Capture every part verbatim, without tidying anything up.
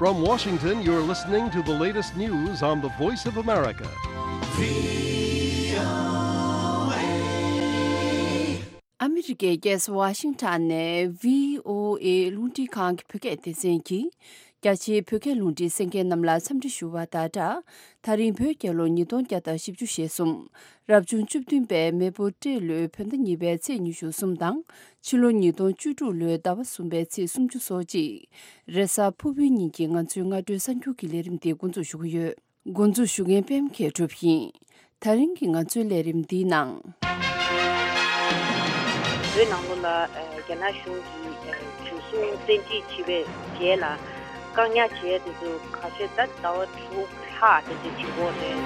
From Washington, you're listening to the latest news on the Voice of America. ཨ་མི་རི་ཀའི་རྒྱལ་ས་ཝ་ཤིང་ཊོན་ནས་བྷི་ཨོ་ཨེ་རླུང་འཕྲིན་ཁང་གི་བོད་སྐད་སྡེ་ཚན་གྱིས། རྒྱ་ཆེའི་བོད་སྐད་རླུང་འཕྲིན་གསན་མཁན་རྣམས་ལ་འཚམས་འདྲི་ཞུ་བ་དང་སྦྲགས། ད་རིང་བོད་རྒྱལ་ལོ་ཉིས་སྟོང་བརྒྱ་དང་བཞི་བཅུ་ཞེ་གསུམ། རབ་བྱུང་བཅུ་བདུན་པའི་མེ་ཕོ་སྤྲེལ་ལོའི་བོད་ཟླ་གཉིས་པའི་ཚེས་ཉི་ཤུ་གསུམ་དང་། ཕྱི་ལོ་ཉིས་སྟོང་བཅུ་དྲུག་ལོའི་ཟླ་བ་གསུམ་པའི་ཚེས་སུམ་ཅུ་སོ་གཅིག་རེས་གཟའ་ཕུར་བུའི་ཉིན་གྱི་ང་ཚོའི་སྔ་དྲོའི་གསར་འགྱུར་གྱི་ལས་རིམ་འདི་འགོ་འཛུགས་ཞུ་གི་ཡོད། འགོ་འཛུགས་ཞུ་མཁན་པད་མ་མཁས་གྲུབ་ཡིན། ད་རིང་གི་ང་ཚོའི་ལས་རིམ་འདིའི་ནང་། བོད་ནང་ལོགས་ལ་ཨ་རྒྱ་ནག་གཞུང་གིས་ཨ་འཇུ་བཟུང་བཙན་ཁྲིད་བྱས་པའི་རྗེས་ལ་བཀག་ཉར་བྱས་དེ་ཚོ་ཁ་ཤས་ད་ཟླ་བ་དྲུག་ལྷག་དེ་འདྲ་བྱེད་ཀྱི་ཡོད་རེད།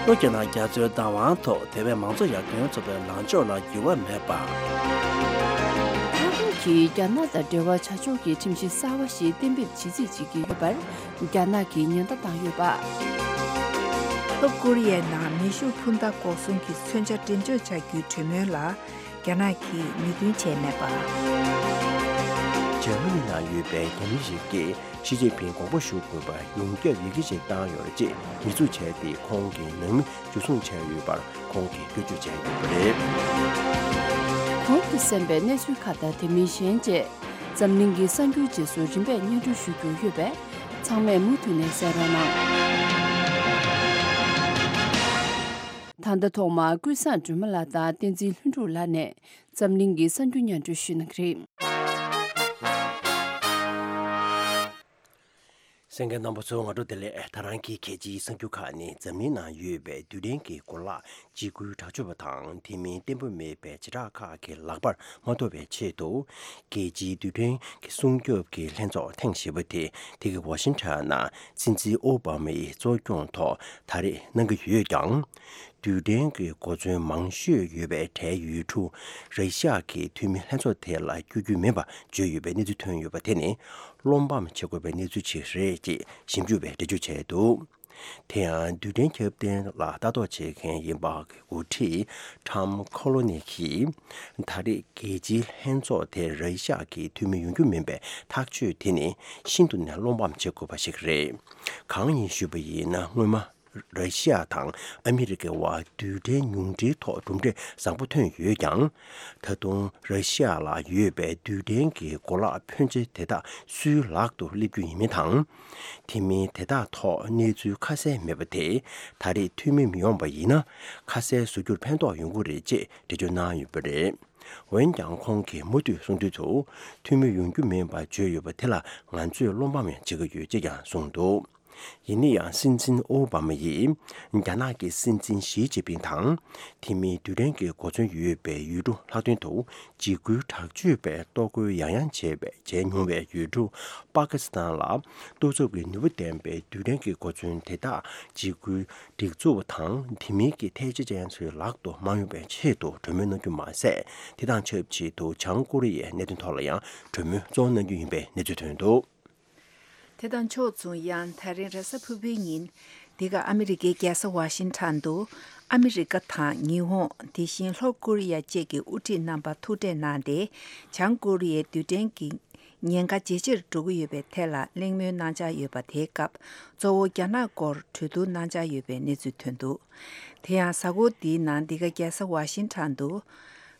ལྷོ་རྒྱ་ནག་རྒྱ་མཚོའི་བདག་དབང་ཐོག་ཐེ་ཝན་མང་གཙོ་ཡར་ཐོན་ཚོགས་པའི་ལངས་ཕྱོགས་ལ་འགྱུར་བ་མེད་པ། ཐའེ་ཝན་གྱིས་རྒྱ་ནག་དང་འབྲེལ་བ་བྱ་ཕྱོགས་ཀྱི་ཁྲིམས་གཞི་གསར་བ་ཞིག་གཏན་འབེབས་བྱེད་རྩིས་བྱེད་ཀྱི་ཡོད་པར་རྒྱ་ནག་གིས་ཉེན་བརྡ་བཏང་ཡོད་པ། ལྷོ་ཀོ་རི་ཡའི་ནང་མེ་ཤུགས་འཕུར་མདའ་འགོག་སྲུང་གི་མཚོན་ཆ་འགྲེམས་འཇོག་བྱ་རྒྱུའི་གྲོས་མོལ་ལ་རྒྱ་ནག་གིས་མོས་མཐུན་བྱས་མེད་པ། འཇར་མ་ནི་ནང་ཡོད་པའི་རྒྱ་མི་ཞིག་གིས་ཞི་ཅིན་ཕིང་དགོངས་པ་ཞུ་དགོས་པར་ཡོངས་ཁྱབ་ཡི་གེ་ཞིག་བཏང་ཡོད་རེད་ཅེས་ཉེས་འཛུགས་བྱས་ཏེ། ཁོང་གི་ནང་མི་འཇུ་བཟུང་བྱས་ཡོད་པར་ཁོང་གིས་སྐྱོན་བརྗོད་བྱས་ཡོད་པ་རེད། གོང་དུ་གསན་པའི་གནས་ཚུལ་ཁག་དང་དེ་མིན་གཞན་བཅས་འཛམ་གླིང་གི་གསར་འགྱུར་རྗེས་སུ་རིམ་པས་སྙན་སྒྲོན་ཞུ་རྒྱུ་ཡོད་པས་ཚང་མས་མུ་མཐུད་ནས་གསན་རོགས་གནང་། ད་ལྟ་ཐོག་མར་ཀུན་བཟང་སྒྲོལ་མ་ལགས་དང་བསྟན་འཛིན་ལྷུན་གྲུབ་ལགས་ནས་འཛམ་གླིང་གི་གསར་འགྱུར་སྙན་སྒྲོན་ཞུ་གནང་གི་རེད། གསན་མཁན་རྣམ་པ་ཚོ་སྔ་དྲོ་བདེ་ལེགས། ད་རང་གི་གལ་ཆེའི་གསར་འགྱུར་ཁག་ནི་འཛམ་གླིང་ནང་ཡོད་པའི་རྡུལ་ཕྲན་གྱི་གོ་ལག་འཇིགས་སྐུལ་དྲག་སྤྱོད་པ་དང་དེ་མིན་བརྟན་པོ་མེད་པའི་བྱེ་བྲག་ཁག་གི་ལག་པར་མ་ཐོབ་པའི་ཆེད་དུ། རྒྱལ་སྤྱིའི་རྡུལ་ཕྲན་གྱི་སྲུང་སྐྱོབ་ཀྱི་ལྷན་ཚོགས་ཐེངས་བཞི་པ་དེ་དེ་གའི་ཝ་ཤིང་ཊོན་ནང་སྲིད་འཛིན་ཨོ་བྷ་མ་ཡི་གཙོ་སྐྱོང་ཐོག་ད་རེས་གནང་གི་ཡོད་ཀྱང་། རྡུལ་ཕྲན་གྱི་གོ་མཚོན་མང་ཤོས་ཡོད་པའི་གྲས་ཡུལ་གྲུ་ར་ཤི་ཡ་གི་འཐུས་མི་ལྷན་ཚོགས་དེ་ལ་བསྐྱོད་རྒྱུ་མིན་པ་བརྗོད་ཡོད་པའི་གནས་ཚུལ་ཐོན་ཡོད་པ་དེ་ནི་བློ་ཕམ་བྱེད་དགོས་པའི་གནས་ཚུལ་ཞིག་རེད་ཅེས་ཞིབ་འཇུག་པས་འགྲེལ་བརྗོད་བྱས་འདུག་དེ་ཡང་རྡུལ་ཕྲན་ཁྱབ་གདལ་ལ་ལྟ་རྟོག་བྱེད་མཁན་ཡིན་པ་གི་འགོ་ཁྲིད་ཊམ་ཁོ་ལོ་ནི་གིས་ད་རེས་རྒྱལ་སྤྱིའི་ལྷན་ཚོགས་དེར་ར་ཤི་ཡ་གི་འཐུས་མི་ཡོང་རྒྱུ་མིན་པའི་ཐག་གཅོད་དེ་ནི་ཤིན་ཏུ་ནས་བློ་ཕམ་བྱེད་དགོས་པ་ཞིག་རེད། གང་ཡིན་ཞུས་པ་ཡིན་ན་སྔོན་མ། ར་ཤི་ཡ་དང་ཨ་མི་རི་ཀའི་དབར་རྡུལ་ཕྲན་ཉུང་འཕྲིའི་ཐོག་གྲུབ་འབྲས་བཟང་པོ་ཐོན་ཡོད་ཀྱང་། ད་དུང་ར་ཤི་ཡ་ལ་ཡོད་པའི་རྡུལ་ཕྲན་གྱི་གོ་ལག་ཕོན་ཆེ་དེ་དག་སུའི་ལག་ཏུ་སླེབས་རྒྱུ་ཡིན་མིན་དང་། དེ་མིན་དེ་དག་ཐོག་གནས་ཚུལ་ཁ་གསལ་མེད་པ་དེས་ད་རེས་འཐུས་མི་མི་ཡོང་པ་ཡིན་ན་ཁ་གསལ་བཟོ་རྒྱུར་ཕན་ཐོགས་ཡོང་གི་རེད་ཅེས་འགྲེལ་བརྗོད་གནང་ཡོད་པ་རེད། འོན་ཀྱང་ཁོང་གིས་མུ་མཐུད་གསུང་དུས་སུ་འཐུས་མི་ཡོང་རྒྱུ་མིན་པ་བརྗོད་ཡོད་པ་དེ་ལ་ང་ཚོས་བློ་ཕམ་བྱེད་ཀྱི་ཡོད་ཅེས་ཀྱང་གསུངས་འདུག་ཡིན་ན་ཡང་སྲིད་འཛིན་ཨོ་བྷ་མ་ཡིས་རྒྱ་ནག་གི་སྲིད་འཛིན་ཞི་ཅིན་ཕིང་དང་དེ་མིན་རྡུལ་ཕྲན་གྱི་གོ་མཚོན་ཡོད་པའི་ཡུལ་གྲུ་ལྷག་དོན་དུ་འཇིགས་སྐུལ་དྲག་སྤྱོད་པས་གཏོར་རྒོལ་ཡང་ཡང་བྱས་པའི་བྱས་མྱོང་བའི་ཡུལ་གྲུ་པ་ཀི་སི་ཐན་ལ་གཏོར་ཚབ་ཀྱི་ནུས་པ་ལྡན་པའི་རྡུལ་ཕྲན་གྱི་གོ་མཚོན་དེ་དག་འཇིགས་སྐུལ་སྒྲིག་འཛུགས་དང་དེ་མིན་གྱི་ཐལ་ཆ་ཅན་ཚོའི་ལག་ཏུ་མ་ཡོང་བའི་ཆེད་དུ་གྲོས་མོལ་གནང་རྒྱུ་མ་ཟད། དེ་དང་ཆབས་ཅིག་ཏུ་བྱང་ཀོ་རི་ཡའི་གནད་དོན་ཐོག་ལ་ཡང་གྲོས་མོལ་གཙོ་བོ་གནང་རྒྱུ་ཡིན་པའི་གནས་ཚུལ་ཐོན་འདུག་དེ་དང་ཕྱོགས་མཚུངས་ཡང་ད་རིང་རེས་གཟའ་ཕུར་བུའི་ཉིན་འདི་ག་ཨ་མི་རི་ཀའི་རྒྱལ་ས་ཝ་ཤིང་ཊོན་དུ་ཨ་མི་རི་ཀ་དང་ཉི་ཧོང་དེ་བཞིན་ལྷོ་ཀོ་རི་ཡ་བཅས་ཀྱི་དབུ་ཁྲིད་རྣམ་པ་ཐུག་འཕྲད་གནང་སྟེ་བྱང་ཀོ་རི་ཡའི་རྡུལ་ཕྲན་གྱི་ཉེན་ཁ་ཇེ་ཆེར་འགྲོ་གི་ཡོད་པའི་ཐད་ལ་གླེང་མོལ་གནང་འཆར་ཡོད་པ་དེའི་སྐབས་གཙོ་བོ་རྒྱ་ནག་སྐོར་གྲོས་བསྡུར་གནང་འཆར་ཡོད་པའི་གནས་ཚུལ་ཐོན་འདུག་དེ་ཡང་གཟའ་འཁོར་འདིའི་ནང་འདི་ག་རྒྱལ་ས་ཝ་ཤིང་ཊོན་དུ།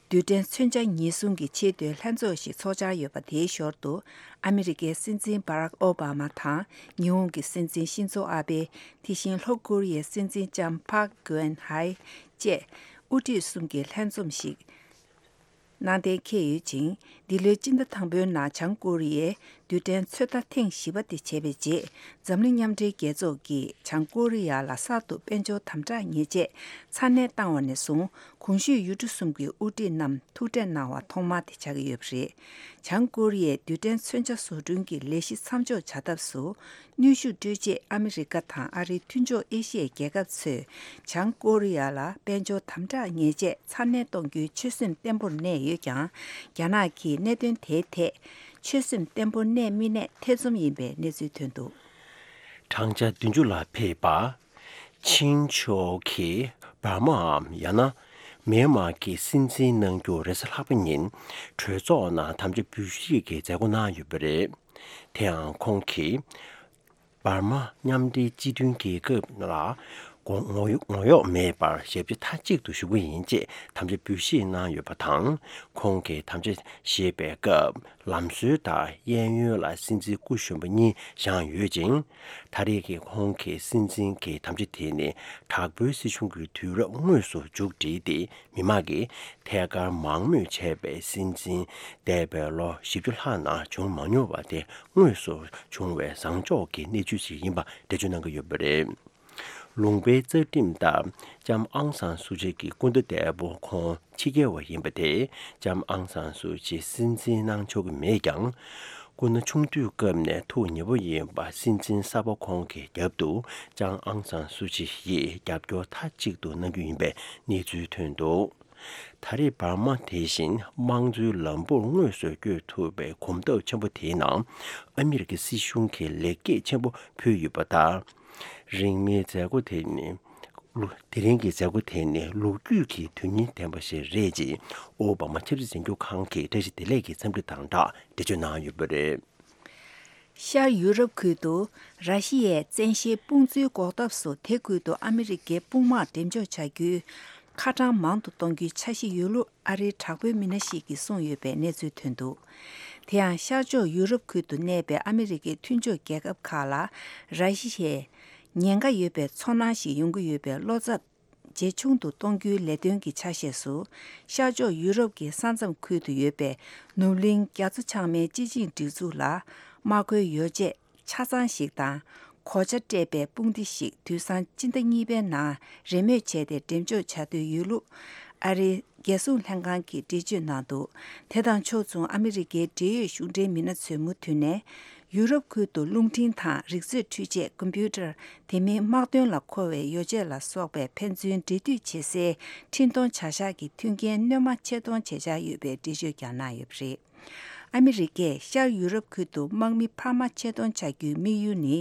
རྡུལ་ཕྲན་མཚོན་ཆ་ཉེན་སྲུང་གི་ཆེས་མཐོའི་ལྷན་ཚོགས་ཤིག་ཚོགས་འཆར་ཡོད་པ་དེའི་ཞོར་དུ། ཨ་མི་རི་ཀའི་སྲིད་འཛིན་བྷ་རག་ཨོ་བྷ་མ་དང་། ཉི་ཧོང་གི་སྲིད་འཛིན་ཤིན་ཛོ་ཨ་བྷེ། དེ་བཞིན་ལྷོ་ཀོ་རི་ཡའི་སྲིད་འཛིན་ལྕམ་ཕག་གུ་ཨེན་ཧའེ་བཅས་དབུ་ཁྲིད་གསུམ་གྱི་ལྷན་འཛོམས་ཤིག་གནང་གཏན་འཁེལ་ཡོད་ཅིང་། འདི་ལོའི་སྤྱི་ཟླ་དང་པོའི་ནང་བྱང་ཀོ་རི་ཡས་རྡུལ་ཕྲན་ཚོད་ལྟ་ཐེངས་བཞི་པ་དེ་བྱས་པའི་རྗེས། འཛམ་གླིང་མཉམ་འབྲེལ་རྒྱལ་ཚོགས་ཀྱིས་བྱང་ཀོ་རི་ཡ་ལ་གསར་དུ་དཔལ་འབྱོར་དམ་དྲག་ཉེས་ཆད་ཚ་ནན་བཏང་བ་ནས་བཟུང་། གོང་ཞུས་ཡུལ་གྲུ་གསུམ་གྱི་དབུ་ཁྲིད་རྣམས་ཐུག་འཕྲད་གནང་བ་ཐོག་མ་དེ་ཆགས་ཀྱི་ཡོད་པ་རེད། བྱང་ཀོ་རི་ཡས་རྡུལ་ཕྲན་མཚོན་ཆ་བཟོ་སྐྲུན་གྱི་ལས་གཞི་མཚམས་འཇོག་བྱ་ཐབས་སུ། གནོན་ཤུགས་སྤྲོད་ཆེད་ཨ་མི་རི་ཀ་དང་ཨ་རིའི་མཐུན་ཕྱོགས་ཨེ་ཤི་ཡའི་རྒྱལ་ཁབ་ཚོས་བྱང་ཀོ་རི་ཡ་ལ་དཔལ་འབྱོར་དམ་དྲག་ཉེས་ཆད་ཚ་ནན་གཏོང་རྒྱུའི་ཆོད་སེམས་བརྟན་པོར་གནས་ཡོད་ཀྱང་། རྒྱ་ནག་གིས་གནད་དོན་དེའི་ཐད་ཆོད་སེམས་བརྟན་པོ་གནས་མི་གནས་ཐེ་ཚོམ་ཡིན་པའི་གནས་ཚུལ་ཐོན་འདུག་བགྲང་བྱ་བདུན་ཅུ་ལ་ཕེབས་པ། ཆིན་ཕྱོགས་ཀྱིས་འབར་མའམ་ཡང་ན་མེན་མར་གྱི་སྲིད་འཛིན་གནང་རྒྱུ་རེས་གཟའ་ལྷག་པ་ཉིན་གྲོས་ཚོགས་ནང་དམ་བཅའ་འབུལ་བཞེས་ཀྱི་མཛད་སྒོ་གནང་ཡོད་པ་རེད། དེ་ཡང་ཁོང་གིས། འབར་མ་མཉམ་འབྲེལ་སྤྱི་མཐུན་རྒྱལ་ཁབ་ལ་ངོ་ངོ་གཡོག་མེད་པར་ཞབས་ཕྱི་མཐའ་གཅིག་ཏུ་ཞུ་གི་ཡིན་ཅེས་དམ་བཅའ་འབུལ་བཞེས་གནང་ཡོད་པ་དང་། ཁོང་གིས་དམ་བཅའ་བཞེས་པའི་སྐབས་ལམ་སྲོལ་ལྟར་གཡས་གཡོན་ལ་སྲིད་འཛིན་སྐུ་གཞོན་པ་གཉིས་བཞེངས་ཡོད་ཅིང་། ད་རེས་ཀྱི་ཁོང་གི་སྲིད་འཛིན་གྱི་དམ་བཅའ་དེ་ནི་དྲག་པོའི་སྲིད་གཞུང་གི་དུས་རབས་དངོས་སུ་མཇུག་བསྒྲིལ་ཏེ། མི་དམངས་ཀྱིས་ཐད་ཀར་མང་མོས་བྱས་པའི་སྲིད་འཛིན་འདས་པའི་ལོ་བཞི་བཅུ་ལྷག་ནང་བྱུང་མ་མྱོང་བ་དེ་དངོས་སུ་བྱུང་བའི་བཟང་ཕྱོགས་ཀྱི་གནས་ཚུལ་ཞིག་ཡིན་པ་འགྲེལ་བརྗོད་གནང་གི་ཡོད་པ་རེད། ལུང་པའི་རྩ་ཁྲིམས་ལྟར་ལྕམ་ཨང་སང་སུ་ཅི་གི་སྐུ་ཟླ་འདས་པོ་ཁོང་ཕྱི་རྒྱལ་བ་ཡིན་པ་དེས་ལྕམ་ཨང་སང་སུ་ཅི་སྲིད་འཛིན་གནང་ཆོག་གི་མེད་ཀྱང་། སྐུ་ན་ཆུང་དུས་སྐབས་ནས་ཐུགས་ཉེ་པོ་ཡིན་པ་སྲིད་འཛིན་གསར་པ་ཁོང་གི་རྒྱབ་ཏུ་ལྕམ་ཨང་སང་སུ་ཅི་ཡིས་རྒྱབ་སྐྱོར་མཐའ་གཅིག་ཏུ་གནང་རྒྱུ་ཡིན་པའི་གནས་ཚུལ་ཐོན་འདུག་ད་རེས་འབར་མ་དེ་བཞིན་དམངས་གཙོའི་ལམ་བུར་དངོས་སུ་བསྐྱོད་ཐུབ་པའི་གོམ་སྟབས་ཆེན་པོ་དེའི་ནང་ཨ་མི་རི་ཀའི་སྲིད་གཞུང་གིས་ལེགས་སྐྱེས་ཆེན་པོ་ཕུལ་ཡོད་པ་དང་། རིང་མིན་མཛད་སྒོ་དེ་ནི་ལོ། དེ་རིང་གི་མཛད་སྒོ་དེ་ནི་ལོ་རྒྱུས་ཀྱི་དོན་སྙིང་ལྡན་པ་ཞིག་རེད་ཅེས་ཨོ་བྷ་མ་ཆབ་སྲིད་འཛིན་སྐྱོང་ཁང་གི་བཀྲ་ཤིས་བདེ་ལེགས་ཀྱི་འཚམས་འདྲི་དང་སྦྲགས་འགྲེལ་བརྗོད་གནང་ཡོད་པ་རེད། ཤར་ཡུ་རོབ་ཁུལ་དུ་ར་ཤི་ཡའི་བཙན་ཤེད་དཔུང་འཛུལ་འགོག་ཐབས་སུ་དེ་ཁུལ་དུ་ཨ་མི་རི་ཀའི་དཔུང་དམག་འགྲེམས་འཇོག་བྱ་རྒྱུའི་ཁ་གྲངས་མང་དུ་གཏོང་རྒྱུའི་འཆར་གཞི་ཡོད་ལུགས་ཨ་རིའི་དྲག་པོའི་མི་སྣ་ཞིག་གིས་གསུངས་ཡོད་པའི་གནས་ཚུལ་ཐོན་འདུག་དེ་ཡང་ཤར་ཕྱོགས་ཡུ་རོབ་ཁུལ་དུ་གནས་པའི་ཨ་མི་རི་ཀའི་མཐུན་ཕྱོགས་རྒྱལ་ཁབ་ཁག་ལ་ར་ཤི་ཡའི་ཉེན་ཁ་ཡོད་པའི་ཚོར་སྣང་ཞིག་ཡོང་གི་ཡོད་པའི་བློ་འཚབ་ཇེ་ཆུང་དུ་གཏོང་རྒྱུའི་ལས་དོན་གྱི་ཆ་ཤས་སུ། ཤར་ཕྱོགས་ཡུ་རོབ་ཀྱི་ས་མཚམས་ཁུལ་དུ་ཡོད་པའི་ནུབ་གླིང་རྒྱ་མཚོ་བྱང་མའི་སྤྱི་ཆིངས་སྒྲིག་འཛུགས་ལ་དམག་མཁོའི་ཡོ་བྱད་ཆ་ཚང་ཞིག་དང་། གོ་ཆ་སྤྲས་པའི་དཔུང་སྡེ་ཞིག་དུས་སང་སྤྱི་ཟླ་གཉིས་པའི་ནང་རེས་མོས་བྱས་ཏེ་འགྲེམས་འཇོག་བྱ་འདོད་ཡོད་ལུགས་ཨ་རིའི་རྒྱལ་སྲུང་ལྷན་ཁང་གིས་འགྲེལ་བརྗོད་གནང་འདུག་དེ་དང་ཕྱོགས་མཚུངས་ཨ་མི་རི་ཀའི་འབྲེལ་ཡོད་གཞུང་འབྲེལ་མི་སྣ་ཚོས་མུ་མཐུད་ནས། ཡུ་རོབ་ཁུལ་དུ་རླུང་འཕྲིན་དང་རིག་མཛོད་འཕྲུལ་ཆས་ཀམ་པུ་ཊར། དེ་མིན་དམག་དོན་ལ་མཁོ་བའི་ཡོ་བྱད་ལ་སོགས་པའི་ཕན་ཚུན་འབྲེལ་མཐུད་བྱེད་སའི་འཕྲིན་གཏོང་བྱ་གཞག་གི་མཐུན་རྐྱེན་སྣོན་མ་ཆེད་གཏོང་བྱེད་འཆར་ཡོད་པའི་འགྲེལ་བརྗོད་ཀྱང་གནང་ཡོད་པ་རེད། ཨ་མི་རི་ཀས་ཤར་ཡུ་རོབ་ཁུལ་དུ་དམག་མི་འཕར་མ་ཆེད་གཏོང་བྱ་རྒྱུའི་དམིགས་ཡུལ་ནི།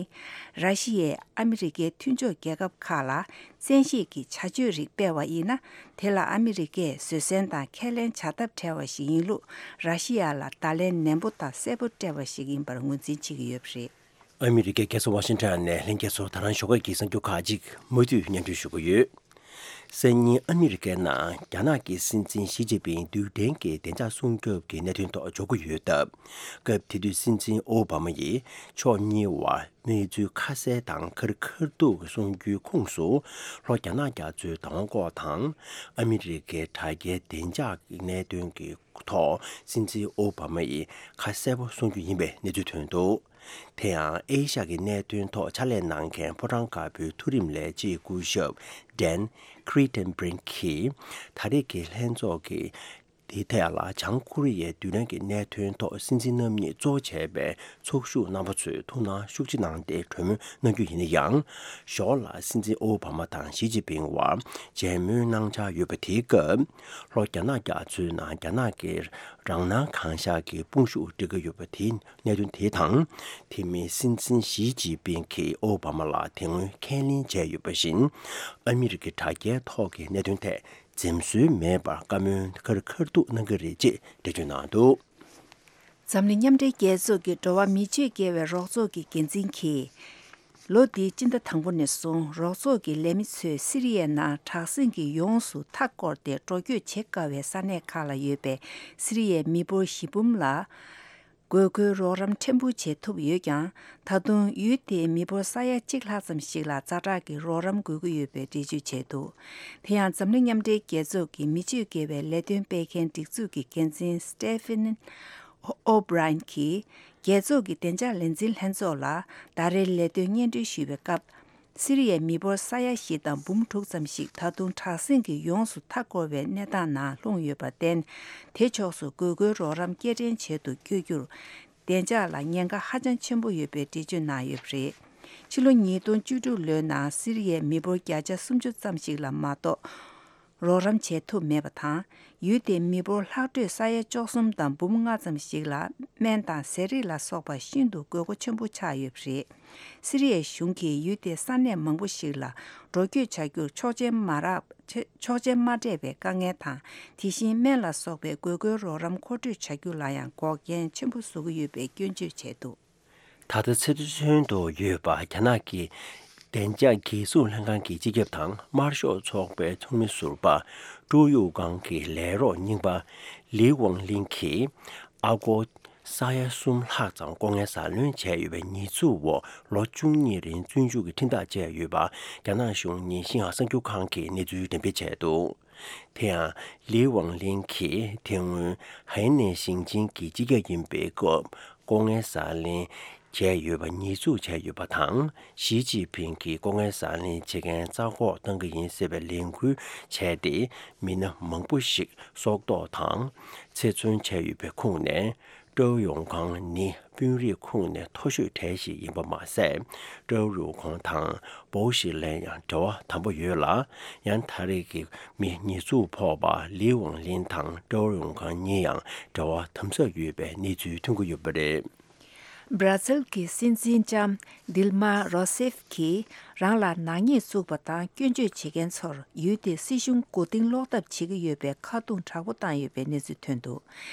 ར་ཤི་ཡས་ཨ་མི་རི་ཀའི་མཐུན་ཕྱོགས་རྒྱལ་ཁབ་ཁག་ལ་བཙན་ཤེད་ཀྱི་བྱ་སྤྱོད་རིགས་སྤེལ་བ་ཡིན་ན། དེ་ལ་ཨ་མི་རི་ཀས་བཟོད་བསྲན་དང་ཁས་ལེན་བྱ་ཐབས་བྲལ་བ་ཞིག་ཡིན་ལུགས་ར་ཤི་ཡ་ལ་བརྡ་ལན་ནན་པོ་དང་གསལ་པོ་སྤྲད་པ་ཞིག་ཡིན་པར་ངོས་འཛིན་བྱེད་ཀྱི་ཡོད་པ་རེད། ཨ་མི་རི་ཀའི་རྒྱལ་ས་ཝ་ཤིང་ཊོན་ནས་ལྷན་རྒྱས་ཚོ་ད་རང་ཞོགས་ཀས་ཀྱི་གསར་འགྱུར་ཁག་ཅིག་མུ་མཐུད་སྙན་སྒྲོན་ཞུ་གི་ཡོད། སང་ཉིན་ཨ་མི་རི་ཀའི་ནང་རྒྱ་ནག་གི་སྲིད་འཛིན་ཞི་ཅིན་ཕིང་རྡུལ་ཕྲན་གྱི་བདེ་འཇགས་སྲུང་སྐྱོབ་ཀྱི་གནད་དོན་ཐོག་འཇོག་གི་ཡོད་སྟབས། སྐབས་དེ་དུས་སྲིད་འཛིན་ཨོ་བྷ་མ་ཡིས་ཕྱོགས་གཉིས་བར་གནས་ཚུལ་ཁ་གསལ་དང་ཁ་རི་ཁ་ཐུག་གསུང་རྒྱུའི་ཁོངས་སུ། ལྷོ་རྒྱ་ནག་རྒྱ་མཚོའི་བདག་དབང་སྐོར་དང་། ཨ་མི་རི་ཀའི་དྲ་རྒྱའི་བདེ་འཇགས་ཀྱི་གནད་དོན་གྱི་ཐོག་སྲིད་འཛིན་ཨོ་བྷ་མ་ཡིས་ཁ་གསལ་པོ་གསུང་རྒྱུ་ཡིན་པའི་གནས་ཚུལ་ཐོན་འདུག་དེ་ཡང་ཨེ་ཤ་ཡའི་གནད་དོན་ཐོག་ཕྱག་ལས་གནང་མཁན་ཕོ་བྲང་དཀར་པོའི་མཐོ་རིམ་ལས་བྱེད་སྐུ་ཞབས་ཌན་ཁི་རི་ཊན་བྷི་རིན་གྱིས་ད་རེས་ཀྱི་ལྷན་ཚོགས་ཀྱི་དེའི་ཐད་ལ་བྱང་ཀོ་རི་ཡའི་རྡུལ་ཕྲན་གྱི་གནད་དོན་ཐོག་སྲིད་འཛིན་རྣམ་གཉིས་གཙོ་བྱས་པའི་ཚོགས་ཞུགས་རྣམ་པ་ཚོས་ཐུགས་སྣང་ཤུགས་ཆེ་གནང་སྟེ་གྲོས་མོལ་གནང་རྒྱུ་ཡིན་ན་ཡང་། ཞོར་ལ་སྲིད་འཛིན་ཨོ་བྷ་མ་དང་ཞི་ཅིན་ཕིང་བར་མཇལ་མོལ་གནང་འཆར་ཡོད་པ་དེའི་སྐབས། ལྷོ་རྒྱ་ནག་རྒྱ་མཚོའི་ནང་རྒྱ་ནག་གི་རང་སྣང་གང་ཤར་གྱི་དཔུང་ཤུགས་སྒྲིལ་གྱི་ཡོད་པ་དེའི་གནད་དོན་དེ་དང་། དེ་མིན་སྲིད་འཛིན་ཞི་ཅིན་ཕིང་གིས་ཨོ་བྷ་མ་ལ་དེ་སྔོན་ཁས་ལེན་བྱས་ཡོད་པ་བཞིན། ཨ་མི་རི་ཀའི་དྲ་རྒྱའི་ཐོག་གི་གནད་དོན་ཐད་འཛེམ་ཟོན་མེད་པར་བཀའ་མོལ་ཁ་རི་ཁ་ཐུག་གནང་གི་རེད་ཅེས་འགྲེལ་བརྗོད་གནང་འདུག་འཛམ་གླིང་མཉམ་འབྲེལ་རྒྱལ་ཚོགས་ཀྱི་འགྲོ་བ་མིའི་ཆོས་དགེ་བའི་རོགས་ཚོགས་ཀྱི་འགན་འཛིན་གྱིས། ལོ་འདིའི་སྤྱི་ཟླ་དང་པོ་ནས་བཟུང་རོགས་ཚོགས་ཀྱི་ལས་མི་ཚོས་སི་རི་ཡའི་ནང་དྲག་ཟིང་གིས་ཡོངས་སུ་མཐའ་བསྐོར་ཏེ་འགྲོ་སྐྱོད་བྱེད་དཀའ་བའི་ས་གནས་ཁག་ལ་ཡོད་པའི་སི་རི་ཡའི་མི་འབོར་བཞི་འབུམ་ལ། དགོས་མཁོའི་རོགས་རམ་ཕྲན་བུ་བྱེད་ཐུབ་ཡོད་ཀྱང་། ད་དུང་ཡུལ་དེའི་མི་འབོར་ས་ཡ་གཅིག་ལྷག་ཙམ་ཞིག་ལ་ཛ་དྲག་གི་རོགས་རམ་དགོས་ཀྱི་ཡོད་པའི་འགྲེལ་བརྗོད་བྱས་འདུག་དེ་ཡང་འཛམ་གླིང་མཉམ་འབྲེལ་རྒྱལ་ཚོགས་ཀྱི་མི་སྤྱོད་དགེ་བའི་ལས་དོན་སྤེལ་མཁན་སྒྲིག་འཛུགས་ཀྱི་འགན་འཛིན་སི་ཏེ་ཕེ་ནི་ཨོ་བྷི་རའེན་གྱིས། རྒྱལ་ཚོགས་ཀྱི་བདེ་འཇགས་ལས་འཛིན་ལྷན་ཚོགས་ལ་ཟླ་རེའི་ལས་དོན་སྙན་སྒྲོན་ཞུས་པའི་སྐབས། སི་རི་ཡའི་མི་འབོར་ས་ཡ་བཞི་དང་འབུམ་དྲུག་ཙམ་ཞིག་ད་དུང་དྲག་ཟིང་གིས་ཡོངས་སུ་མཐའ་བསྐོར་བའི་གནས་སྟངས་ནང་ལྷུང་ཡོད་པར་བརྟེན། དེ་ཕྱོགས་སུ་དགོས་མཁོའི་རོགས་རམ་སྐྱེལ་འདྲེན་བྱེད་དུ་བསྐྱོད་རྒྱུར། བདེ་འཇགས་ལ་ཉེན་ཁ་ཧ་ཅང་ཆེན་པོ་ཡོད་པའི་འགྲེལ་བརྗོད་གནང་ཡོད་པ་རེད། ཕྱི་ལོ་ཉིས་སྟོང་བཅུ་དྲུག་ལོའི་ནང་སི་རི་ཡའི་མི་འབོར་བརྒྱ་ཆ་སུམ་ཅུ་ཙམ་ཞིག་ལ་མ་གཏོགས། རོགས་རམ་བྱེད་ཐུབ་མེད་པ་དང་། ཡུལ་དེའི་མི་འབོར་ལྷག་འཕྲོས་ས་ཡ་བཅུ་གསུམ་དང་འབུམ་ལྔ་ཙམ་ཞིག་ལ་སྨན་དང་ཟས་རིགས་ལ་སོགས་པ་ཤིན་ཏུ་དགོས་མཁོ་ཆེན་པོ་ཆགས་ཡོད་པ་རེད། སི་རི་ཡའི་གཞུང་གིས་ཡུལ་དེའི་ས་གནས་མང་པོ་ཞིག་ལ་འགྲོ་སྐྱོད་བྱ་རྒྱུར་ཆོག་མཆན་མ་རག་ཆོག་མཆན་མ་སྤྲད་པའི་དཀའ་ངལ་དང་། དེ་བཞིན་སྨན་ལ་སོགས་པའི་དགོས་མཁོའི་རོགས་རམ་མཁོ་སྤྲོད་བྱ་རྒྱུ་ལ་ཡང་འགོག་རྐྱེན་ཆེན་པོ་བཟོ་གི་ཡོད་པའི་སྐྱོན་བརྗོད་བྱས་འདུག་ད་ལྟ་ཚེ་བཙོན་དུ་ཡོད་པ་རྒྱ་ནག་གི་བདེ་འཇགས་རྒྱལ་སྲུང་ལྷན་ཁང་གི་སྤྱི་ཁྱབ་དང་དམར་ཤོག་ཚོགས་པའི་ཚོགས་མི་ཟུར་པ་ཀྲོའུ་ཡུའུ་ཀང་གི་ལས་རོགས་རྙིང་པ་ལི་ཝང་ལིན་གྱིས་ཨ་སྒོར་ས་ཡ་གསུམ་ལྷག་ཙམ་ལྐོག་རྔན་ཟ་ལེན་བྱས་ཡོད་པའི་ཉེས་འཛུགས་འོག་ལོ་བཅུ་གཉིས་རིང་བཙོན་འཇུག་གི་ཁྲིམས་ཐག་བཅད་ཡོད་པ་རྒྱ་ནག་གཞུང་ཉིན་ཤིན་ཧྭ་གསར་འགྱུར་ཁང་གིས་གནས་ཚུལ་འགྲེམས་སྤེལ་བྱས་འདུག་དེ་ཡང་ལི་ཝང་ལིན་གྱིས་དེ་སྔོན་ཧའེ་ནན་ཞིང་ཆེན་གྱི་སྤྱི་ཁྱབ་ཡིན་པའི་སྐབས་ལྐོག་རྔན་ཟ་ལེན་བྱས་ཡོད་པ་ཉེས་འཛུགས་བྱས་ཡོད་པ་དང་། ཞི་ཅིན་ཕིང་གིས་ལྐོག་རྔན་ཟ་ལེན་བྱེད་མཁན་རྩ་འགོག་གཏང་གི་ཡིན་ཟེར་བའི་ལས་འགུལ་བྱས་ཏེ། མི་སྣ་མང་པོ་ཞིག་སྲོག་ཐོག་དང་ཚེ་བཙོན་བྱས་ཡོད་པའི་ཁོངས་ནས། ཀྲོའུ་ཡུའུ་ཀང་ནི་དཔོན་རིགས་ཁོངས་ནས་མཐོ་ཤོས་གྲས་ཤིག་ཡིན་པ་མ་ཟད། ཀྲོའུ་ཡུའུ་ཀང་དང་པོའུ་ཞི་ལན་ཡང་འབྲེལ་བ་དམ་པོ་ཡོད་ལ། ཡང་ད་རེས་ཀྱི་མི་ཉེས་འཛུགས་ཕོག་པ་ལི་ཝང་ལིན་དང་ཀྲོའུ་ཡུའུ་ཀང་གཉིས་ཡང་འབྲེལ་བ་དམ་ཟབ་ཡོད་པའི་གནས་ཚུལ་ཐོན་གྱི་ཡོད་པ་རེད། སྦྲ་ཛིལ་གྱི་སྲིད་འཛིན་ལྕམ་དིལ་མ་རོ་སེབ་ཀྱིས་རང་ལ་ནག་ཉེས་བཙུགས་པ་དང་སྐྱོན་བརྗོད་བྱེད་མཁན་ཚོར་ཡུལ་དེའི་སྲིད་གཞུང་མགོ་རྟིང་སློག་ཐབས་བྱེད་ཀྱི་ཡོད་པའི་ཁ་རྡུང་དྲག་པོ་བཏང་ཡོད་པའི་གནས་ཚུལ་ཐོན་འདུག་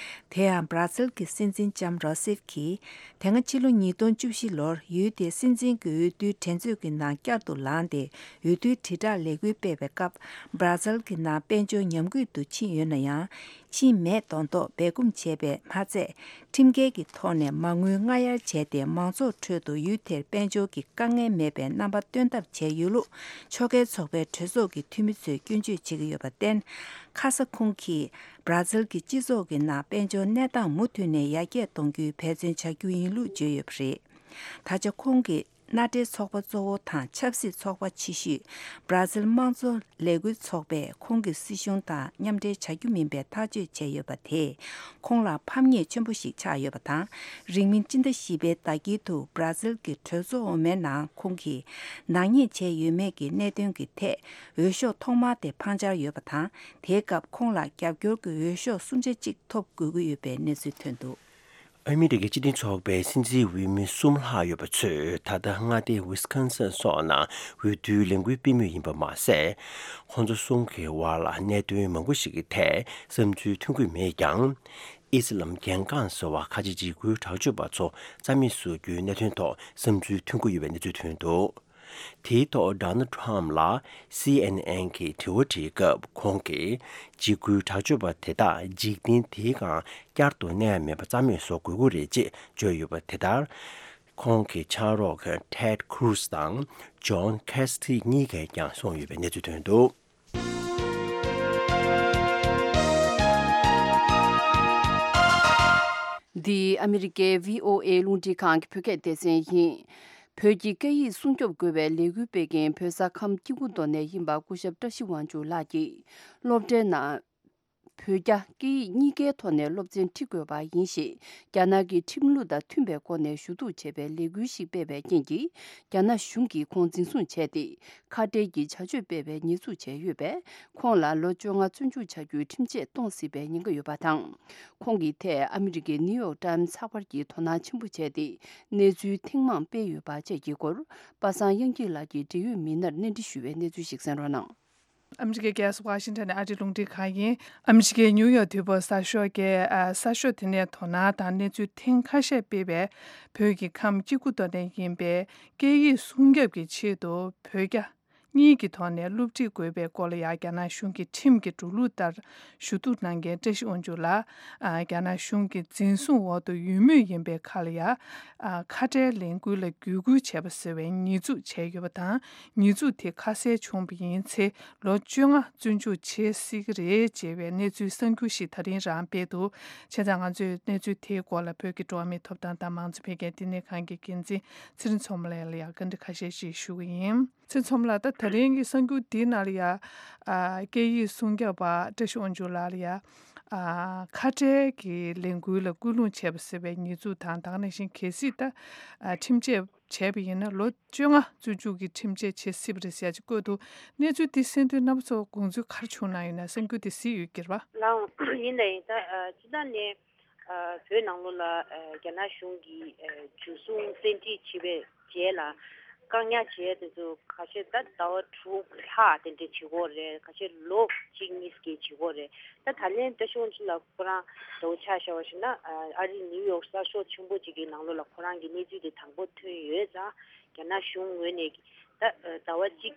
དེ་ཡང་སྦྲ་ཛིལ་གྱི་སྲིད་འཛིན་ལྕམ་རོ་སེབ་ཀྱིས་དེ་སྔ་ཕྱི་ལོ་ཉིས་སྟོང་བཅུ་བཞི་ལོར་ཡུལ་དེའི་སྲིད་འཛིན་གྱི་འོས་བསྡུའི་འགྲན་རྩོད་ཀྱི་ནང་བསྐྱར་དུ་ལངས་ཏེ། འོས་བསྡུའི་དྲིལ་བསྒྲགས་ལས་འགུལ་སྤེལ་བའི་སྐབས། སྦྲ་ཛིལ་གྱི་ནང་དཔལ་འབྱོར་ཉམས་རྒུད་དུ་ཕྱིན་ཡོད་ན་ཡང་། ཕྱིན་མེད་མདོག་མདོག་སྦས་སྐུང་བྱས་པས་མ་ཚད། ཁྲིམས་འགལ་གྱི་ཐོག་ནས་མ་དངུལ་སྔ་གཡར་བྱས་ཏེ། མང་ཚོགས་ཁྲོད་དུ་ཡུལ་དེར་དཔལ་འབྱོར་གྱི་དཀའ་ངལ་མེད་པའི་རྣམ་པ་སྟོན་ཐབས་བྱས་ཡོད་ལུགས། ཕྱོགས་འགལ་ཚོགས་པའི་གྲོས་ཚོགས་ཀྱི་འཐུས་མི་ཚོས་སྐྱོན་བརྗོད་བྱེད་ཀྱི་ཡོད་པར་བརྟེན། ཁ་ས་ཁོང་གིས་སྦྲ་ཛིལ་གྱི་སྤྱི་ཚོགས་ཀྱི་ནང་དཔལ་འབྱོར་གནས་སྟངས་མུ་མཐུད་ནས་ཡར་རྒྱས་གཏོང་རྒྱུའི་འབད་བརྩོན་བྱ་རྒྱུ་ཡིན་ལུགས་བརྗོད་ཡོད་པ་རེད། ད་ཆ་ཁོང་གིས་མནའ་འབྲེལ་ཚོགས་པ་གཙོ་བོ་དང་ཆབ་སྲིད་ཚོགས་པ་ཆེ་ཤོས་སྦྲ་ཛིལ་དམངས་གཙོ་ལས་འགུལ་ཚོགས་པས་ཁོང་གི་སྲིད་གཞུང་དང་མཉམ་འབྲེལ་བྱ་རྒྱུ་མིན་པའི་ཐག་གཅོད་བྱས་ཡོད་པ་དེས་ཁོང་ལ་ཕམ་ཉེས་ཆེན་པོ་ཞིག་ཆགས་ཡོད་པ་དང་། རིང་མིན་སྤྱི་ཟླ་བཞི་པའི་ཟླ་དཀྱིལ་དུ་སྦྲ་ཛིལ་གྱི་གྲོས་ཚོགས་འོག་མའི་ནང་ཁོང་གིས་ནག་ཉེས་བྱས་ཡོད་མེད་ཀྱི་གནད་དོན་གྱི་ཐད་འོས་ཤོག་ཐོག་མ་དེ་འཕང་འཆར་ཡོད་པ་དང་། དེའི་སྐབས་ཁོང་ལ་རྒྱབ་སྐྱོར་གྱི་འོས་ཤོག་སུམ་ཆ་གཅིག་ཐོབ་དགོས་ཀྱི་ཡོད་པའི་གནས་ཚུལ་ཐོན་འདུག་ཨ་མི་རི་ཀའི་སྤྱི་མཐུན་ཚོགས་པའི་སྲིད་འཛིན་འོས་མི་གསུམ་ལྷག་ཡོད་པ་ཚོས་ད་ལྟ་མངའ་སྡེ་ཝི་སི་ཀོན་སིན་སོགས་ནང་འོས་བསྡུའི་ལས་འགུལ་སྤེལ་མུས་ཡིན་པ་མ་ཟད། ཁོང་ཚོ་གསུམ་གྱི་བར་ལ་གནད་དོན་མང་པོ་ཞིག་གི་ཐད་བསམ་ཚུལ་མཐུན་གྱི་མེད་ཀྱང་། ཨི་སི་ལམ་རྒྱལ་འགངས་ཟེར་བ་ཁ་ཆེ་འཇིགས་སྐུལ་དྲག་སྤྱོད་པ་ཚོ་རྩ་མེད་བཟོ་རྒྱུའི་གནད་དོན་ཐོག་བསམ་ཚུལ་མཐུན་གྱི་ཡོད་པའི་གནས་ཚུལ་ཐོན་འདུག་དེའི་ཐོག་ཌོ་ནལ་ཊམ་ལ་སི་ཨེན་ཨེན་གྱིས་དྲི་བ་དྲིས་སྐབས། ཁོང་གིས་འཇིགས་སྐུལ་དྲག་སྤྱོད་པ་དེ་དག་འཇིག་རྟེན་འདིའི་སྒང་བསྐྱར་དུ་གནས་མེད་པ་རྩ་མེད་བཟོ་དགོས་ཀྱི་རེད་ཅེས་བརྗོད་ཡོད་པ་དེ་ལྟར། ཁོང་གི་ཕྱག་རོགས་ཊེཌ་ཁུ་རུ་ཛི་དང་ཇོན་ཁེ་སི་ཊི་གཉིས་ཀས་ཀྱང་གསུངས་ཡོད་པའི་གནས་ཚུལ་ཐོན་འདུག་འདི་ཨ་མི་རི་ཀའི་བྷི་ཨོ་ཨེ་རླུང་འཕྲིན་ཁང་གི་བོད་སྐད་སྡེ་ཚན་ཡིན། བོད་ཀྱི་སྐད་ཡིག་སྲུང་སྐྱོབ་དགོས་པའི་ལས་འགུལ་སྤེལ་མཁན་བོད་ས་ཁམས་སྐྱེ་རྒུ་མདོ་ནས་ཡིན་པ་སྐུ་ཞབས་བཀྲ་ཤིས་དབང་ཕྱུག་ལགས་ཀྱིས། སློབ་གྲྭའི་ནང་བོད་རྒྱ་སྐད་ཡིག་གཉིས་ཀའི་ཐོག་ནས་སློབ་ཚན་ཁྲིད་དགོས་པ་ཡིན་ཞེས། རྒྱ་ནག་གི་ཁྲིམས་ལུགས་དང་མཐུན་པའི་སྒོ་ནས་ཞུ་གཏུག་བྱས་པའི་ལས་འགུལ་ཞིག་སྤེལ་བའི་རྐྱེན་གྱིས། རྒྱ་ནག་གཞུང་གིས་ཁོང་འཛིན་བཟུང་བྱས་ཏེ། ཁ་བྲལ་གྱི་བྱ་སྤྱོད་སྤེལ་བའི་ཉེས་འཛུགས་བྱས་ཡོད་པས། ཁོང་ལ་ལོ་བཅོ་ལྔ་བཙོན་འཇུག་བྱ་རྒྱུའི་ཁྲིམས་ཆད་གཏོང་སྲིད་པའི་ཉེན་ཁ་ཡོད་པ་དང་། ཁོང་གི་ཐད་ཨ་མི་རི་ཀའི་ནིའུ་ཡོག་ཊའིམ་ཚགས་པར་གྱིས་དོ་སྣང་ཆེན་པོ་བྱས་ཏེ། གནས་ཚུལ་ཐེངས་མང་སྤེལ་ཡོད་པ་བཅས་ཀྱི་སྐོར། པ་སངས་དབྱངས་སྐྱིད་ལགས་ཀྱིས་འབྲེལ་ཡོད་མི་སྣར་གནས་འདྲི་ཞུ་བའི་གནས་ཚུལ་ཞིག་གསན་རོགས་གནང་། ཨ་མི་རི་ཀའི་རྒྱལ་ས་ཝ་ཤིང་ཊོན་ནས་ཨ་རིའི་རླུང་འཕྲིན་ཁང་ཡིན། ཨ་མི་རི་ཀའི་ནིའུ་ཡོག་དུས་བབ་གསར་ཤོག་གིས། ཨ། གསར་ཤོག་དེ་ནས་དོ་སྣང་དང་གནས་ཚུལ་ཐེངས་ཁ་ཤས་སྤེལ་བའི་བོད་ཀྱི་ཁམས་སྐྱེ་རྒུ་མདོ་ནས་ཡིན་པའི་སྐད་ཡིག་སྲུང་སྐྱོབ་ཀྱི་ཆེད་དུ་བོད་རྒྱ་གཉིས་ཀྱི་ཐོག་ནས་སློབ་ཁྲིད་དགོས་པའི་སྐོར་ལ་ཡང་། རྒྱ་ནག་གཞུང་གི་ཁྲིམས་ཀྱི་འགྲོ་ལུགས་ལྟར་ཞུ་གཏུག་གནང་མཁན་བཀྲ་ཤིས་དབང་ཕྱུག་ལགས། ཨ། རྒྱ་ནག་གཞུང་གི་འཛིན་བཟུང་འོག་ཏུ་ཡོད་མུས་ཡིན་པའི་ཁར་ལ་ཡང་། ཨ། ཁ་བྲལ་ལས་འགུལ་ལ་བརྒྱུད་སྐུལ་བྱས་པ་ཟེར་བའི་ཉེས་འཛུགས་བྱས་ཡོད་པ་དང་། ཉེས་འཛུགས་དེ་ཁ་གསལ་བྱུང་བ་ཡིན་ཚེ། ལོ་བཅོ་ལྔ་བཙོན་འཇུག་བྱེད་སྲིད་ཀྱི་རེད་ཅེས་པའི་གནས་ཚུལ་གསར་འགྱུར་ཞིག་ད་རིང་རང་སྤེལ་འདུག་བྱས་ཙང་ང་ཚོས་གནས་ཚུལ་དེའི་སྐོར་ལ་བོད་ཀྱི་འགྲོ་བ་མིའི་ཐོབ་ཐང་དང་མང་གཙོ་འཕེལ་རྒྱས་བསྟི་གནས་ཁང་གི་འགན་འཛིན་ཚེ་རིང་མཚོ་མོ་ལགས་ལ་ཡང་བཀའ་འདྲི་ཁ་ཤས་ཤིག་ཞུ་གི་ཡིན། ཚེ་རིང་མཚོ་མོ་ལགས། ད་ད་རིང་གི་གསར་འགྱུར་འདིའི་ནང་ལ་ཡང་། ཨ། སྐད་ཡིག་སྲུང་སྐྱོབ་པ་བཀྲ་ཤིས་དབང་ཕྱུག་ལགས་ལ་ཡང་། ཨ། ཁ་བྲལ་གྱི་ལས་འགུལ་ལ་སྐུལ་སློང་བྱས་པ་ཟེར་བའི་ཉེས་འཛུགས་དང་། ད་ག་ནང་བཞིན་གལ་སྲིད་ད། ཨ། ཁྲིམས་ཆད་བྱས་པ་ཡིན་ན་ལོ་བཅོ་ལྔ་བཙོན་འཇུག་གི་ཁྲིམས་ཆད་བྱེད་སྲིད་པ་རེད་ཟེར་ཡག་ཅིག་བཀོད་འདུག་གནས་ཚུལ་འདི་གསན་དུས་རྣམ་པ་ཚོ་དགོངས་ཚུལ་ག་རེ་བྱུང་གནང་ཡོད་ན། གསར་འགྱུར་འདི་གཟིགས་ཡོད་ཀྱི་རེད་པ། ལགས་འོང་། ཡིན་ད་ཡིན་ད། ཨ། སྤྱིར་བཏང་ནས། ཨ། བོད་ནང་ལོགས་ལ། ཨ། རྒྱ་ནག་གཞུང་གིས། ཨ། འཇུ་བཟུང་བཙན་ཁྲིད་བྱས་པའི་རྗེས་ལ། བཀག་ཉར་བྱས་དེ་ཚོ་ཁ་ཤས་ད་ཟླ་བ་དྲུག་ལྷག་དེ་འདྲས་བྱེད་དགོས་རེད། ཁ་ཤས་ལོ་གཅིག་གཉིས་ཀྱི་བྱེད་དགོས་རེད། ད་ད་ལན་བཀྲ་ཤིས་དབང་ཕྱུག་ལགས་ཁོ་རང་འདྲ་བོ་ཆ་བཞག་པ་ཞིག་ན། ཨ་རི་ནིའུ་ཡོག་གསར་ཤོག་ཆེན་པོ་གཅིག་གི་ནང་ལོགས་ལ་ཁོ་རང་གི་གནས་ཚུལ་དེ་དང་པོ་ཐོན་ཡོད་ཙང་། རྒྱ་ནག་གཞུང་ངོས་ནས་ད་ཟླ་བ་གཅིག་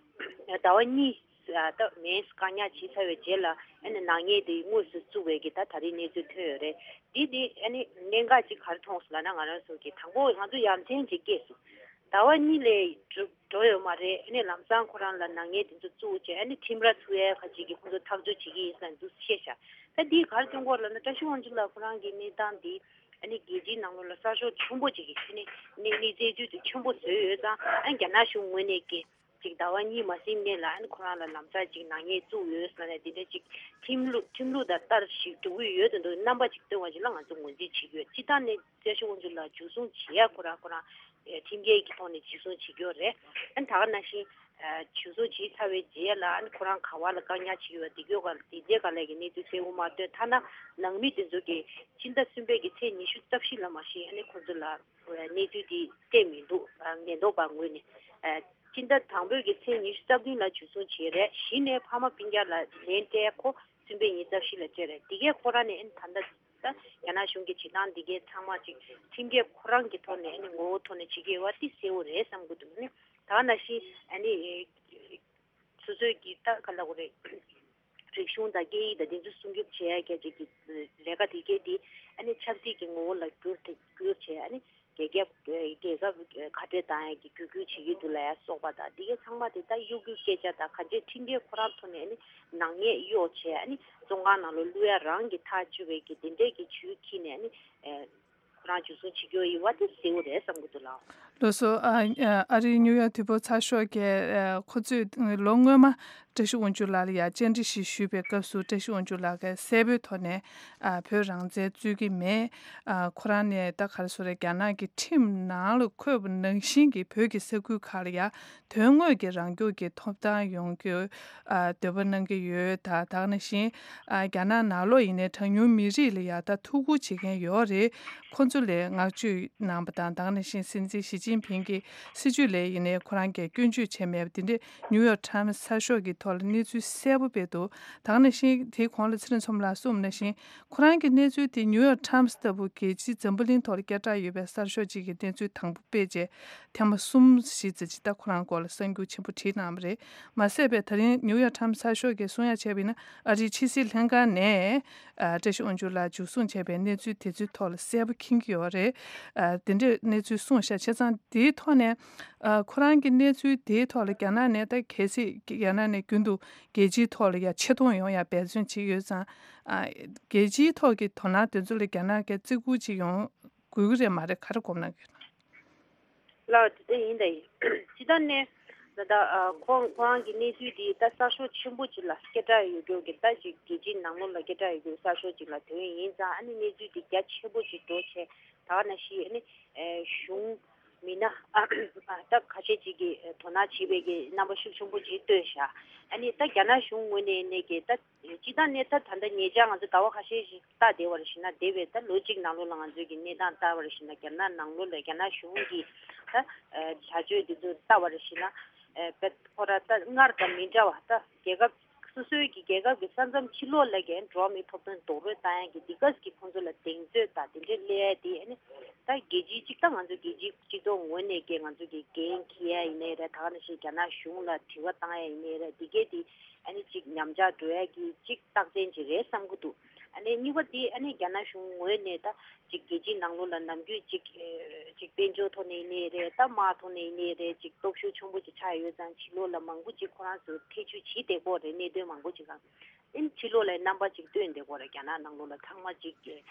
ཟླ་བ་གཉིས་ད་མེས་བཀག་ཉར་བྱས་ཚར་བའི་རྗེས་ལ་ཨ་ནི་ནག་ཉེས་དེ་དངོས་སུ་བཙུགས་པའི་གི་ད་ད་རེས་གནས་ཚུལ་ཐོན་ཡོད་རེད། འདི་དེ་ཨ་ནི་གནད་འགག་ཅིག་ག་རེ་མཐོང་སོང་ལབ་ན། ང་རང་ཚོ་གི་དང་པོ་ང་ཚོ་ཡ་མཚན་ཅིག་སྐྱེས་སོང་། ཟླ་བ་གཉིས་ལས་འགྲོ་འགྲོ་ཡོད་མ་རེད། ཨ་ནི་ལམ་སང་ཁོ་རང་ལ་ནག་ཉེས་དེ་ཚོ་བཙུགས་བྱས་ཨ་ནི་ཁྲིམས་ར་ཚུགས་ཡས་ཁ་ཅིག་གི་ཁོ་ཚོ་ཐག་གཅོད་བྱེད་ཀྱི་ཡིན་ཟེར་འདུག་བཤད་ཤག་ད་འདི་ག་རེ་སྟོན་གྱི་ཡོད་ལབ་ན། བཀྲ་ཤིས་དབང་ཕྱུག་ལགས་ཁོ་རང་གི་གནས་སྟངས་འདི་ཨ་ནི་རྒྱལ་སྤྱིའི་ནང་ལོགས་ལ་གསར་ཤོག་ཆེན་པོ་ཅིག་གིས་ཨ་ནི་གནས་གནས་ཚུལ་དེ་ཆེན་པོ་བཟོས་ཡོད་ཙང་། ཨ་ནི་རྒྱ་ནག་གཞུང་ངོས་ནས་ཀྱི་ཅིག་ཟླ་བ་གཉིས་མ་ཟིན་སྔོན་ལ་ཨ་ནི་ཁོ་རང་ལ་ལམ་སང་ཅིག་ནག་ཉེས་བཙུགས་ཡོད་ཟེར་ནས་འདི་འདྲ་ཅིག་ཁྲིམས་ལུགས་ཁྲིམས་ལུགས་དང་བསྟར་ཞིག་འགྲོ་གི་ཡོད་དོན་དུ་རྣམ་པ་ཅིག་སྟོན་པ་ཅིག་ལ་ང་ཚོ་ངོས་འཛིན་བྱེད་ཀྱི་ཡོད། སྤྱིར་བཏང་ནས་བཀྲ་ཤིས་དབང་ཕྱུག་ལགས་འཇུ་བཟུང་བྱེད་ཡ་ཁོ་རང་ཁོ་རང་ཁྲིམས་འགལ་གྱི་ཐོག་ནས་འཇུ་བཟུང་བྱེད་ཀྱི་ཡོད་རེད། ཨ་ནི་ད་ག་ནང་བཞིན་འཇུ་བཟུང་བྱས་ཚར་བའི་རྗེས་ལ་ཨ་ནི་ཁོ་རང་ག་བ་ལ་བཀག་ཉར་བྱེད་ཀྱི་ཡོད་དེ་གྱོད་ག་དེ་རྗེས་ག་ལས་ཀྱི་གནས་ཚུལ་གསལ་པོ་མ་ཐོན། ཐ་ན་ནང་མི་དེ་ཚོ་གིས་ཕྱི་ཟླ་གསུམ་པའི་གི་ཚེས་ཉི་ཤུ་རྩ་བཞི་ལ་མ་གཞི་ཨ་ནི་ཁོ་ཚོ་ལ་གནས་ཚུལ་དེ་སྤྲད་མི་འདུག་ཉེན་རྟོག་པ་ངོས་ནས། ཕྱི་ཟླ་དང་པོའི་གི་ཚེས་ཉི་ཤུ་རྩ་བདུན་ལ་འཇུ་བཟུང་བྱས་རེད། གཞི་ནས་ཕ་མ་སྤུན་ཀྱག་ལ་ལན་སྤྲད་ཁོ་གསུམ་པའི་ཉིན་རྩ་བཞི་ལ་སྤྲད་རེད། དེ་གས་ཁོ་རང་ནས་ཨ་ནི་ད་ལྟ་ད་རྒྱ་ནག་གཞུང་གི་བྱེད་སྟངས་འདི་གའི་ཚང་མ་ཅིག་ཁྲིམས་འགལ་ཁོ་རང་གི་ཐོག་ནས་ཨ་ནི་ངོ་བོ་ཐོག་ནས་བྱེད་ཀྱི་ཡོད་པ་དེ་གསལ་པོ་རེད་བསམ་གྱི་འདུག་ཨ་ནི་ད་ག་ནང་བཞིན་ཨ་ནི་སོ་སོའི་གི་ད་ག་ལབ་དགོས་རེད། རིག་གཞུང་དང་སྐད་ཡིག་དང་དེ་ཚོ་སྲུང་སྐྱོབ་བྱེད་ཡ་གི་ཅིག་གི་ལས་ཀ་དེ་གའི་དེ་ཨ་ནི་ཆབ་སྲིད་ཀྱི་ངོ་བོ་ལ་བསྒྱུར་ཏེ་བསྒྱུར་བྱས་ཨ་ནི་རྒྱལ་ཁབ་རྒྱལ་ཁབ་ཁ་བྲལ་བཏང་ཡ་གི་བརྒྱུད་སྐུལ་བྱེད་ཀྱི་འདུག་ལབ་ཡ་སོགས་པ་དང་དེ་གའི་ཚང་མ་དེ་ད་གཡོ་སྒྱུའི་སྐད་ཆ་དང་གང་ཅིའི་ཁྲིམས་འགལ་ཁོ་རང་ཐོག་ནས་ཨ་ནི་ནག་ཉེས་གཡོག་བྱས་ཨ་ནི་བཙོན་ཁང་ནང་ལ་བླུག་ཡ་རང་གི་ཐག་གཅོད་པའི་གི་དེ་འདྲའི་གི་ཇུས་འཁྱེར་ནས་ཨ་ནི་ཨེ་ཁོ་རང་འཇུ་བཟུང་བྱེད་རྒྱུ་ཡིན་པ་དེ་གསལ་པོ་རེད་བསམ་གྱི་འདུག་ལགས། ལགས་སོ། ཨ་ཨ་རིའི་ནིའུ་ཡོག་དུས་བབ་ཚགས་ཤོག་གིས་ཨ་ཁོ་ཚོས་ལོ་སྔོན་མ་བཀྲ་ཤིས་དབང་ཕྱུག་ལགས་ལ་ཡ་བཅར་འདྲི་ཞིག་ཞུས་པའི་སྐབས་སུ་བཀྲ་ཤིས་དབང་ཕྱུག་ལགས་ཀྱིས་གསལ་པོའི་ཐོག་ནས་ཨ་བོད་རང་བཙན་རྩོད་ཀྱི་མེད། ཨ་ཁོ་རང་ནས་ད་ག་རེ་ཟེར་རེད། རྒྱ་ནག་གི་ཁྲིམས་ནང་ལ་འཁོད་པ་ནང་བཞིན་གྱི་བོད་ཀྱི་ས་ཁུལ་ཁག་ལ་ཡ་དོན་དངོས་ཀྱི་རང་སྐྱོང་གི་ཐོབ་ཐང་ཡོང་རྒྱུ་ཨ་འདོད་པ་གནང་གི་ཡོད། ད་ད་ག་ནང་བཞིན་ཨ་རྒྱ་ནག་ནང་ལོགས་ཡིན་ནའི་གྲངས་ཉུང་མི་རིགས་ལ་ཡ་ད་ཐུགས་ཁུར་བྱེད་མཁན་ཡོད་རེད། ཁོ་ཚོ་ལ་བསྔགས་བརྗོད་གནང་པ་དང་། ད་ག་ནང་བཞིན་སྲིད་འཛིན་ཞི་ཅིན་ཕིང་གི་སྲིད་བྱུས་ལ་ཡིན་ནའི་ཁོ་རང་གིས་སྐྱོན་བརྗོད་བྱས་མེད་པ་དེ་འདྲས་ནིའུ་ཡོག་ཊའིམ་སི་ཚགས་ཤོག་གི་ཐོག་ལ་གནས་ཚུལ་གསལ་པོ་སྤེལ་འདུག་ད་ག་ནང་བཞིན་དེའི་གོང་ལ་ཚེ་རིང་མཚོ་མོ་ལགས་གསུངས་པ་ནང་བཞིན་ཁོ་རང་གི་གནས་ཚུལ་དེ་ནིའུ་ཡོག་ཊའིམ་སི་ལྟ་བུ་རྒྱལ་སྤྱིའི་འཛམ་བུ་གླིང་ཐོག་ལ་སྐད་གྲགས་ཡོད་པའི་གསར་ཤོག་ཅིག་གི་གནས་ཚུལ་དང་པོ་སྤེལ་རྗེས་ཐེངས་མ་གསུམ་བཞི་ཙམ་ཅིག་ད་ཁོ་རང་སྐོར་ལ་གསར་འགྱུར་ཆེན་པོ་བྲིས་གནང་བ་རེད། མ་ཟད་པའི་ད་རིང་ནིའུ་ཡོག་ཊའིམ་སི་གསར་ཤོག་གིས་གསུང་ཡ་བྱས་པ་ཡིན་ན་ཨ་རིའི་ཕྱི་སྲིད་ལྷན་ཁང་ནས་ཨ་བཀྲ་ཤིས་དབང་ཕྱུག་ལགས་འཇུ་བཟུང་བྱས་པའི་གནས་ཚུལ་དེ་ཚོའི་ཐོག་ལ་གསལ་པོ་མཁྱེན་གྱི་ཡོད་རེད། ཨ་དེ་འདྲའི་གནས་ཚུལ་གསུངས་ཤག་བྱས་ཙང་དེའི་ཐོག་ནས་ཨ་ཁོ་རང་གི་གནས་ཚུལ་དེའི་ཐོག་ལ་རྒྱ་ནག་ནས་ད་གལ་སྲིད་རྒྱ་ནག་ནས་རྒྱུན་དུ་རྒྱལ་སྤྱིའི་ཐོག་ལ་ཡ་ཆེ་མཐོང་ཡོང་ཡ་འབད་བརྩོན་བྱེད་ཀྱི་ཡོད་ཙང་། ཨ་རྒྱལ་སྤྱིའི་ཐོག་གི་དོ་སྣང་དེ་ཚོ་ལ་རྒྱ་ནག་གིས་བརྩི་བཀུར་ཅིག་ཡོང་དགོས་ཀྱི་རེད་མ་རེད། ག་རེ་དགོངས་གནང་གི་ཡོད་ན། ལགས་དེ་ཡིན་ད་ཡིན། ཇི་ལྟར་ནས་ད་ལྟ་ཨ་ཁོང་ཁོ་རང་གི་གནས་ཚུལ་འདི་ད་གསར་ཤོག་ཆེན་པོ་ཅིག་ལ་སྐད་གྲགས་ཡོད་རྒྱུ་གི་ད་ཅིག་རྒྱལ་སྤྱིའི་ནང་ལོགས་ལ་སྐད་གྲགས་ཡོད་རྒྱུ་གསར་ཤོག་ཅིག་ལ་ཐོན་ཡིན་ཙང་ཨ་ནི་གནས་ཚུལ་འདི་རྒྱ་ཆེན་པོ་ཅིག་འགྲོ་བྱས་ད་ག་ནང་བཞིན་ཨ་ནི་ཨེ་གཞུང་མི་སྣ་ཨ་ད་ཁ་ཤས་ཅིག་གིས་དོ་སྣང་བྱེད་པའི་གི་རྣམ་པ་ཤུགས་ཆེན་པོ་ཅིག་སྟོན་ཤག་ཨ་ནི་ད་རྒྱ་ནག་གཞུང་ངོས་ནས་ནས་ཀྱི་ད་སྤྱིར་བཏང་ནས་ད་ད་ལྟ་ཉེ་ཆར་ང་ཚོ་ཟླ་བ་ཁ་ཤས་ཤིག་ལྟ་བསྡད་པ་རེད་ཞེ་ན། འདས་པའི་ད་ལོ་གཅིག་ནང་ལོགས་ལ་ང་ཚོས་ཀྱི་གནས་སྟངས་ལྟ་བ་རེད་ཞེ་ན། རྒྱ་ནག་ནང་ལོགས་ལ་རྒྱ་ནག་གཞུང་གི་ད་བྱ་སྤྱོད་འདི་ཚོ་ལྟ་བ་རེད་ཞེ་ན། ཨ་ཁོ་ར་ད་སྔར་དང་མི་འདྲ་བ་ད་རྒྱལ་ཁབ་སོ་སོའི་གི་རྒྱལ་ཁབ་ཀྱི་ས་མཚམས་ཕྱི་ལོགས་ལ་གི་འགྲོ་བ་མིའི་ཐོབ་ཐང་རྡོག་རོལ་བཏང་ཡ་གི་འདི་ག་གི་ཁོང་ཚོ་ལ་གདེང་ཚོད་དང་དེ་འདྲའི་སླེབས་ཡ་དེ་ཨ་ནི་ད་རྒྱལ་སྤྱིའི་གཅིག་ད་ང་ཚོ་རྒྱལ་སྤྱིའི་སྤྱི་ཚོགས་ངོས་ནས་ཀྱི་ང་ཚོ་གི་འགན་འཁྱེར་ཡ་ཡིན་ནའི་རེད། ད་ག་ནང་བཞིན་རྒྱ་ནག་གཞུང་ལ་དྲི་བ་བཏང་ཡ་ཡིན་ནའི་རེད། འདི་གས་དེ་ཨ་ནི་གཅིག་ཉམས་ཆག་འགྲོ་ཡ་གི་གཅིག་རྟགས་མཚན་ཅིག་རེད་བསམ་གྱི་འདུག་ཨ་ནི་གཉིས་པ་དེ་ཨ་ནི་རྒྱ་ནག་གཞུང་ངོས་ནས་ད་ཅིག་རྒྱལ་སྤྱིའི་ནང་ལོགས་ལ་ནམ་རྒྱུན་ཅིག་ཨེ་ཅིག་དཔལ་འབྱོར་ཐོག་ནས་ཡིན་ནའི་རེད། ད་དམག་ཐོག་ནས་ཡིན་ནའི་རེད། ཅིག་སྟོབས་ཤུགས་ཆེན་པོ་ཅིག་ཆགས་ཡོད་ཙང་ཕྱི་ལོགས་ལ་མང་པོ་ཅིག་ཁོ་རང་ཚོ་ཐེ་བྱུས་བྱེད་བསྡད་ཀྱི་ཡོད་རེད། གནད་དོན་མང་པོ་ཅིག་ལ་ཨ་ནི་ཕྱི་ལོགས་ལ་རྣམ་པ་ཅིག་སྟོན་བསྡད་ཀྱི་ཡོད་རེད། རྒྱ་ནག་ནང་ལོགས་ལ་ཚང་མ་ཅིག་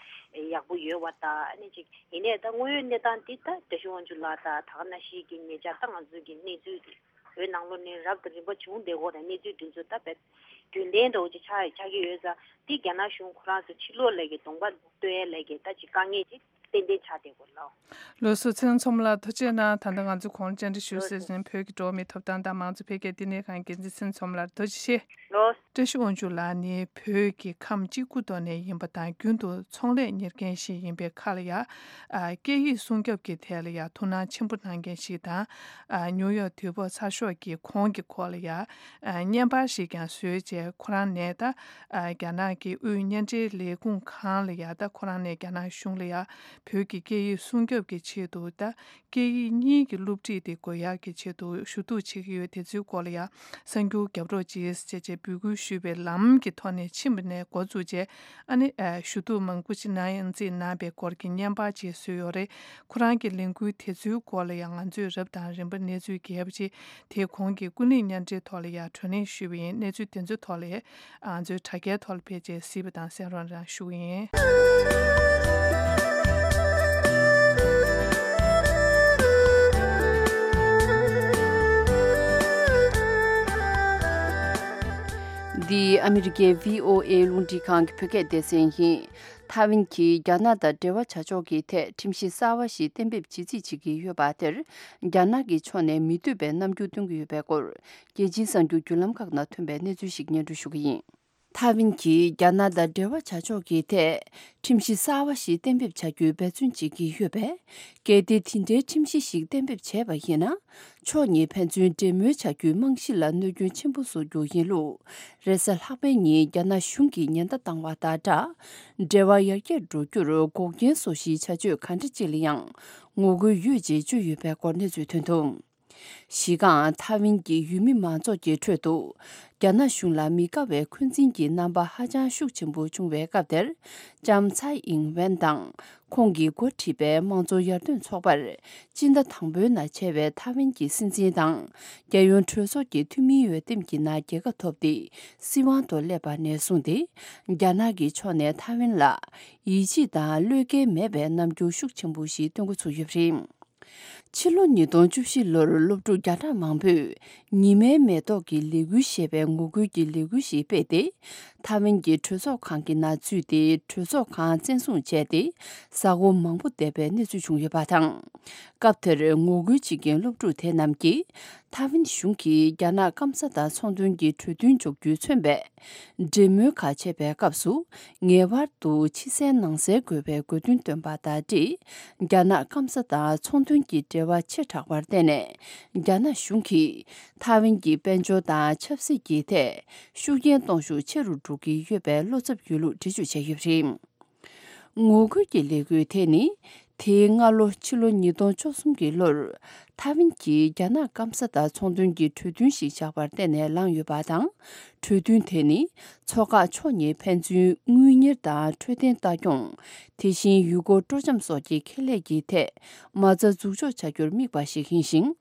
ཨེ་ཡག་པོ་ཡོད་པ་དང་ཨ་ནི་ཅིག་ཡིན་ནའི་ད་དངོས་ཡོད་གནས་སྟངས་འདི་ད་བཀྲ་ཤིས་དབང་ཕྱུག་ལགས་དང་ད་ག་ནང་བཞིན་གྱི་ཉེ་ཆར་ད་ང་ཚོའི་གི་གནས་ཚུལ་འདི་བོད་ནང་ལོགས་ནས་རབ་དང་རིམ་པ་བྱུང་བསྡད་ཀྱི་ཡོད་རེད། གནས་ཚུལ་འདི་ཚོ་ད་བས་རྒྱུན་ལྡན་འདྲ་བོ་ཅིག་ཆགས་ཆགས་ཀྱི་ཡོད་ཙང་འདི་རྒྱ་ནག་གཞུང་ཁོ་རང་ཚོ་ཕྱི་ལོགས་ལ་གི་གདོང་པ་སྟོན་ཡས་ལ་གི་ད་ཅིག་དཀའ་ངལ་ཅིག་ ཏན་ཏན་ཆགས་བསྡད་དགོས་ལོ། ལགས་སོ། ཚེ་རིང་མཚོ་མོ་ལགས་ཐུགས་རྗེ་གནང་། ད་ལྟ་ང་ཚོ་གོང་ལ་བཅར་འདྲི་ཞུ་ཟེར་བཞིན་བོད་ཀྱི་འགྲོ་བ་མིའི་ཐོབ་ཐང་དང་མང་གཙོ་འཕེལ་རྒྱས་ལྟེ་གནས་ཁང་འགན་འཛིན་ཚེ་རིང་མཚོ་མོ་ལགས་ཐུགས་རྗེ་ཆེ། ལོ། བཀྲ་ཤིས་དབང་ཕྱུག་ལགས་ནི་བོད་ཀྱི་ཁམས་གཅིག་པུ་ཐོག་ནས་ཡིན་པ་དང་རྒྱུན་དུ་ཚོང་ལས་གཉེར་མཁན་ཞིག་ཡིན་པའི་ཁར་ལ་ཡ། ཨ། སྐད་ཡིག་སྲུང་སྐྱོབ་ཀྱི་ཐད་ལ་ཡ་ཐུགས་སྣང་ཆེན་པོ་གནང་མཁན་ཞིག་དང་། ཨ། ནིའུ་ཡོག་དུས་བབ་ཚགས་ཤོག་གི་གོང་གི་སྐོར་ལ་ཡ། ཨ། བརྙན་པར་ཞིག་ཀྱང་བཟོས་རྗེས་ཁོ་རང་ནས་ད། ཨ། རྒྱ་ནག་གི་དབུས་བརྙན་འཕྲིན་ལས་ཁུངས་ཁང་ལ་ཡ་ད་ཁོ་རང་ནས་རྒྱ་ནག་གཞུང་ལ་ཡ་བོད་ཀྱི་སྐད་ཡིག་སྲུང་སྐྱོབ་ཀྱི་ཆེད་དུ་ད། སྐད་ཡིག་གཉིས་ཀྱི་སློབ་ཁྲིད་དེ་དགོས་ཡག་གི་ཆེད་དུ་ཞུ་གཏུག་བྱེད་ཀྱི་ཡོད། དེ་ཚོའི་སྐོར་ལ་ཡང་གསར་འགྱུར་རྒྱབ་རོགས་གྱིས་ཅེས་བྱས་འབོད་སྐུལ་ཞུས་པའི་ལམ་གྱི་ཐོག་ནས་ཕྱིན་པ་ནས་འགོ་བཙུགས་རྗེས། ཨ་ནི། ཨ། ཞུ་གཏུག་མང་པོ་ཞིག་གནང་ཡང་རྩིས་གནང་པའི་སྐོར་གྱི་བརྙན་པར་ཅིག་བཟོས་ཡོད་རེད། ཁོ་རང་གི་ལས་འགུལ་དེ་ཚོའི་སྐོར་ལ་ཡང་ང་ཚོས་རབ་དང་རིམ་པ་གནས་ཚུལ་རྒྱས་པ་ཅིག་དེ་གོང་གི་ཀུན་གླེང་བརྙན་འཕྲིན་ཐོག་ལ་ཡང་བགྲོ་གླེང་ཞུས་པ་ཡིན། གནས་ཚུལ་དེ་ཚོའི་ཐོག་ལ་ང་ཚོའི་དྲ་རྒྱའི་ཐོག་ལ་ཕེབས་རྗེས་གཟིགས་པ་དང་གསན་རོགས་གནང་ཞུ་གི་ཡིན། འདི་ཨ་མི་རི་ཀའི་བྷི་ཨོ་ཨེ་རླུང་འཕྲིན་ཁང་གི་བོད་སྐད་སྡེ་ཚན་ཡིན། ཐའེ་ཝན་གྱིས་རྒྱ་ནག་དང་འབྲེལ་བ་བྱ་ཕྱོགས་ཀྱི་ཐད་ཁྲིམས་གཞི་གསར་བ་ཞིག་གཏན་འབེབས་བྱེད་རྩིས་བྱེད་ཀྱི་ཡོད་པ་དེར། རྒྱ་ནག་གི་ཕྱོགས་ནས་མི་འདོད་པའི་རྣམ་འགྱུར་སྟོན་གྱི་ཡོད་པའི་སྐོར། རྒྱལ་སྤྱིའི་གསར་འགྱུར་བརྒྱུད་ལམ་ཁག་ནང་ཐོན་པའི་གནས་ཚུལ་ཞིག་སྙན་སྒྲོན་ཞུ་གི་ཡིན། ཐའེ་ཝན་གྱིས་རྒྱ་ནག་དང་འབྲེལ་བ་བྱ་ཕྱོགས་ཀྱི་ཐད་ཁྲིམས་གཞི་གསར་བ་ཞིག་གཏན་འབེབས་བྱ་རྒྱུའི་འབད་བརྩོན་བྱེད་ཀྱི་ཡོད་པས། གལ་ཏེ་དེ་འདྲའི་ཁྲིམས་གཞི་ཞིག་གཏན་འབེབས་བྱས་པ་ཡིན་ན། ཕྱོགས་གཉིས་ཕན་ཚུན་འབྲེལ་མོལ་བྱ་རྒྱུའི་རྨང་གཞི་ལ་གནོད་སྐྱོན་ཆེན་པོ་བཟོ་རྒྱུ་ཡིན་ལུགས། རེས་གཟའ་ལྷག་པའི་ཉིན་རྒྱ་ནག་གཞུང་གིས་ཉེན་བརྡ་བཏང་བ་དང་སྦྲགས། འབྲེལ་བ་ཡར་རྒྱས་འགྲོ་རྒྱུར་འགོག་རྐྱེན་བཟོ་གཞིའི་བྱ་སྤྱོད་ག་འདྲ་ཅིག་ལ་ཡང་ངོ་རྒོལ་ཡོད་ཅེས་བརྗོད་ཡོད་པའི་སྐོར་གནས་ཚུལ་ཐོན་འདུག་གཞི་རྐང་ཐའེ་ཝན་གྱི་ཡུལ་མི་མང་ཚོགས་ཀྱི་ཁྲོད་དུ། རྒྱ་ནག་གཞུང་ལ་མི་དགའ་བའི་འཁོན་འཛིན་གྱི་རྣམ་པ་ཧ་ཅང་ཤུགས་ཆེན་པོ་བྱུང་བའི་སྐབས་དེར། ལྕམ་ཚའེ་ཨིང་ཝེན་དང་། ཁོང་གིས་འགོ་ཁྲིད་པའི་དམངས་གཙོ་ཡར་ཐོན་ཚོགས་པར། སྤྱི་ཟླ་དང་པོའི་ནང་བྱས་པའི་ཐའེ་ཝན་གྱི་སྲིད་འཛིན་དང་། རྒྱལ་ཡོངས་གྲོས་ཚོགས་ཀྱི་འཐུས་མིའི་འོས་འདེམས་ཀྱི་ནང་རྒྱལ་ཁ་ཐོབ་སྟེ། སྲིད་དབང་དུ་སླེབས་པ་ནས་བཟུང་སྟེ། རྒྱ་ནག་གི་ཕྱོགས་ནས་ཐའེ་ཝན་ལ། ཡིད་ཆེས་དང་བློས་འགེལ་མེད་པའི་རྣམ་འགྱུར་ཤུགས་ཆེན་པོ་ཞིག་སྟོན་འགོ་ཚུགས་ཡོད་པ་རེད། ཕྱི་ལོ་ཉིས་སྟོང་བཅུ་བཞི་ལོར་སློབ་ཕྲུག་བརྒྱ་ཕྲག་མང་པོས་ཉི་མའི་མེ་ཏོག་གི་ལས་འགུལ་ཞེས་པའི་ངོ་རྒོལ་གྱི་ལས་འགུལ་ཞིག་སྤེལ་ཏེ། ཐའེ་ཝན་གྱི་གྲོས་ཚོགས་ཁང་གི་ནང་འཛུལ་ཏེ། གྲོས་ཚོགས་ཁང་བཙན་བཟུང་བྱས་ཏེ། གཟའ་འཁོར་མང་པོ་འདས་པའི་གནས་ཚུལ་བྱུང་ཡོད་པ་དང་། སྐབས་དེར་ངོ་རྒོལ་བྱེད་མཁན་སློབ་ཕྲུག་དེ་རྣམས་ཀྱིས། ཐའེ་ཝན་གཞུང་གིས་རྒྱ་ནག་སྐམ་ས་དང་ཚོང་དོན་གྱི་གྲོས་མཐུན་འཇོག་རྒྱུས་མཚོན་པའི། འབྲེལ་མོལ་ཁག་བྱེད་པའི་སྐབས་སུ། ངེས་པར་དུ་ཕྱི་གསལ་ནང་གསལ་དགོས་པའི་དགོས་འདུན་བཏོན་པ་དང་འབྲེལ། རྒྱ་ནག་སྐམ་ས་དང་ཚོང་དོན་གྱི་འབྲེལ་བ་ཆེ་དྲགས་པར་བརྟེན་ནས། རྒྱ་ནག་གཞུང་གིས་ཐའེ་ཝན་གྱི་དཔལ་འབྱོར་དང་ཆབ་སྲིད་ཀྱི་ཐད། ཤུགས་རྐྱེན་གཏོང་ཤུགས་ཆེ་རུ་འགྲོ་གི་ཡོད་པའི་བློ་འཚབ་ཡོད་ལུགས་འགྲེལ་བརྗོད་བྱས་ཡོད་པ་རེད། ངོ་རྒོལ་གྱི་ལས་འགུལ་དེ་ནི། དེའི་སྔ་ལོ་ཕྱི་ལོ་ཉིས་སྟོང་བཅུ་གསུམ་གྱི་ལོར། ཐའེ་ཝན་གྱིས་རྒྱ་ནག་སྐམ་ས་དང་ཚོང་དོན་གྱི་གྲོས་མཐུན་ཞིག་བཞག་པར་བརྟེན་ནས་ལངས་ཡོད་པ་དང་། གྲོས་མཐུན་དེ་ནི། མཚོ་འགག་ཕྱོགས་གཉིས་ཕན་ཚུན་དངུལ་གཉེར་དང་འཕྲོད་བསྟེན་ལྟ་སྐྱོང་། དེ་བཞིན་ཡུལ་སྐོར་སྤྲོ་འཆམ་སོགས་ཀྱི་ཁེ་ལས་ཀྱི་ཐད། མ་རྩ་འཛུགས་འཇོག་བྱ་རྒྱུར་དམིགས་པ་ཞིག་ཡིན་ཞིང་།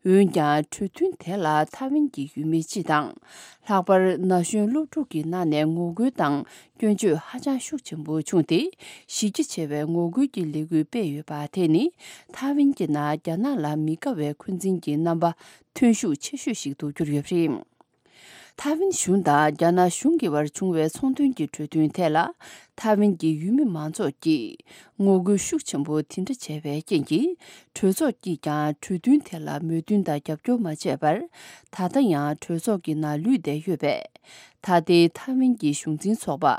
འོན་ཀྱང་། གྲོས་མཐུན་དེ་ལ་ཐའེ་ཝན་གྱི་ཡུལ་མི་སྤྱི་དང་། ལྷག་པར་ན་གཞོན་སློབ་ཕྲུག་གི་ནང་ནས་ངོ་རྒོལ་དང་སྐྱོན་བརྗོད་ཧ་ཅང་ཤུགས་ཆེན་པོ་བྱུང་སྟེ། གཞི་རྒྱ་ཆེ་བའི་ངོ་རྒོལ་གྱི་ལས་འགུལ་སྤེལ་ཡོད་པ་དེ་ནི། ཐའེ་ཝན་གྱི་ནང་རྒྱ་ནག་ལ་མི་དགའ་བའི་འཁོན་འཛིན་གྱི་རྣམ་པ་ཐོན་ཤུགས་ཆེ་ཤོས་ཤིག་ཏུ་གྱུར་ཡོད་པ་རེད། ཐའེ་ཝན་གཞུང་དང་རྒྱ་ནག་གཞུང་གི་བར་བྱུང་བའི་ཚོང་དོན་གྱི་གྲོས་མཐུན་ཐད་ལ། ཐའེ་ཝན་གྱི་ཡུལ་མི་མང་ཚོགས་ཀྱིས་ངོ་རྒོལ་ཤུགས་ཆེན་པོ་དེ་འདྲ་བྱས་པའི་རྐྱེན་གྱིས། གྲོས་ཚོགས་ཀྱིས་ཀྱང་གྲོས་མཐུན་དེ་ལ་མོས་མཐུན་དང་རྒྱབ་སྐྱོར་མ་བྱས་པར། ད་ལྟ་ཡང་གྲོས་ཚོགས་ཀྱི་ནང་ལུས་བསྡད་ཡོད་པས། ད་ལྟའི་ཐའེ་ཝན་གྱི་གཞུང་འཛིན་ཚོགས་པ།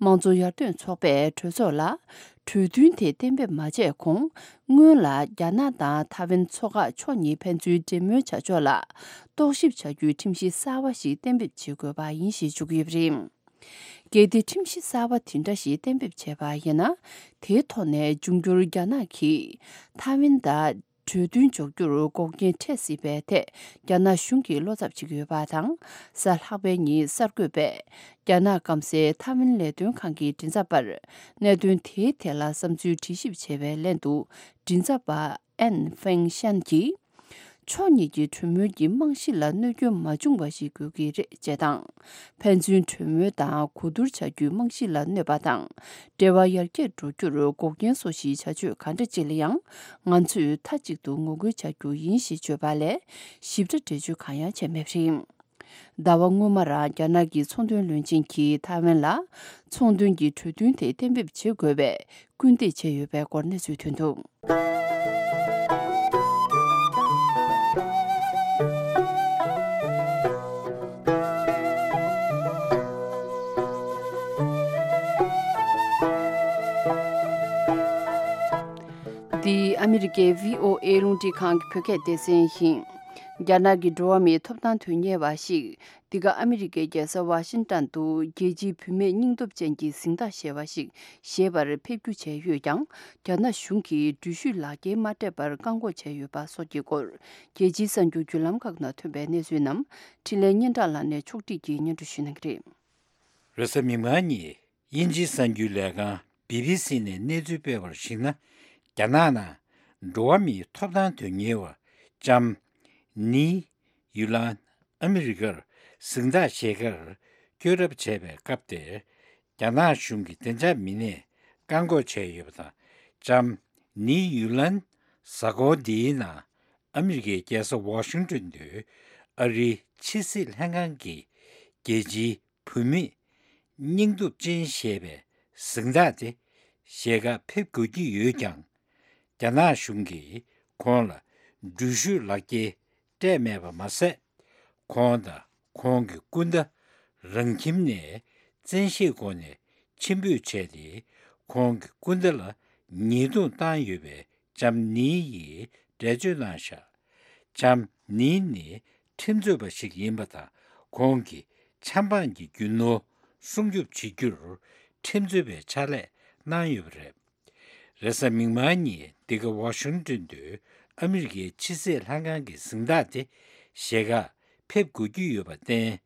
དམངས་གཙོ་ཡར་ཐོན་ཚོགས་པས་གྲོས་ཚོགས་ལ། གྲོས་མཐུན་དེ་གཏན་འབེབས་མ་བྱས་གོང་། སྔོན་ལ་རྒྱ་ནག་དང་ཐའེ་ཝན་མཚོ་འགག་ཕྱོགས་གཉིས་ཕན་ཚུན་འབྲེལ་མོལ་བྱ་ཕྱོགས་ལ། རྟོག་ཞིབ་བྱ་རྒྱུའི་ཁྲིམས་གཞི་གསར་བ་ཞིག་གཏན་འབེབས་བྱེད་དགོས་པ་ཡིན་ཞེས་བརྗོད་ཀྱི་ཡོད་པ་རེད། གལ་ཏེ་ཁྲིམས་གཞི་གསར་བ་དེ་འདྲ་ཞིག་གཏན་འབེབས་བྱས་པ་ཡིན་ན། དེའི་ཐོག་ནས་འབྱུང་འགྱུར་རྒྱ་ནག་གིས་ཐའེ་ཝན་དང་གྲོས་མཐུན་འཇོག་རྒྱུར་འགོག་རྐྱེན་འཕྲད་སྲིད་པའི་ཐད། རྒྱ་ནག་གཞུང་གིས་བློ་འཚབ་བྱེད་ཀྱི་ཡོད་པ་དང་། གཟའ་ལྷག་པའི་ཉིན་གསར་འགོད་པས། རྒྱ་ནག་སྐམ་སའི་ཐའེ་ཝན་ལས་དོན་ཁང་གི་མགྲིན་ཚབ་པར། གནད་དོན་དེའི་ཐད་ལ་བསམ་ཚུལ་དྲི་ཞིབ་བྱས་པའི་ལན་དུ། མགྲིན་ཚབ་པ་ཨན་ཧྥེང་ཤན་གྱིས། ཕྱོགས་གཉིས་ཀྱི་གྲོས་མོལ་གྱི་རྨང་གཞི་ལ་གནོད་སྐྱོན་མ་བྱུང་བ་ཞིག་དགོས་ཀྱི་རེད་ཅེས་དང་། ཕན་ཚུན་གྲོས་མོལ་དང་གོ་བསྡུར་བྱ་རྒྱུའི་རྨང་གཞི་ལ་གནོད་པ་དང་། འབྲེལ་བ་ཡར་རྒྱས་འགྲོ་རྒྱུར་འགོག་རྐྱེན་བཟོ་གཞིའི་བྱ་སྤྱོད་ག་འདྲ་ཅིག་ལ་ཡང་། ང་ཚོས་མཐའ་གཅིག་ཏུ་ངོ་རྒོལ་བྱ་རྒྱུ་ཡིན་ཞེས་བརྗོད་པ་ལས། ཞིབ་ཕྲ་འགྲེལ་བརྗོད་གང་ཡང་བྱས་མེད་པ་རེད། ཟླ་བ་སྔོན་མ་རང་རྒྱ་ནག་གི་ཚོང་དོན་བློན་ཆེན་གྱིས་ཐའེ་ཝན་ལ་ཚོང་དོན་གྱི་གྲོས་མཐུན་དེ་གཏན་འབེབས་བྱེད་དགོས་པའི་སྐུལ་འདེད་བྱས་ཡོད་པའི་སྐོར་གནས་ཚུལ་ཐོན་འདུག། འདི་ཨ་མི་རི་ཀའི་བྷི་ཨོ་ཨེ་རླུང་འཕྲིན་ཁང་གི་བོད་སྐད་སྡེ་ཚན་ཡིན། རྒྱ་ནག་གི་འགྲོ་བ་མིའི་ཐོབ་ཐང་དོན་གཉེར་བ་ཞིག་འདི་ག་ཨ་མི་རི་ཀའི་རྒྱལ་ས་ཝ་ཤིང་ཏན་དུ་རྒྱལ་སྤྱིའི་བུད་མེད་སྙིང་སྟོབས་ཅན་གྱི་གཟེངས་རྟགས་ཞེས་པ་ཞིག་བཞེས་པར་ཕེབས་སྒྱུར་བྱས་ཡོད་ཀྱང་། རྒྱ་ནག་གཞུང་གིས་འགྲུལ་བཞུད་ལག་འཁྱེར་མ་སྤྲད་པར་བཀག་འགོག་བྱས་ཡོད་པ་སོགས་ཀྱི་སྐོར། རྒྱལ་སྤྱིའི་གསར་འགྱུར་བརྒྱུད་ལམ་ཁག་ནང་ཐོན་པའི་གནས་ཚུལ་རྣམས་འཕྲིན་ལས་སྙན་གྲགས་ལགས་ནས་ཕྱོགས་སྒྲིག་གིས་སྙན་སྒྲོན་ཞུ་གནང་གི་རེད། རེས་གཟའ་མིག་དམར་ཉིན་དབྱིན་ཇིའི་གསར་འགྱུར་ལས་ཁང་བི་བི་སི་ནས་གནས་ཚུལ་སྤེལ་བར་གཞིགས་ན། རྒྱ་ནག་ནང་འགྲོ་བ་མིའི་ཐོབ་ཐང་དོན་གཉེར་བ་ལྕམ་ནི་ཡུ་ལན་ཨ་མི་རི་ཀར་གཟེངས་རྟགས་བཞེས་ཁར་བསྐྱོད་གྲབས་བྱས་པའི་སྐབས་དེར། རྒྱ་ནག་གཞུང་གིས་བདེ་འཇགས་མི་སྣས་བཀག་འགོག་བྱས་ཡོད་པ་དང་། ལྕམ་ནི་ཡུ་ལན་གཟའ་འཁོར་འདིའི་ནང་ཨ་མི་རི་ཀའི་རྒྱལ་ས་ཝ་ཤིང་ཏོན་དུ་ཨ་རིའི་ཕྱི་སྲིད་ལྷན་ཁང་གི་རྒྱལ་སྤྱིའི་བུད་མེད་སྙིང་སྟོབས་ཅན་ཞེས་པའི་གཟེངས་རྟགས་དེ་བཞེས་ཁར་ཕེབས་དགོས་ཀྱི་ཡོད་ཀྱང་། རྒྱ་ནག་གཞུང་གིས་ཁོང་ལ་འགྲུལ་བཞུད་ལག་འཁྱེར་སྤྲད་མེད་པ་མ་ཟད། ཁོང་དང་ཁོང་གི་སྐུ་ཟླ་རང་ཁྱིམ་ནས་བཙན་ཤེད་སྒོ་ནས་ཕྱིར་འབུད་བྱས་ཏེ། ཁོང་གི་སྐུ་ཟླ་ལ་ཉེས་རྡུང་བཏང་ཡོད་པའི་ལྕམ་ནི་ཡིས་འགྲེལ་བརྗོད་གནང་བཞག། ལྕམ་ནི་ནི་ཁྲིམས་རྩོད་པ་ཞིག་ཡིན་པ་དང་། ཁོང་གིས་ཆབ་འབངས་ཀྱི་རྒྱུ་ནོར་སྲུང་སྐྱོབ་བྱེད་རྒྱུར་ཁྲིམས་རྩོད་པའི་ཕྱག་ལས་གནང་ཡོད་པ་རེད། རེས་གཟའ་མིག་དམར་ཉིན་འདི་ག་ཝ་ཤིང་ཏོན་དུ་ཨ་མི་རི་ཀའི་ཕྱི་སྲིད་ལྷན་ཁང་གི་གཟེངས་རྟགས་དེ་བཞེས་ཁར་ཕེབས་དགོས་ཀྱི་ཡོད་པར་བརྟེན།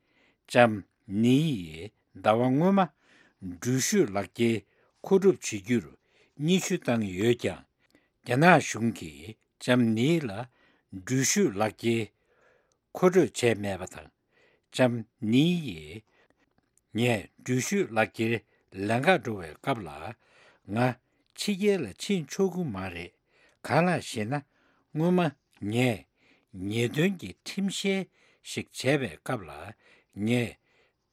ལྕམ་ནི་ཡིས་ཟླ་བ་སྔོན་མ་འགྲུལ་བཞུད་ལག་འཁྱེར་མཁོ་སྒྲུབ་བྱེད་རྒྱུར་སྙན་ཞུ་བཏང་ཡོད་ཀྱང་། རྒྱ་ནག་གཞུང་གིས་ལྕམ་ནི་ལ་འགྲུལ་བཞུད་ལག་འཁྱེར་མཁོ་སྤྲོད་བྱས་མེད་པ་དང་། ལྕམ་ནི་ཡིས། ངས་འགྲུལ་བཞུད་ལག་འཁྱེར་ལེན་གར་འགྲོ་བའི་སྐབས་ལ། ང་ཕྱི་རྒྱལ་ལ་ཕྱིན་ཆོག་གི་མ་རེད། གང་ལགས་ཤེ་ན། སྔོན་མ་ངས་ཉེས་དོན་གྱི་ཁྲིམས་བཤེར་ཞིག་བྱས་པའི་སྐབས་ལ། ངས་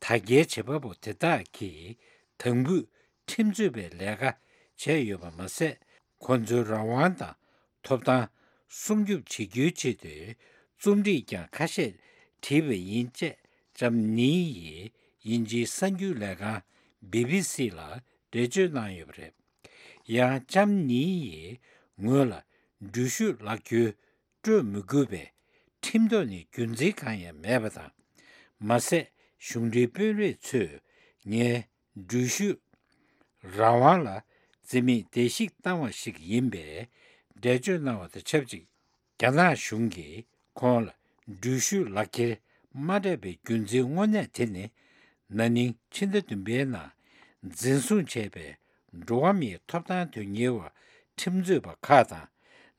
དྲ་རྒྱའི་བྱེད་པ་པོ་དེ་དག་གིས་དམ་འབུད་ཁྲིམས་རྩོད་པའི་ལས་ཀ་བྱས་ཡོད་པ་མ་ཟད། ཁོ་ཚོའི་རང་དབང་དང་ཐོབ་ཐང་སྲུང་སྐྱོབ་བྱེད་རྒྱུའི་ཆེད་དུ་རྩོམ་སྒྲིག་ཀྱང་ཁ་ཤས་བྲིས་པ་ཡིན། ཅེས་ལྕམ་ནི་ཡིས་དབྱིན་ཇིའི་གསར་འགྱུར་ལས་ཁང་བི་བི་སི་ལ་འགྲེལ་བརྗོད་གནང་ཡོད་པ་རེད། ཡང་ལྕམ་ནི་ཡིས་ངོས་ལ་འགྲུལ་བཞུད་ལག་འཁྱེར་སྤྲོད་མི་དགོས་པའི་ཁྲིམས་ཐོག་ནས་རྒྱུ་མཚན་གང་ཡང་མེད་པ་དང་། མ་ཟད། གཞུང་འབྲེལ་དཔོན་རིགས་ཚོས་ངའི་འགྲུལ་བཞུད་རང་དབང་ལ་བརྩི་མེད་བརྡལ་བཤིག་བཏང་བ་ཞིག་ཡིན་པའི་འགྲེལ་བརྗོད་གནང་བ་དང་ཆབས་ཅིག། རྒྱ་ནག་གཞུང་གིས་ཁོང་ལ་འགྲུལ་བཞུད་ལག་འཁྱེར་མ་སྤྲད་པའི་རྒྱུ་མཚན་དངོས་གནས་དེ་ནི། ན་ནིང་ཕྱི་ཟླ་བདུན་པའི་ནང་འཛིན་བཟུང་བྱས་པའི་འགྲོ་བ་མིའི་ཐོབ་ཐང་དོན་གཉེར་བ་ཁྲིམས་རྩོད་པ་ཁག་དང་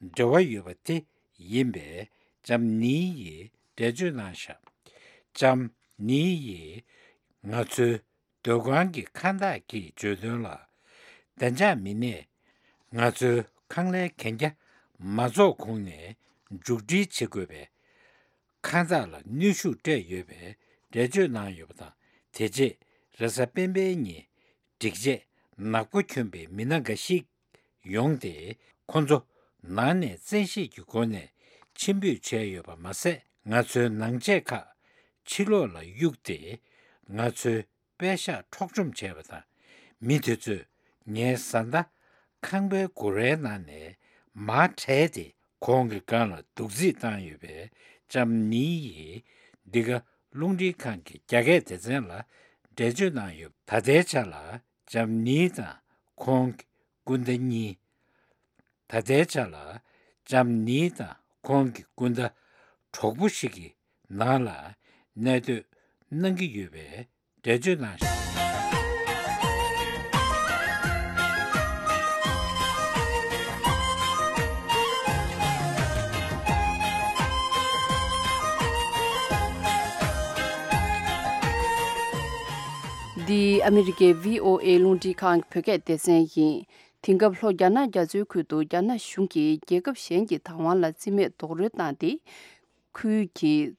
འབྲེལ་བ་ཡོད་པ་དེ་ཡིན་པའི་ལྕམ་ནི་ཡིས་འགྲེལ་བརྗོད་གནང་བཞག། ལྕམ་ནི་ཡིས་ང་ཚོའི་སྡོད་ཁང་གི་ཁང་བདག་གིས་བརྗོད་དོན་ལ། བདེ་འཇགས་མི་སྣས་ང་ཚོའི་ཁང་གླའི་གན་རྒྱ་མ་རྫོགས་གོང་ནས་མཇུག་སྒྲིལ་བྱེད་དགོས་པའི་ཁང་བདག་ལ་གནོན་ཤུགས་སྤྲད་ཡོད་པའི་འགྲེལ་བརྗོད་གནང་ཡོད་པ་དང་། དེ་རྗེས་རེས་གཟའ་སྤེན་པའི་ཉིན་སྒྲིག་ཆས་ནག་པོ་གྱོན་པའི་མི་སྣ་འགའ་ཞིག་ཡོང་སྟེ། ཁོ་ཚོ་ནང་ནས་བཙན་ཤེད་ཀྱི་སྒོ་ནས་ཕྱིར་འབུད་བྱས་ཡོད་པ་མ་ཟད། ང་ཚོའི་ནང་ཆས་ཁག་ཕྱི་ལོགས་ལ་གཡུགས་ཏེ། ང་ཚོའི་པད་ཤག་འཕྲོག་བཅོམ་བྱས་པ་དང་། མི་དེ་ཚོས་ངའི་བཟའ་ཟླ་ཁང་པའི་སྒོ་རའི་ནང་ནས་མར་བྲལ་ཏེ། ཁོང་གི་སྒང་ལ་རྡོག་རྫིས་བཏང་ཡོད་པའི་ལྕམ་ནི་ཡིས་འདི་ག་རླུང་འཕྲིན་ཁང་གི་རྒྱ་སྐད་སྡེ་ཚན་ལ་འགྲེལ་བརྗོད་གནང་ཡོད། ད་ལྟའི་ཆ་ལ་ལྕམ་ནི་དང་ཁོང་གི་སྐུ་ཟླ་གཉིས། ད་ལྟའི་ཆ་ལ་ལྕམ་ནི་དང་ཁོང་གི་སྐུ་ཟླ་གྲོགས་པོ་ཞིག་གི་ནང་ལ་གནས་སྡོད་གནང་གི་ཡོད་པའི་འགྲེལ་བརྗོད་གནང་ཞིང་། འདི་ཨ་མི་རི་ཀའི་བྷི་ཨོ་ཨེ་རླུང་འཕྲིན་ཁང་གི་བོད་སྐད་སྡེ་ཚན་ཡིན། དེང་སྐབས་ལྷོ་རྒྱ་ནག་རྒྱ་མཚོའི་ཁུལ་དུ་རྒྱ་ནག་གཞུང་གིས་རྒྱལ་ཁབ་གཞན་གྱི་བདག་དབང་ལ་བརྩི་མེད་རྡོག་རོལ་བཏང་སྟེ། ཁུལ་གྱི་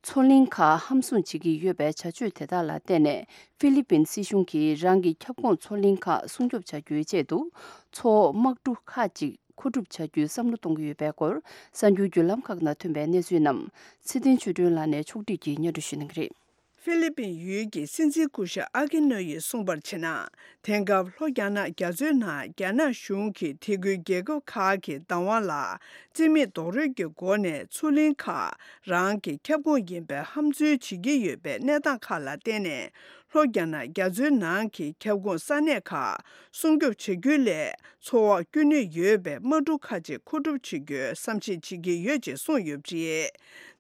མཚོ་གླིང་ཁག་ཧམ་བཟུང་བྱེད་ཀྱི་ཡོད་པའི་བྱ་སྤྱོད་དེ་དག་ལ་བརྟེན་ནས་ཧྥི་ལི་པིན་སྲིད་གཞུང་གིས་རང་གི་ཁྱབ་ཁོངས་མཚོ་གླིང་ཁག་སྲུང་སྐྱོབ་བྱ་རྒྱུའི་ཆེད་དུ་མཚོ་འོག་དམག་གྲུ་ཁག་ཅིག་མཁོ་སྒྲུབ་བྱ་རྒྱུའི་བསམ་བློ་གཏོང་གི་ཡོད་པའི་སྐོར་གསར་འགྱུར་བརྒྱུད་ལམ་ཁག་ནང་ཐོན་པའི་གནས་ཚུལ་རྣམས་ཚེ་བརྟན་ཆོས་སྒྲོན་ལགས་ནས་ཕྱོགས་བསྒྲིགས་ཀྱིས་སྙན་སྒྲོན་ཞུ་གནང་གི་རེད། ཧྥི་ལི་པིན་ཡུལ་གྱི་སྲིད་འཛིན་སྐུ་ཞབས་ཨ་ཀི་ནོ་ཡིས་གསུངས་པར་བྱས་ན། དེང་སྐབས་ལྷོ་རྒྱ་ནག་རྒྱ་མཚོའི་ནང་རྒྱ་ནག་གཞུང་གིས་དེ་ཁུལ་རྒྱལ་ཁབ་ཁག་གི་བདག་དབང་ལ་རྩིས་མེད་རྡོག་རོལ་གྱི་སྒོ་ནས་མཚོ་གླིང་ཁག་རང་གི་ཁྱབ་ཁོངས་ཡིན་པའི་ཧམ་འཛུལ་བྱེད་ཀྱི་ཡོད་པའི་གནས་སྟངས་ཁག་ལ་བརྟེན་ནས། ལྷོ་རྒྱ་ནག་རྒྱ་མཚོའི་ནང་གི་ཁྱབ་ཁོངས་ས་གནས་ཁག་སྲུང་སྐྱོབ་བྱ་རྒྱུ་ལས། མཚོ་འོག་བསྐྱོད་ནུས་ཡོད་པའི་དམག་གྲུ་ཁག་ཅིག་མཁོ་སྒྲུབ་བྱེད་རྒྱུའི་བསམ་གཞིག་བྱེད་ཀྱི་ཡོད་ཅེས་གསུངས་ཡོད་པ་རེད།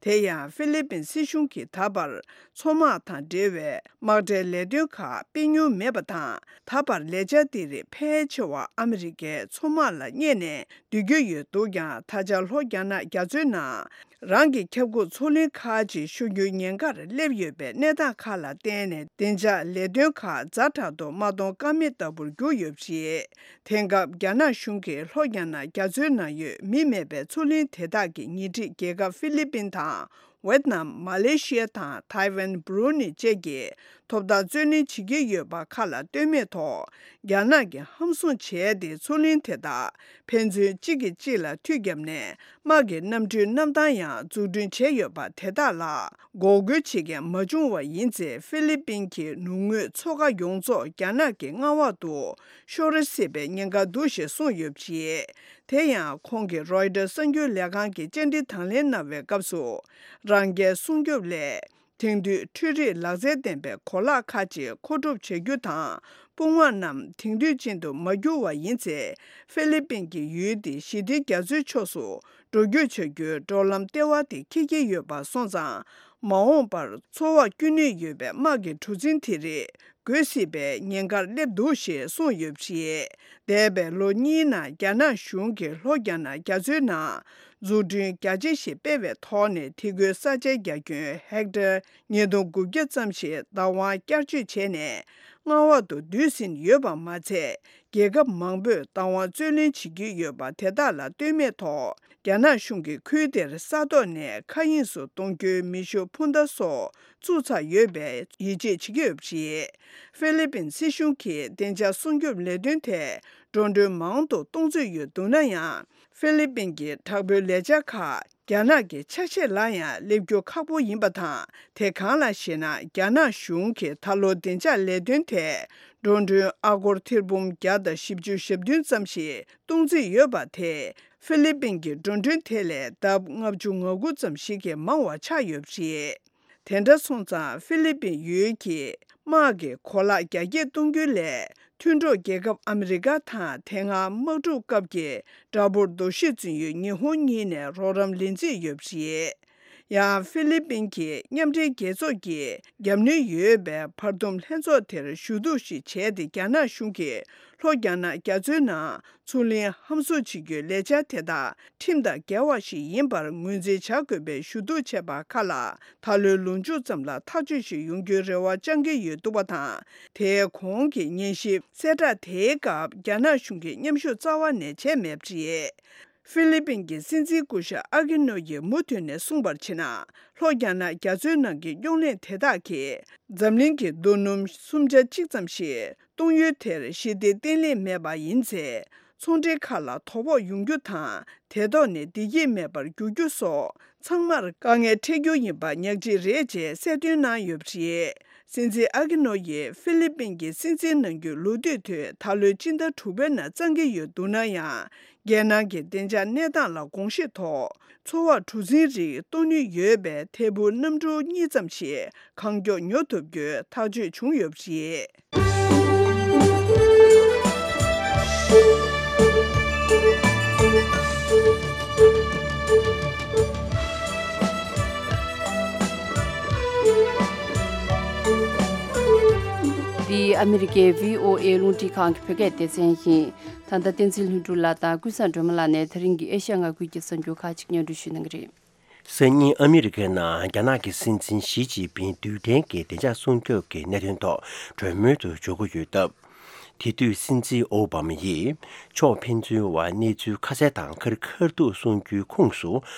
དེ་ཡང་ཧྥི་ལི་པིན་སྲིད་གཞུང་གིས་ད་བར་མཚོ་དམག་དང་འབྲེལ་བའི་དམག་གྲའི་ལས་དོན་ཁག་སྤེལ་མྱོང་མེད་པ་དང་། ད་བར་ལས་འཆར་དེ་རིགས་ཕལ་ཆེ་བ་ཨ་མི་རི་ཀའི་མཚོ་དམག་ལ་གཉེར་ནས་སྡོད་ཀྱི་ཡོད་འདུག་ཀྱང་། ད་ཆ་ལྷོ་རྒྱ་ནག་རྒྱ་མཚོའི་ནང་རང་གི་ཁྱབ་ཁོངས་མཚོ་གླིང་ཁག་ཅིག་ཤོར་རྒྱུའི་ཉེན་ཁར་སླེབས་ཡོད་པའི་གནས་སྟངས་ཁག་ལ་བརྟེན་ནས། བདེ་འཇགས་ལས་དོན་ཁག་ཛ་དྲག་ཏུ་མ་གཏོང་ཀ་མེད་ལྟ་བུར་གྱུར་ཡོད་པ་རེད། དེང་སྐབས་རྒྱ་ནག་གཞུང་གིས་ལྷོ་རྒྱ་ནག་རྒྱ་མཚོའི་ནང་ཡོད་མི་མེད་པའི་མཚོ་གླིང་དེ་དག་གི་ཉེ་འཁྲིས་རྒྱལ་ཁབ་ཧྥི་ལི་པིན་དང་། ཝེད་ནམ། མ་ལེ་ཤི་ཡ་དང་ཐའེ་ཝན། སྦུ་རུ་ནི་བཅས་ཀྱིས་ཐོབ་ཐང་རྩོད་ལེན་བྱེད་ཀྱི་ཡོད་པ་ཁ་ལ་ལྟོས་མེད་ཐོག་རྒྱ་ནག་གིས་ཧམ་བཟུང་བྱས་ཏེ། མཚོ་གླིང་དེ་དག་ཕན་ཚུན་གཅིག་གིས་གཅིག་ལ་མཐུད་བརྒྱབ་ནས། དམག་གི་གནམ་གྲུའི་གནམ་ཐང་ཡང་འཛུགས་སྐྲུན་བྱས་ཡོད་པ་དེ་དག་ལ་འགོག་རྒོལ་བྱེད་མཁན་མ་བྱུང་བ་ཡིན་ཚེ། ཧྥི་ལི་པིན་གྱི་ནུབ་ངོས་མཚོ་ཁ་ཡོངས་རྫོགས་རྒྱ་ནག་གི་མངའ་འོག་ཏུ་ཤོར་སྲིད་པའི་ཉེན་ཁ་འདུག་ཞེས་གསུངས་ཡོད་པ་རེད། དེ་ཡང་ཁོང་གིས་རོའི་ཊར་གསར་འགྱུར་ལས་ཁང་གི་བཅར་འདྲི་དང་ལེན་གནང་བའི་སྐབས་སུ། རང་རྒྱལ་སྲུང་སྐྱོབ་སླད། དེང་དུས་འཕྲུལ་རིག་ལག་རྩལ་ལྡན་པའི་གོ་ལག་ཁག་ཅིག་མཁོ་སྒྲུབ་བྱ་རྒྱུ་དང་། དཔུང་དམག་རྣམས་དེང་དུས་ཅན་དུ་མ་བསྒྱུར་བ་ཡིན་ཚེ། ཧྥི་ལི་པིན་གྱི་ཡུལ་དེ་ཞི་བདེ་རྒྱ་མཚོའི་ཕྱོགས་སུ་འགྲོ་སྐྱོད་བྱ་རྒྱུའི་འགྲོ་ལམ་ལྟེ་བ་དེ་འཁེལ་གྱི་ཡོད་པ་སོང་ཙང་། མ་འོངས་པར་མཚོ་འོག་བསྐྱོད་ནུས་ཡོད་པའི་དམག་གི་གྲུ་གཟིངས་དེ་རིགས་རྒོལ་སྲིད་པའི་ཉེན་ཁར་སླེབས་འདུག་ཞེས་གསུངས་ཡོད་པ་རེད། འདས་པའི་ལོ་གཉིས་ནང་རྒྱ་ནག་གཞུང་གིས་ལྷོ་རྒྱ་ནག་རྒྱ་མཚོའི་ནང་འཛུགས་སྐྲུན་རྒྱ་ཆེ་ཞིག་སྤེལ་བའི་ཐོག་ནས། དེ་ཁུལ་ས་ཆའི་རྒྱ་ཁྱོན་ཧེག་ཊར་ཉིས་སྟོང་དགུ་བརྒྱ་ཙམ་ཞིག་བདག་དབང་བསྐྱར་བཅོས་བྱས་ནས། མངའ་འོག་ཏུ་བསྡུས་ཟིན་ཡོད་པ་མ་ཚད། རྒྱལ་ཁབ་མང་པོས་བདག་དབང་རྩོད་ལེན་བྱེད་ཀྱི་ཡོད་པ་དེ་དག་ལ་ལྟོས་མེད་ཐོག་རྒྱ་ནག་གཞུང་གིས་ཁུལ་དེར་ས་ཐོག་ནས་མཁའ་དབྱིངས་སུ་གཏོང་རྒྱུའི་མེ་ཤུགས་འཕུར་མདའ་སོགས་བཙུགས་ཚར་ཡོད་པའི་ཡིད་ཆེས་བྱེད་ཀྱི་ཡོད་པ་རེད། ཧྥི་ལི་པིན་སྲིད་གཞུང་གིས་བདེ་འཇགས་སྲུང་སྐྱོབ་ལས་དོན་ཐད་འགྲོ་གྲོན་མང་དུ་གཏོང་རྩིས་ཡོད་འདུག་ན་ཡང་། ཧྥི་ལི་པིན་གྱི་དྲག་པོའི་ལས་འཆར་ཁག་རྒྱ་ནག་གི་ཆ་ཤས་ལ་ཡང་སླེབས་རྒྱུ་ཁག་པོ་ཡིན་པ་དང་། དེ་གང་ལགས་ཤེ་ན། རྒྱ་ནག་གཞུང་གིས་ད་ལོ་བདེ་འཇགས་ལས་དོན་ཐད་འགྲོ་གྲོན་ཨ་སྒོར་ཐེར་འབུམ་བརྒྱ་དང་བཞི་བཅུ་ཞེ་བདུན་ཙམ་ཞིག་གཏོང་རྩིས་ཡོད་པ་དེས། ཧྥི་ལི་པིན་གྱི་འགྲོ་གྲོན་དེ་ལས་ལྡབ་ལྔ་བཅུ་ང་དགུ་ཙམ་ཞིག་གིས་མང་བ་ཆགས་ཡོད་པ་རེད། དེ་འདྲ་སོང་ཙང་། ཧྥི་ལི་པིན་ཡུལ་གྱི་དམག་གི་གོ་ལག་རྒྱ་སྐྱེད་གཏོང་རྒྱུ་ལས། མཐུན་གྲོགས་རྒྱལ་ཁབ་ཨ་མི་རི་ཀ་དང་དེ་སྔ་དམག་འཁྲུག་སྐབས་ཀྱི་དགྲ་བོར་འདུ་ཤེས་བཙུགས་ཡོད་ཉི་ཧོང་གཉིས་ནས་རོགས་རམ་ལེན་རྩིས་ཡོད་པ་རེད། ཡང་ཧྥི་ལི་པིན་གྱིས་མཉམ་འབྲེལ་རྒྱལ་ཚོགས་ཀྱི་རྒྱབ་གནོན་ཡོད་པའི་བར་འདུམ་ལྷན་ཚོགས་དེར་ཞུ་གཏུག་ཞིག་བྱས་ཏེ། རྒྱ་ནག་གཞུང་གིས་ལྷོ་རྒྱ་ནག་རྒྱ་མཚོའི་ནང་མཚོ་གླིང་ཧམ་བཟུང་བྱེད་རྒྱུའི་ལས་འཆར་དེ་དག་ཁྲིམས་དང་འགལ་བ་ཞིག་ཡིན་པར་ངོས་འཛིན་བྱ་དགོས་པའི་ཞུ་གཏུག་བྱས་པ་ཁག་ལ་ད་ལོའི་ལོ་མཇུག་ཙམ་ལ་ཐག་གཅོད་ཞིག་ཡོང་རྒྱུའི་རེ་བ་བཅང་གི་ཡོད་འདུག་པ་དང་། དེའི་གོང་གི་ཉན་ཞིབ་གསལ་བསྒྲགས་དེའི་སྐབས་རྒྱ་ནག་གཞུང་གིས་མཉམ་ཞུགས་རྩ་བ་ནས་བྱས་མེད་པ་རེད། ཧྥི་ལི་པིན་གྱི་སྲིད་འཛིན་སྐུ་ཞབས་ཨ་ཀི་ནོ་ཡིས་མུ་མཐུད་ནས་གསུངས་པར་བྱས་ན། ལྷོ་རྒྱ་ནག་རྒྱ་མཚོའི་ནང་གི་རྙོག་གླེང་དེ་དག་གིས་འཛམ་གླིང་གི་རྡོ་སྣུམ་སུམ་ཆ་གཅིག་ཙམ་ཞིག་གཏོང་ཡུལ་དེར་ཞི་བདེ་བརྟན་ལྷིང་མེད་པ་ཡིན་ཚེ། ཚོང་འབྲེལ་ཁག་ལ་དོ་ཕོག་ཡོང་རྒྱུ་དང་། དེ་ཐོག་ནས་བདེ་སྐྱིད་མེད་པར་འགྱུར་རྒྱུ་སོགས་ཚང་མར་དཀའ་ངལ་འཕྲད་རྒྱུ་ཡིན་པ་ཉག་གཅིག་རེད་ཅེས་གསལ་སྟོན་གནང་ཡོད་པ་རེད། སྲིད་འཛིན་ཨ་ཀི་ནོ་ཡིས་ཧྥི་ལི་པིན་གྱི་སྲིད་འཛིན་གནང་རྒྱུའི་ལོ་དུས་དེ་ད་ལོའི་སྤྱི་ཟླ་དྲུག་པའི་ནང་བརྩམ་གྱི་ཡོད་འདུག་ན་ཡང་། རྒྱལ་ནང་གི་བདེ་འཇགས་གནས་སྟངས་ལ་དགོངས་བཞེས་ཐོག་མཚོ་འོག་གྲུ་གཟིངས་རིགས་གཏོང་ནུས་ཡོད་པའི་ཐད་འཕུར་གནམ་གྲུ་གཉིས་ཙམ་ཞིག་གང་མགྱོགས་ཉོ་ཐུབ་རྒྱུའི་ཐག་གཅོད་བྱུང་ཡོད་པ་རེད། འདི་ཨ་མི་རི་ཀའི་བྷི་ཨོ་ཨེ་རླུང་འཕྲིན་ཁང་གི་བོད་སྐད་སྡེ་ཚན་ཡིན། ད་ལྟ་བསྟན་འཛིན་ལྷུན་གྲུབ་ལགས་དང་ཀུན་བཟང་སྒྲོལ་མ་ལགས་ནས་ད་རིང་གི་ཨེ་ཤ་ཡ་མངའ་ཁུལ་གྱི་གསར་འགྱུར་ཁག་ཅིག་སྙན་སྒྲོན་ཞུ་གནང་གི་རེད། སང་ཉིན་ཨ་མི་རི་ཀའི་ནང་རྒྱ་ནག་གི་སྲིད་འཛིན་ཞི་ཅིན་ཕིང་རྡུལ་ཕྲན་གྱི་བདེ་འཇགས་སྲུང་སྐྱོབ་ཀྱི་གནད་དོན་ཐོག་གྲོས་མོལ་དུ་འཇུག་གི་ཡོད་སྟབས། དེ་དུས་སྲིད་འཛིན་ཨོ་བྷ་མ་ཡིས་ཕྱོགས་ཕན་ཚུན་བར་གནས་ཚུལ་ཁ་གསལ་དང་ཁ་རི་ཁ་ཐུག་གསུང་རྒྱུའི་ཁོངས་སུ།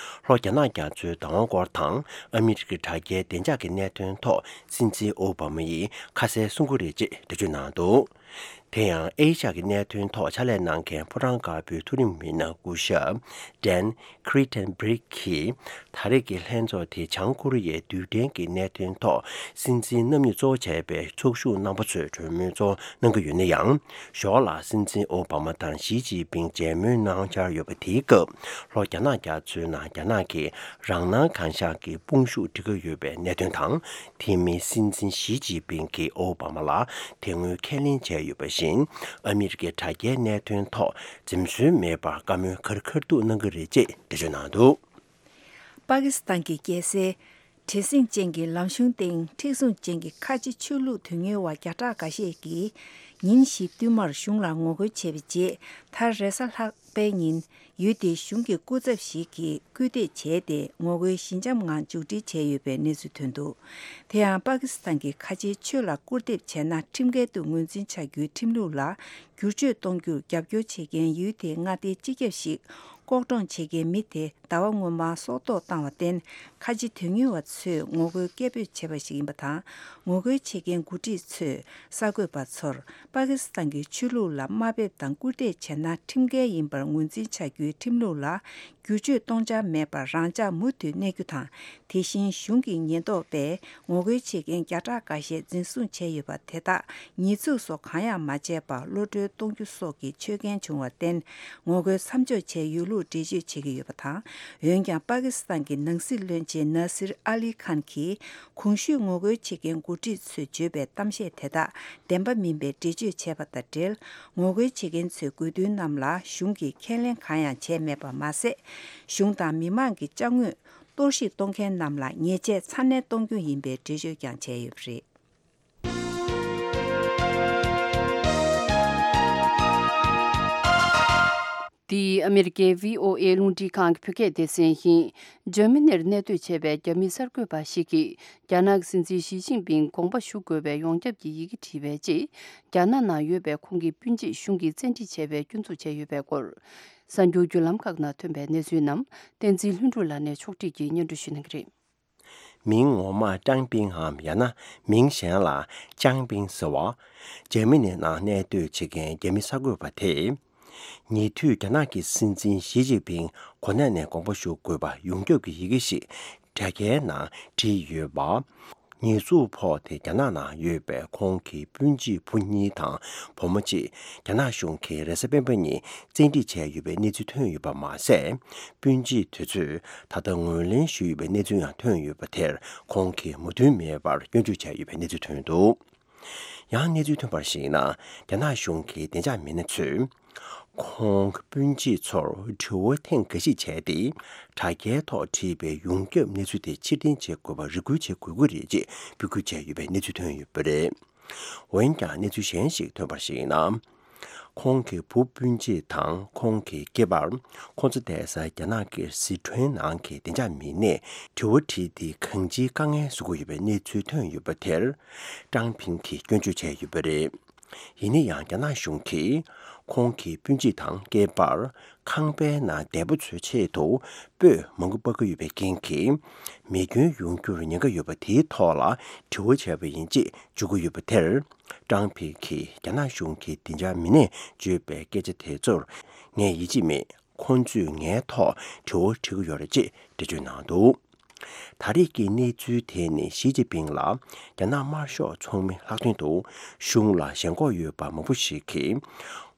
ལྷོ་རྒྱ་ནག་རྒྱ་མཚོའི་བདག་དབང་སྐོར་དང་ཨ་མི་རི་ཀའི་དྲ་རྒྱའི་བདེ་འཇགས་ཀྱི་གནད་དོན་ཐོག་སྲིད་འཛིན་ཨོ་བྷ་མ་ཡིས་ཁ་གསལ་གསུང་གི་རེད་ཅེས་འགྲེལ་བརྗོད་གནང་འདུག་དེ་ཡང་ཨེ་ཤ་ཡའི་གནད་དོན་ཐོག་ཕྱག་ལས་གནང་མཁན་ཕོ་བྲང་དཀར་པོའི་མཐོ་རིམ་མི་སྣ་སྐུ་ཞབས་Dan Kritenbrink གིས། ད་རེས་ཀྱི་ལྷན་ཚོགས་དེ་བྱང་ཀོ་རི་ཡའི་རྡུལ་ཕྲན་གྱི་གནད་དོན་ཐོག་སྲིད་འཛིན་རྣམ་གཉིས་གཙོ་བོ་བྱས་པའི་ཚོགས་ཞུགས་རྣམ་པ་ཚོས་གྲོས་མོལ་གཙོ་བོ་གནང་གི་ཡོད་ན་ཡང་། ཞོར་ལ་སྲིད་འཛིན་ཨོ་བྷ་མ་དང་ཞི་ཅིན་ཕིང་མཇལ་མོལ་གནང་འཆར་ཡོད་པ་དེའི་སྐབས། ལྷོ་རྒྱ་ནག་རྒྱ་མཚོའི་ནང་རྒྱ་ནག་གིས་རང་སྣང་གང་ཤར་གྱི་དཔུང་ཤུགས་སྒྲིལ་གྱི་ཡོད་པའི་གནད་དོན་དང་། དེ་མིན་སྲིད་འཛིན་ཞི་ཅིན་ཕིང་གིས་ཨོ་བྷ་མ་ལ་དེ་སྔོན་ཁས་ལེན་བྱས་ཡོད་པ་བཞིན། ཨ་མི་རི་ཀའི་དྲ་རྒྱའི་གནད་དོན་ཐོག་འཛེམ་ཟོན་མེད་པར་བཀའ་མོལ་ག་རེ་ག་རེ་གཏུག་གནང་གི་རེད་ཅེས་འགྲེལ་བརྗོད་གནང་འདུག་པ་ཀི་སི་ཐན་གྱི་རྒྱལ་སའི་བྲེལ་ཟིང་ཅན་གྱི་ལམ་གཞུང་སྟེང་མཁྲེགས་བཟུང་ཅན་གྱི་ཁ་ཆེ་ཆོས་ལུགས་དོན་གཉེར་བ་བརྒྱ་ཕྲག་འགའ་ཤས་ཀྱིས་ཉིན་བཞི་བསྟུད་མར་གཞུང་ལ་ངོ་རྒོལ་བྱས་པའི་རྗེས། མཐར་རེས་གཟའ་ལྷག་པའི་ཉིན་ཡུལ་དེའི་གཞུང་གི་སྐུ་ཚབ་ཞིག་གིས་སྐུལ་འདེད་བྱས་ཏེ། ངོ་རྒོལ་ཞི་འཇམ་ངང་མཇུག་སྒྲིལ་བྱས་ཡོད་པའི་གནས་ཚུལ་ཐོན་འདུག་དེ་ཡང་པ་ཀི་སི་ཐན་གྱི་ཁ་ཆེའི་ཆོས་ལ་སྐུར་འདེབས་བྱས་ན། ཁྲིམས་འགལ་དུ་ངོས་འཛིན་བྱ་རྒྱུའི་ཁྲིམས་ལུགས་ལ་བསྒྱུར་བཅོས་གཏོང་རྒྱུར་རྒྱབ་སྐྱོར་བྱེད་མཁན་ཡུལ་དེའི་མངའ་སྡེའི་སྤྱི་ཁྱབ་ཞིག་ལྐོག་གྲོང་བྱེད་མཁན་མི་དེ་ཟླ་བ་སྔོན་མར་སྲོག་ཐོག་བཏང་བར་བརྟེན། ཁ་ཆེ་དོན་གཉེར་བ་ཚོས་ངོ་རྒོལ་སྐད་འབོད་བྱས་པ་ཞིག་ཡིན་པ་དང་། ངོ་རྒོལ་བྱེད་མཁན་འགོ་ཁྲིད་ཚོས་གསར་འགོད་པ་ཚོར། པ་ཀི་སི་ཐན་གྱི་ཆོས་ལུགས་ལ་དམའ་འབེབས་དང་སྐུར་འདེབས་བྱས་ན། ཁྲིམས་འགལ་ཡིན་པར་ངོས་འཛིན་བྱ་རྒྱུའི་ཁྲིམས་ལུགས་ལ་བསྒྱུར་བཅོས་གཏོང་འཆར་མེད་པར། རང་འཇགས་མུ་མཐུད་གནས་རྒྱུ་དང་། དེ་བཞིན་གཞུང་གི་ཉེན་རྟོག་པས་ངོ་རྒོལ་བྱེད་མཁན་བརྒྱ་ཕྲག་འགའ་ཤས་འཛིན་བཟུང་བྱས་ཡོད་པ་དེ་དག་ཉེས་འཛུགས་སོགས་གང་ཡང་མ་བྱས་པར་གློད་གྲོལ་གཏོང་རྒྱུ་སོགས་ཀྱི་ཆོད་གན་བྱུང་བར་བརྟེན། ངོ་རྒོལ་མཚམས་འཇོག་བྱས་ཡོད་ལུགས་འགྲེལ་བརྗོད་བྱེད་ཀྱི་ཡོད་པ་དང་། འོན་ཀྱང་། པ་ཀི་སི་ཐན་གྱི་ནང་སྲིད་བློན་ཆེན་ན་སིར་ཨ་ལི་ཁཱན་གྱིས། གོང་ཞུས་ངོ་རྒོལ་བྱེད་མཁན་འགོ་ཁྲིད་ཚོས་བརྗོད་པའི་གཏམ་བཤད་དེ་དག་བདེན་པ་མིན་པའི་འགྲེལ་བརྗོད་བྱས་པ་དང་འབྲེལ། ངོ་རྒོལ་བྱེད་མཁན་ཚོའི་དགོས་འདུན་རྣམས་ལ་གཞུང་གིས་ཁས་ལེན་གང་ཡང་བྱས་མེད་པ་མ་ཟད། གཞུང་དང་མི་མང་གི་ཅ་དངོས་གཏོར་བཤིག་གཏོང་མཁན་རྣམས་ལ་ཉེས་ཆད་ཚ་ནན་གཏོང་རྒྱུ་ཡིན་པའི་འགྲེལ་བརྗོད་ཀྱང་བྱས་ཡོད་པ་རེད། འདི་ཨ་མེ་རི་ཀའི་བྷི་ཨོ་ཨེ་རླུང་འཕྲིན་ཁང་གི་བོད་སྐད་སྡེ་ཚན་ཡིན། འཇར་མ་ནིར་གནས་སྡོད་བྱས་པའི་རྒྱ་མི་གསར་འགོད་པ་ཞིག་གིས། རྒྱ་ནག་གི་སྲིད་འཛིན་ཞི་ཅིན་ཕིང་དགོངས་པ་ཞུ་དགོས་པའི་ཡོངས་ཁྱབ་ཀྱི་ཡི་གེ་བྲིས་པའི་རྗེས། རྒྱ་ནག་ནང་ཡོད་པའི་ཁོང་གི་སྤུན་མཆེད་གཞུང་གིས་བཙན་ཁྲིད་བྱས་པའི་སྐྱོན་འཛུགས་བྱས་ཡོད་པའི་སྐོར། གསར་འགྱུར་བརྒྱུད་ལམ་ཁག་ནང་ཐོན་པའི་གནས་ཚུལ་རྣམས། བསྟན་འཛིན་ལྷུན་གྲུབ་ལགས་ནས་ཕྱོགས་སྒྲིག་གིས་སྙན་སྒྲོན་ཞུ་གནང་གི་རེད། མིང་ངོ་མ་ཀྲང་པིང་ངམ། ཡང་ན་མིང་གཞན་ལ་ཅང་པིང་ཟེར་བ། འཇར་མ་ནི་ནང་གནས་སྡོད་བྱེད་མཁན་རྒྱ་མི་གསར་འགོད་པ་དེས། ཉེ་དུས་རྒྱ་ནག་གི་སྲིད་འཛིན་ཞི་ཅིན་ཕིང་གོ་གནས་ནས་དགོངས་པ་ཞུ་དགོས་པ་ཡོངས་ཁྱབ་ཀྱི་ཡི་གེ་ཞིག་དྲ་རྒྱའི་ནང་བྲིས་ཡོད་པ། ཉེས་འཛུགས་ཕོག་སྟེ། རྒྱ་ནག་ནང་ཡོད་པའི་ཁོང་གི་སྤུན་མཆེད་བུ་གཉིས་དང་བུ་མོ་གཅིག་རྒྱ་ནག་གཞུང་གིས་རེས་གཟའ་སྤེན་པ་ཉིན་བཙན་ཁྲིད་བྱས་ཡོད་པའི་གནས་ཚུལ་ཐོན་ཡོད་པ་མ་ཟད། སྤུན་མཆེད་དེ་ཚོས་ད་ལྟ་ངོས་ལེན་ཞུས་ཡོད་པའི་གནས་ཚུལ་ཡང་ཐོན་ཡོད་པ་དེར་ཁོང་གིས་མོས་མཐུན་མེད་པར་སྐྱོན་བརྗོད་བྱས་ཡོད་པའི་གནས་ཚུལ་ཐོན་འདུག་ཡང་གནས་ཚུལ་ཐོན་པར་གཞིགས་ན། རྒྱ་ནག་གཞུང་གི་བདེ་འཇགས་མི་སྣ་ཚོས། ཁོང་གི་སྤུན་མཆེད་ཚོར་དྲི་བ་ཐེངས་འགའ་ཞིག་བྱས་ཏེ། དྲ་རྒྱའི་ཐོག་བྲིས་པའི་ཡོངས་ཁྱབ་གནས་ཚུལ་དེ་ཕྱིར་འཐེན་བྱེད་དགོས་པར་རེ་སྐུལ་བྱེད་དགོས་ཀྱི་རེད་ཅེས་འབོད་སྐུལ་བྱས་ཡོད་པའི་གནས་ཚུལ་ཐོན་ཡོད་པ་རེད། འོན་ཀྱང་། གནས་ཚུལ་གཞན་ཞིག་ཐོན་པར་གཞིགས་ན། ཁོང་གི་བུ་སྤུན་མཆེད་དང་ཁོང་གི་སྐྱེས་པར། ཁོང་ཚོ་བསྡད་སའི་རྒྱ་ནག་གི་སི་ཁྲོན་ནང་གི་བདེ་འཇགས་མི་སྣས་དྲི་བ་དྲིས་ཏེ་གང་ཅིའི་དཀའ་ངལ་བཟོ་གི་ཡོད་པའི་གནས་ཚུལ་ཐོན་ཡོད་པ་དེར། ཀྲང་ཕིང་གིས་སྐྱོན་བརྗོད་བྱས་ཡོད་པ་རེད། ཡིན་ན་ཡང་། རྒྱ་ནག་གཞུང་གིས་ཁོང་གི་སྤུན་མཆེད་དང་སྐྱེས་པར་ཁང་པའི་ནང་བསྡད་པ་ཚོའི་ཆེད་དུ་སྤོས་མང་པོ་སྤར་གྱི་ཡོད་པའི་རྐྱེན་གྱིས། མེ་སྐྱོན་ཡོང་རྒྱུར་ཉེན་ཁ་ཡོད་པ་དེའི་ཐོག་ལ་དྲི་བ་བྱས་པ་ཡིན་ཅེས་བརྗོད་ཀྱི་ཡོད་པ་དེར། ཀྲང་ཕིང་གིས་རྒྱ་ནག་གཞུང་གི་བདེ་འཇགས་མི་སྣས་བརྗོད་པའི་སྐད་ཆ་དེ་ཚོར་ངས་ཡིད་ཆེས་མེད། ཁོང་ཚོས་ངའི་ཐོག་དྲི་བ་དྲི་གི་ཡོད་རེད་ཅེས་འགྲེལ་བརྗོད་གནང་འདུག་ད་རེས་ཀྱི་གནས་ཚུལ་དེ་ནི་ཞི་ཅིན་ཕིང་ལ་རྒྱ་ནག་དམར་ཤོག་ཚོགས་མི་ལྷག་དོན་དུ་གཞུང་ལ་ཞེན་ཁོག་ཡོད་པ་མང་པོ་ཞིག་གིས།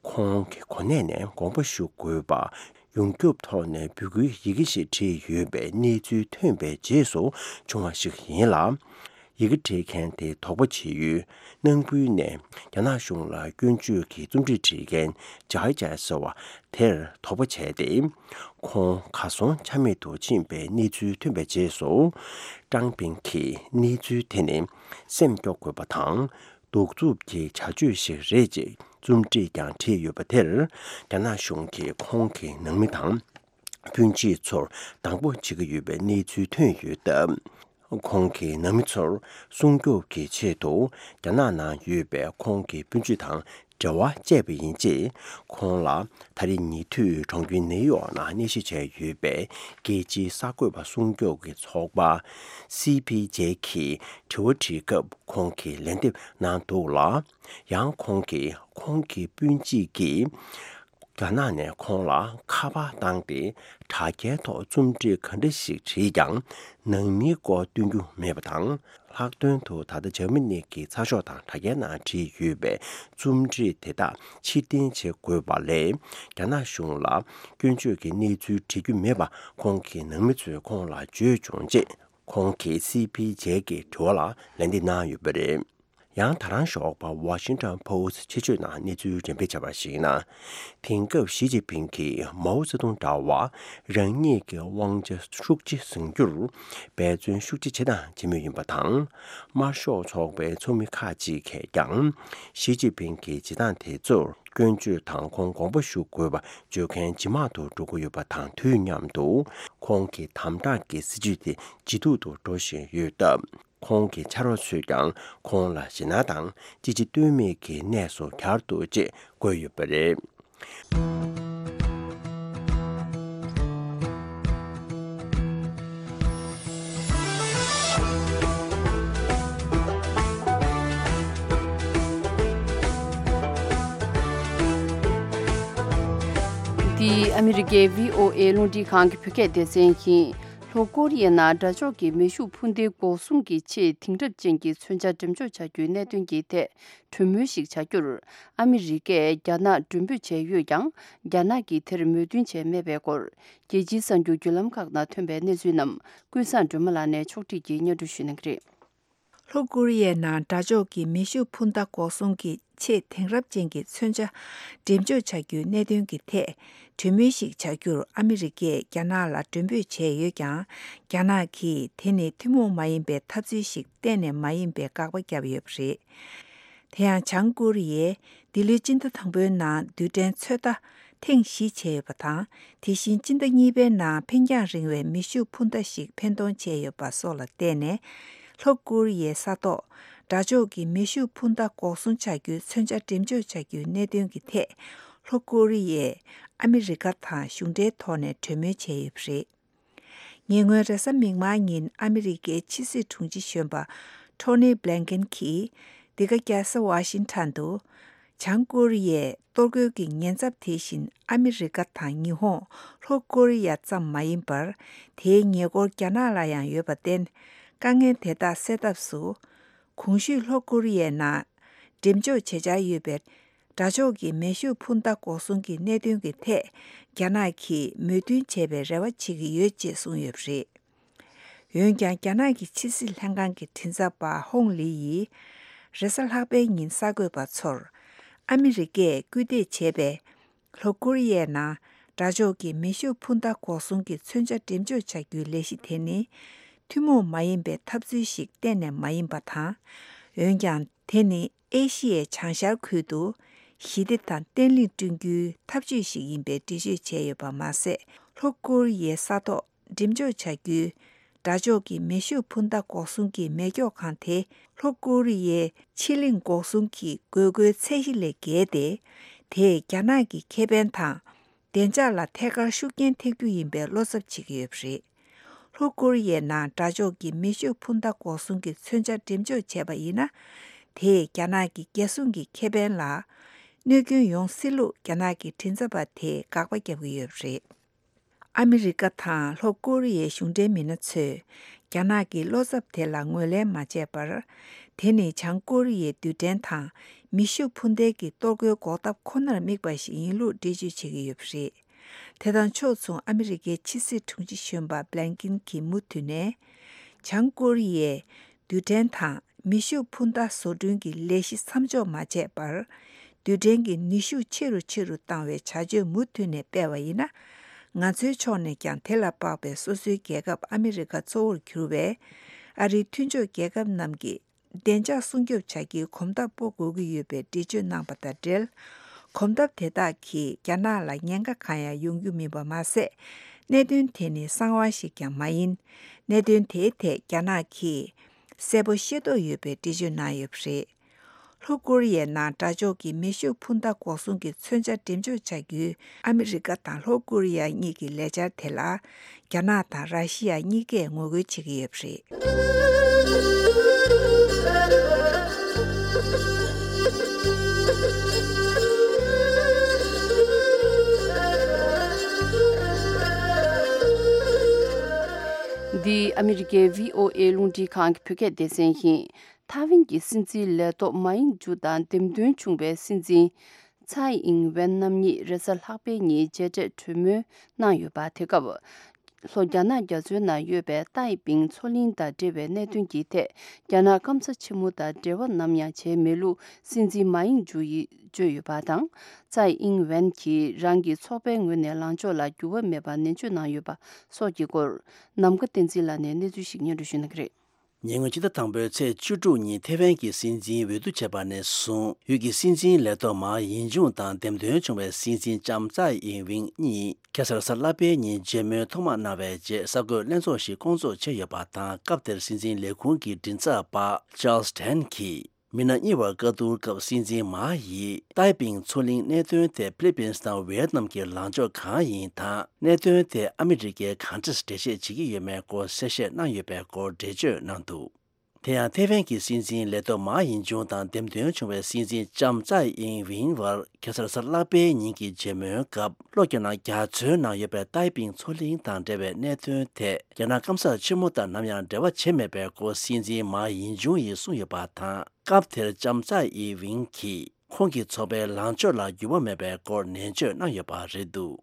ཁོང་གི་གོ་གནས་ནས་དགོངས་པ་ཞུ་དགོས་པ་ཡོངས་ཁྱབ་ཐོག་ནས་འབོད་སྐུལ་ཡི་གེ་ཞིག་བྲིས་ཡོད་པའི་གནས་ཚུལ་ཐོན་པའི་རྗེས་སུ་བྱུང་བ་ཞིག་ཡིན་ལ། ཡི་གེ་བྲིས་མཁན་དེ་དོགས་པ་བྱེད་ཡུལ་ནང་ཁུལ་ནས་རྒྱ་ནག་གཞུང་ལ་སྐྱོན་བརྗོད་ཀྱི་རྩོམ་བྲིས་བྲིས་མཁན་ཇའི་ཅའི་ཟེར་བ་དེར་དོགས་པ་བྱས་ཏེ། ཁོང་གར་སོང་ཆ་མེད་དུ་ཕྱིན་པའི་གནས་ཚུལ་ཐོན་པའི་རྗེས་སུ། ཀྲང་ཕིང་གིས་གནས་ཚུལ་དེ་ནི་སེམས་སྐྱོ་དགོས་པ་དང་། གདུག་རྩུབ་ཀྱི་བྱ་སྤྱོད་ཞིག་རེད་ཅེས་རྩོམ་བྲིས་ཀྱང་བྲིས་ཡོད་པ་དེར། རྒྱ་ནག་གཞུང་གིས་ཁོང་གི་ནང་མི་དང་སྤུན་མཆེད་ཚོར་སྡང་པོ་བྱེད་ཀྱི་ཡོད་པའི་གནས་ཚུལ་ཐོན་ཡོད་སྟབས། ཁོང་གི་ནང་མི་ཚོར་སྲུང་སྐྱོབ་ཀྱི་ཆེད་དུ་རྒྱ་ནག་ནང་ཡོད་པའི་ཁོང་གི་སྤུན་མཆེད་དང་འབྲེལ་བ་བཅད་པ་ཡིན་ཅེས། ཁོང་ལ་ད་རེས་ཉེ་དུས་གྲོང་ཁྱེར་ནེའུ་ཡོག་ནང་གནས་གཞི་བྱས་ཡོད་པའི་རྒྱལ་སྤྱིའི་གསར་འགོད་པ་སྲུང་སྐྱོབ་ཀྱི་ཚོགས་པ་སི་པི་ཇེ་གིས་དྲི་བ་དྲིས་སྐབས། ཁོང་གིས་ལན་འདེབས་གནང་འདུག་ལ། ཡང་ཁོང་གིས་ཁོང་གི་སྤུན་མཆེད་ཀྱིས་རྒྱ་ནག་ནས་ཁོང་ལ་ཁ་པར་བཏང་སྟེ། དྲ་རྒྱའི་ཐོག་རྩོམ་བྲིས་ག་འདྲ་ཞིག་བྲིས་ཀྱང་། ནང་མིའི་སྐོར་སྟོན་རྒྱུ་མེད་པ་དང་། ལྷག་དོན་དུ་ད་ལྟ་འཇར་མ་ནི་གི་ཚགས་ཤོག་དང་དྲ་རྒྱའི་ནང་བྲིས་ཡོད་པའི་རྩོམ་བྲིས་དེ་དག་ཕྱིར་འཐེན་བྱེད་དགོས་པ་ལས། རྒྱ་ནག་གཞུང་ལ་སྐྱོན་བརྗོད་ཀྱི་གནས་ཚུལ་བྲི་རྒྱུ་མེད་པ། ཁོང་གི་ནང་མི་ཚོས་ཁོང་ལ་བརྗོད་བྱུང་ཅེས། ཁོང་གིས་སི་པི་ཇེ་གི་དྲི་བ་ལ་ལན་འདེབས་གནང་ཡོད་པ་རེད། ཡང་ད་རང་ཞོགས་པ་Washington Post ཆེད་བརྗོད་ནང་གནས་ཚུལ་འགྲེམས་སྤེལ་བྱས་པར་གཞིགས་ན། དེང་སྐབས་ཞི་ཅིན་ཕིང་གིས་མའོ་ཙེ་ཏུང་འདྲ་བ་རང་ཉིད་ཀྱི་དབང་ཆ་ཤུགས་ཆེ་བཟུང་རྒྱུར་འབད་བརྩོན་ཤུགས་ཆེ་བྱེད་དང་བྱེད་མུས་ཡིན་པ་དང་། དམར་ཤོག་ཚོགས་པའི་ཚོགས་མི་ཁག་ཅིག་གིས་ཀྱང་ཞི་ཅིན་ཕིང་གི་བྱེད་སྟངས་དེ་ཚོར་སྐྱོན་བརྗོད་དང་ཁོང་དགོངས་པ་ཞུ་དགོས་པ་བརྗོད་མཁན་ཇེ་མང་དུ་འགྲོ་གི་ཡོད་པ་དང་དུས་མཉམ་དུ། ཁོང་གི་དམ་དྲག་གི་སྲིད་བྱུས་དེ་ཇེ་སྡུག་ཏུ་འགྲོ་བཞིན་ཡོད་སྟབས། ཁོང་གི་ཕྱག་རོགས་ཚོས་ཀྱང་ཁོང་ལ་ཞེད་སྣང་དང་ཅི་བྱེད་གཏོལ་མེད་ཀྱི་གནས་སུ་གྱར་འདུག་ཅེས་བཀོད་ཡོད་པ་རེད། འདི་ཨ་མི་རི་ཀའི་བྷི་ཨོ་ཨེ་རླུང་འཕྲིན་ཁང་གི་བོད་སྐད་སྡེ་ཚན་ཡིན། ལྷོ་ཀོ་རི་ཡའི་ནང་དགྲ་ཕྱོགས་ཀྱི་མེ་ཤུགས་འཕུར་མདེལ་འགོག་སྲུང་གི་ཆེས་དེང་རབས་ཅན་གྱི་མཚོན་ཆ་འགྲེམས་འཇོག་བྱ་རྒྱུའི་གནད་དོན་གྱི་ཐད་གྲོས་མོལ་ཞིག་བྱ་རྒྱུར། ཨ་མི་རི་ཀས་རྒྱ་ནག་མགྲོན་འབོད་བྱས་ཡོད་ཀྱང་། རྒྱ་ནག་གིས་དེར་མོས་མཐུན་བྱས་མེད་པའི་སྐོར། རྒྱལ་སྤྱིའི་གསར་འགྱུར་བརྒྱུད་ལམ་ཁག་ནང་ཐོན་པའི་གནས་ཚུལ་རྣམས་ཀུན་བཟང་སྒྲོལ་མ་ལགས་ནས་ཕྱོགས་སྒྲིག་གིས་སྙན་སྒྲོན་ཞུ་གནང་གི་རེད། ལྷོ་ཀོ་རི་ཡའི་ནང་དགྲ་ཕྱོགས་ཀྱི་མེ་ཤུགས་འཕུར་མདའ་འགོག་སྲུང་གི་ཆེས་དེང་རབས་ཅན་གྱི་མཚོན་ཆ་འགྲེམས་འཇོག་བྱ་རྒྱུའི་གནད་དོན་གྱི་ཐད་གྲོས་མོལ་ཞིག་བྱ་རྒྱུར་ཨ་མི་རི་ཀས་རྒྱ་ནག་ལ་མགྲོན་འབོད་བྱས་ཡོད་ཀྱང་། རྒྱ་ནག་གིས་དེ་ནི་ཐུན་མོང་མ་ཡིན་པའི་འཐབ་རྩོད་ཞིག་གཏན་ནས་མ་ཡིན་པའི་དགག་པ་བརྒྱབ་ཡོད་པ་རེད། དེ་ཡང་བྱང་ཀོ་རི་ཡས་འདི་ལོའི་སྤྱི་ཟླ་དང་པོའི་ནང་རྡུལ་ཕྲན་ཚོད་ལྟ་ཐེངས་བཞི་བྱས་ཡོད་པ་དང་། དེ་བཞིན་སྤྱི་ཟླ་གཉིས་པའི་ནང་འཕེན་རྒྱང་རིང་བའི་མེ་ཤུགས་འཕུར་མདའ་ཞིག་འཕེན་གཏོང་བྱས་ཡོད་པ་སོགས་ལ་བརྟེན་ནས། ལྷོ་ཀོ་རི་ཡའི་ས་ཐོག་དགྲ་ཕྱོགས་ཀྱི་མེ་ཤུགས་འཕུར་མདའ་འགོག་སྲུང་བྱ་རྒྱུའི་མཚོན་ཆ་འགྲེམས་འཇོག་བྱ་རྒྱུའི་གནད་དོན་གྱི་ཐད། ལྷོ་ཀོ་རི་ཡས་ཨ་མི་རི་ཀ་དང་གཞུང་འབྲེལ་ཐོག་ནས་གྲོས་མོལ་བྱས་ཡོད་པ་རེད། ཉེ་སྔོན་རེས་གཟའ་མིག་དམར་ཉིན་ཨ་མི་རི་ཀའི་ཕྱི་སྲིད་དྲུང་ཆེ་གཞོན་པ་ཊོ་ནི་བྷི་ལན་ཀེན་གྱིས། འདི་ག་རྒྱལ་ས་ཝ་ཤིང་ཊོན་དུ། བྱང་ཀོ་རི་ཡའི་གཏོར་རྒོལ་གྱི་ཉེན་ཚབས་དེ་བཞིན་ཨ་མི་རི་ཀ་དང་ཉི་ཧོང་། ལྷོ་ཀོ་རི་ཡ་ཙམ་མ་ཡིན་པར། དེའི་ཉེ་འཁོར་རྒྱ་ནག་ལ་ཡང་ཡོད་པར་བརྟེན། དཀའ་ངལ་དེ་དག་སེལ་ཐབས་སུ། གོང་ཞུས་ལྷོ་ཀོ་རི་ཡའི་ནང་འགྲེམས་འཇོག་བྱེད་འཆར་ཡོད་པའི་དགྲ་ཕྱོགས་ཀྱི་མེ་ཤུགས་འཕུར་མདའ་འགོག་སྲུང་གི་གནད་དོན་གྱི་ཐད། རྒྱ་ནག་གིས་མོས་མཐུན་བྱས་པའི་རེ་བ་བྱེད་ཀྱི་ཡོད་ཅེས་གསུངས་ཡོད་པ་རེད། འོན་ཀྱང་། རྒྱ་ནག་གི་ཕྱི་སྲིད་ལྷན་ཁང་གི་མགྲིན་ཚབ་པ་ཧོང་ལི་ཡིས། རེས་གཟའ་ལྷག་པའི་ཉིན་གསར་འགོད་པ་ཚོར། ཨ་མི་རི་ཀས་སྐུལ་འདེད་བྱས་པའི། ལྷོ་ཀོ་རི་ཡའི་ནང་དགྲ་ཕྱོགས་ཀྱི་མེ་ཤུགས་འཕུར་མདའ་འགོག་སྲུང་གི་མཚོན་ཆ་འགྲེམས་འཇོག་བྱ་རྒྱུའི་ལས་གཞི་དེ་ནི། ཐུན་མོང་མ་ཡིན་པའི་འཐབ་རྩོད་ཞིག་གཏན་ནས་མ་ཡིན་པ་དང་། འོན་ཀྱང་། དེ་ནི་ཨེ་ཤི་ཡའི་བྱང་ཤར་ཁུལ་དུ་ཞི་བདེ་དང་བརྟན་ལྷིང་བསྐྲུན་རྒྱུའི་འཐབ་ཇུས་ཤིག་ཡིན་པའི་འགྲེལ་བརྗོད་བྱས་ཡོད་པ་མ་ཟད། ལྷོ་ཀོ་རི་ཡའི་ས་ཐོག་འགྲེམས་འཇོག་བྱ་རྒྱུའི་དགྲ་ཕྱོགས་ཀྱི་མེ་ཤུགས་འཕུར་མདའ་འགོག་སྲུང་གི་མེ་སྒྱོགས་ཁང་དེ། ལྷོ་ཀོ་རི་ཡའི་ཕྱི་གླིང་འགོག་སྲུང་གི་དགོས་མཁོའི་ཚད་གཞི་ལས་བརྒལ་ཏེ། དེས་རྒྱ་ནག་གི་ཁེ་ཕན་དང་། བདེ་འཇགས་ལ་ཐད་ཀར་ཤུགས་རྐྱེན་ཐེབས་རྒྱུ་ཡིན་པའི་བློ་འཚབ་བྱེད་ཀྱི་ཡོད་པ་རེད། ལྷོ་ཀོ་རི་ཡའི་ནང་དགྲ་ཕྱོགས་ཀྱི་མེ་ཤུགས་འཕུར་མདའ་འགོག་སྲུང་གི་མཚོན་ཆ་འགྲེམས་འཇོག་བྱས་པ་ཡིན་ན། དེས་རྒྱ་ནག་གི་རྒྱལ་སྲུང་གི་ཁེ་ཕན་ལ་གནོད་སྐྱོན་ཡོང་སྲིད་ལུགས་རྒྱ་ནག་གི་མགྲིན་ཚབ་པ་དེས་དགག་པ་བརྒྱབ་ཀྱི་ཡོད་པ་རེད། ཨ་མི་རི་ཀ་དང་ལྷོ་ཀོ་རི་ཡའི་གཞུང་འབྲེལ་མི་སྣ་ཚོས་རྒྱ་ནག་གི་བློ་འཚབ་དེ་ལ་ངོས་ལེན་མ་བྱས་པར། དེ་ནི་བྱང་ཀོ་རི་ཡའི་རྡུལ་ཕྲན་དང་མེ་ཤུགས་འཕུར་མདེལ་གྱི་གཏོར་རྒོལ་འགོག་ཐབས་ཁོ་ནར་དམིགས་པ་ཞིག་ཡིན་ལུགས་འགྲེལ་བརྗོད་བྱེད་ཀྱི་ཡོད་པ་རེད། དེ་དང་ཕྱོགས་མཚུངས། ཨ་མི་རི་ཀའི་ཕྱི་སྲིད་དྲུང་ཆེ་གཞོན་པ་བྷི་ལན་ཀིན་གྱིས་མུ་མཐུད་ནས། བྱང་ཀོ་རི་ཡས་རྡུལ་ཕྲན་དང་མེ་ཤུགས་འཕུར་མདའ་བཟོ་སྐྲུན་གྱི་ལས་གཞི་མཚམས་འཇོག་མ་བྱས་པར། རྡུལ་ཕྲན་གྱི་ནུས་ཤུགས་ཆེ་རུ་ཆེ་རུ་བཏང་བའི་བྱ་སྤྱོད་མུ་མཐུད་ནས་སྤེལ་བ་ཡིན་ན། ང་ཚོའི་ཕྱོགས་ནས་ཀྱང་དེ་ལ་དཔག་པའི་སོ་སོའི་རྒྱལ་ཁབ་ཨ་མི་རི་ཀ་གཙོ་བོར་གྱུར་བའི་ཨ་རིའི་མཐུན་ཕྱོགས་རྒྱལ་ཁབ་རྣམས་ཀྱི་བདེ་འཇགས་སྲུང་སྐྱོབ་བྱ་རྒྱུའི་གོམ་སྟབས་སྤོ་དགོས་ཀྱི་ཡོད་པའི་འགྲེལ་བརྗོད་གནང་པ་དང་འབྲེལ། གོམ་སྟབས་དེ་དག་གིས་རྒྱ་ནག་ལ་ཉེན་ཁ་གང་ཡང་ཡོང་རྒྱུ་མིན་པ་མ་ཟད། གནད་དོན་དེ་ནི་གསང་བ་ཞིག་ཀྱང་མ་ཡིན། གནད་དོན་དེའི་ཐད་རྒྱ་ནག་གིས་གསལ་པོ་ཤེས་རྟོགས་ཡོད་པའི་འགྲེལ་བརྗོད་གནང་ཡོད་པ་རེད། ལྷོ་ཀོ་རི་ཡའི་ནང་དགྲ་ཕྱོགས་ཀྱི་མེ་ཤུགས་འཕུར་མདའ་འགོག་སྲུང་གི་མཚོན་ཆ་འགྲེམས་འཇོག་བྱ་རྒྱུའི་ཨ་མི་རི་ཀ་དང་ལྷོ་ཀོ་རི་ཡ་གཉིས་ཀྱི་ལས་འཆར་དེ་ལ། རྒྱ་ནག་དང་ར་ཤི་ཡ་གཉིས་ཀས་ངོ་རྒོལ་བྱེད་ཀྱི་ཡོད་པ་རེད། འདི་ཨ་མི་རི་ཀའི་བྷི་ཨོ་ཨེ་རླུང་འཕྲིན་ཁང་གི་བོད་སྐད་སྡེ་ཚན་ཡིན། ཐའེ་ཝན་གྱི་སྲིད་འཛིན་ལས་ཐོག་མཱ་ཡིང་ཇུ་དང་འདེམས་ཐོན་བྱུང་བའི་སྲིད་འཛིན་ཚའེ་ཨིང་ཝེན་རྣམ་གཉིས་རེས་གཟའ་ལྷག་པའི་ཉིན་མཇལ་འཕྲད་གྲོས་མོལ་གནང་ཡོད་པ། དེ་སྐབས་ལྷོ་རྒྱ་ནག་རྒྱ་མཚོའི་ནང་ཡོད་པའི་ཏའེ་པིང་མཚོ་གླིང་དང་འབྲེལ་བའི་གནད་དོན་གྱི་ཐད། རྒྱ་ནག་སྐམ་ས་ཆེན་མོ་དང་འབྲེལ་བ་ནམ་ཡང་བྱས་མེད་ལུགས་སྲིད་འཛིན་མཱ་ཡིང་ཇུ་ཡིས་བརྗོད་ཡོད་པ་དང་། ཚའེ་ཨིང་ཝེན་གྱིས་རང་གི་ཚོགས་པའི་ངོས་ནས་ལངས་ཕྱོགས་ལ་འགྱུར་བ་མེད་པར་ནན་བརྗོད་གནང་ཡོད་པ་སོགས་ཀྱི་སྐོར། ནམ་མཁའ་བསྟན་འཛིན་ལགས་ནས་གནས་ཚུལ་ཞིག་སྙན་སྒྲོན་ཞུ་གནང་གི་རེད། ཉེ་སྔོན་ཕྱི་ཟླ་དང་པོའི་ཚེས་བཅུ་དྲུག་ཉིན་ཐེ་ཝན་གྱི་སྲིད་འཛིན་འོས་བསྡུ་བྱས་པ་ནས་བཟུང་ཡུལ་གྱི་སྲིད་འཛིན་ལས་ཐོག་མཱ་ཡིན་ཅུང་དང་འདེམས་ཐོན་བྱུང་བའི་སྲིད་འཛིན་ལྕམ་ཚའེ་ཨིང་ཝིང་གཉིས་ཁ་སང་གཟའ་ལྷག་པའི་ཉིན་མཇལ་མོལ་ཐོག་མ་གནང་བའི་རྗེས་གསར་འགོད་ལྷན་ཚོགས་ཤིག་བསྐོང་ཚོགས་བྱས་ཡོད་པ་དང་། སྐབས་དེར་སྲིད་འཛིན་ལས་ཁུངས་ཀྱི་མགྲིན་ཚབ་པ་ཅཱལ་སི་ཐན་གྱིས། མི་སྣ་གཉིས་བར་བཀའ་བསྡུར་སྐབས་སྲིད་འཛིན་མཱ་ཡིས་ཏའེ་པིང་མཚོ་གླིང་གནད་དོན་ཐད་ཕི་ལི་པིན་སི་དང་ཝེ་ཏི་ནམ་གྱི་ལངས་ཕྱོགས་གང་ཡིན་དང་། གནད་དོན་དེ་ཨ་མི་རི་ཀས་གང་འདྲས་འགྲེལ་བཤད་བྱེད་ཀྱི་ཡོད་མེད་སྐོར་གསལ་བཤད་གནང་ཡོད་པའི་སྐོར་འགྲེལ་བརྗོད་གནང་འདུག་དེ་ཡང་ཐེ་ཝན་གྱི་སྲིད་འཛིན་ལས་ཐོག་མཱ་ཡིན་ཅུང་དང་འདེམས་ཐོན་བྱུང་བའི་སྲིད་འཛིན་ལྕམ་ཚའེ་ཨིང་ཝིང་བར་ཁ་སང་གཟའ་ལྷག་པའི་ཉིན་གྱི་མཇལ་མོལ་སྐབས། ལྷོ་རྒྱ་ནག་རྒྱ་མཚོའི་ནང་ཡོད་པའི་ཏའེ་པིང་མཚོ་གླིང་དང་འབྲེལ་བའི་གནད་དོན་ཐད། རྒྱ་ནག་སྐམ་ས་ཆེན་མོ་དང་ནམ་ཡང་འབྲེལ་བ་བྱས་མེད་པའི་སྐོར་སྲིད་འཛིན་མཱ་ཡིན་ཅུང་ཡིས་གསུངས་ཡོད་པ་དང་། སྐབས་དེར་ལྕམ་ཚའེ་ཨིང་ཝིང་གིས་ཁོང་གི་ཚོགས་པའི་ལངས་ཕྱོགས་ལ་འགྱུར་བ་མེད་པའི་སྐོར་ནན་བརྗོད་གནང་ཡོད་པ་རེད་འདུག་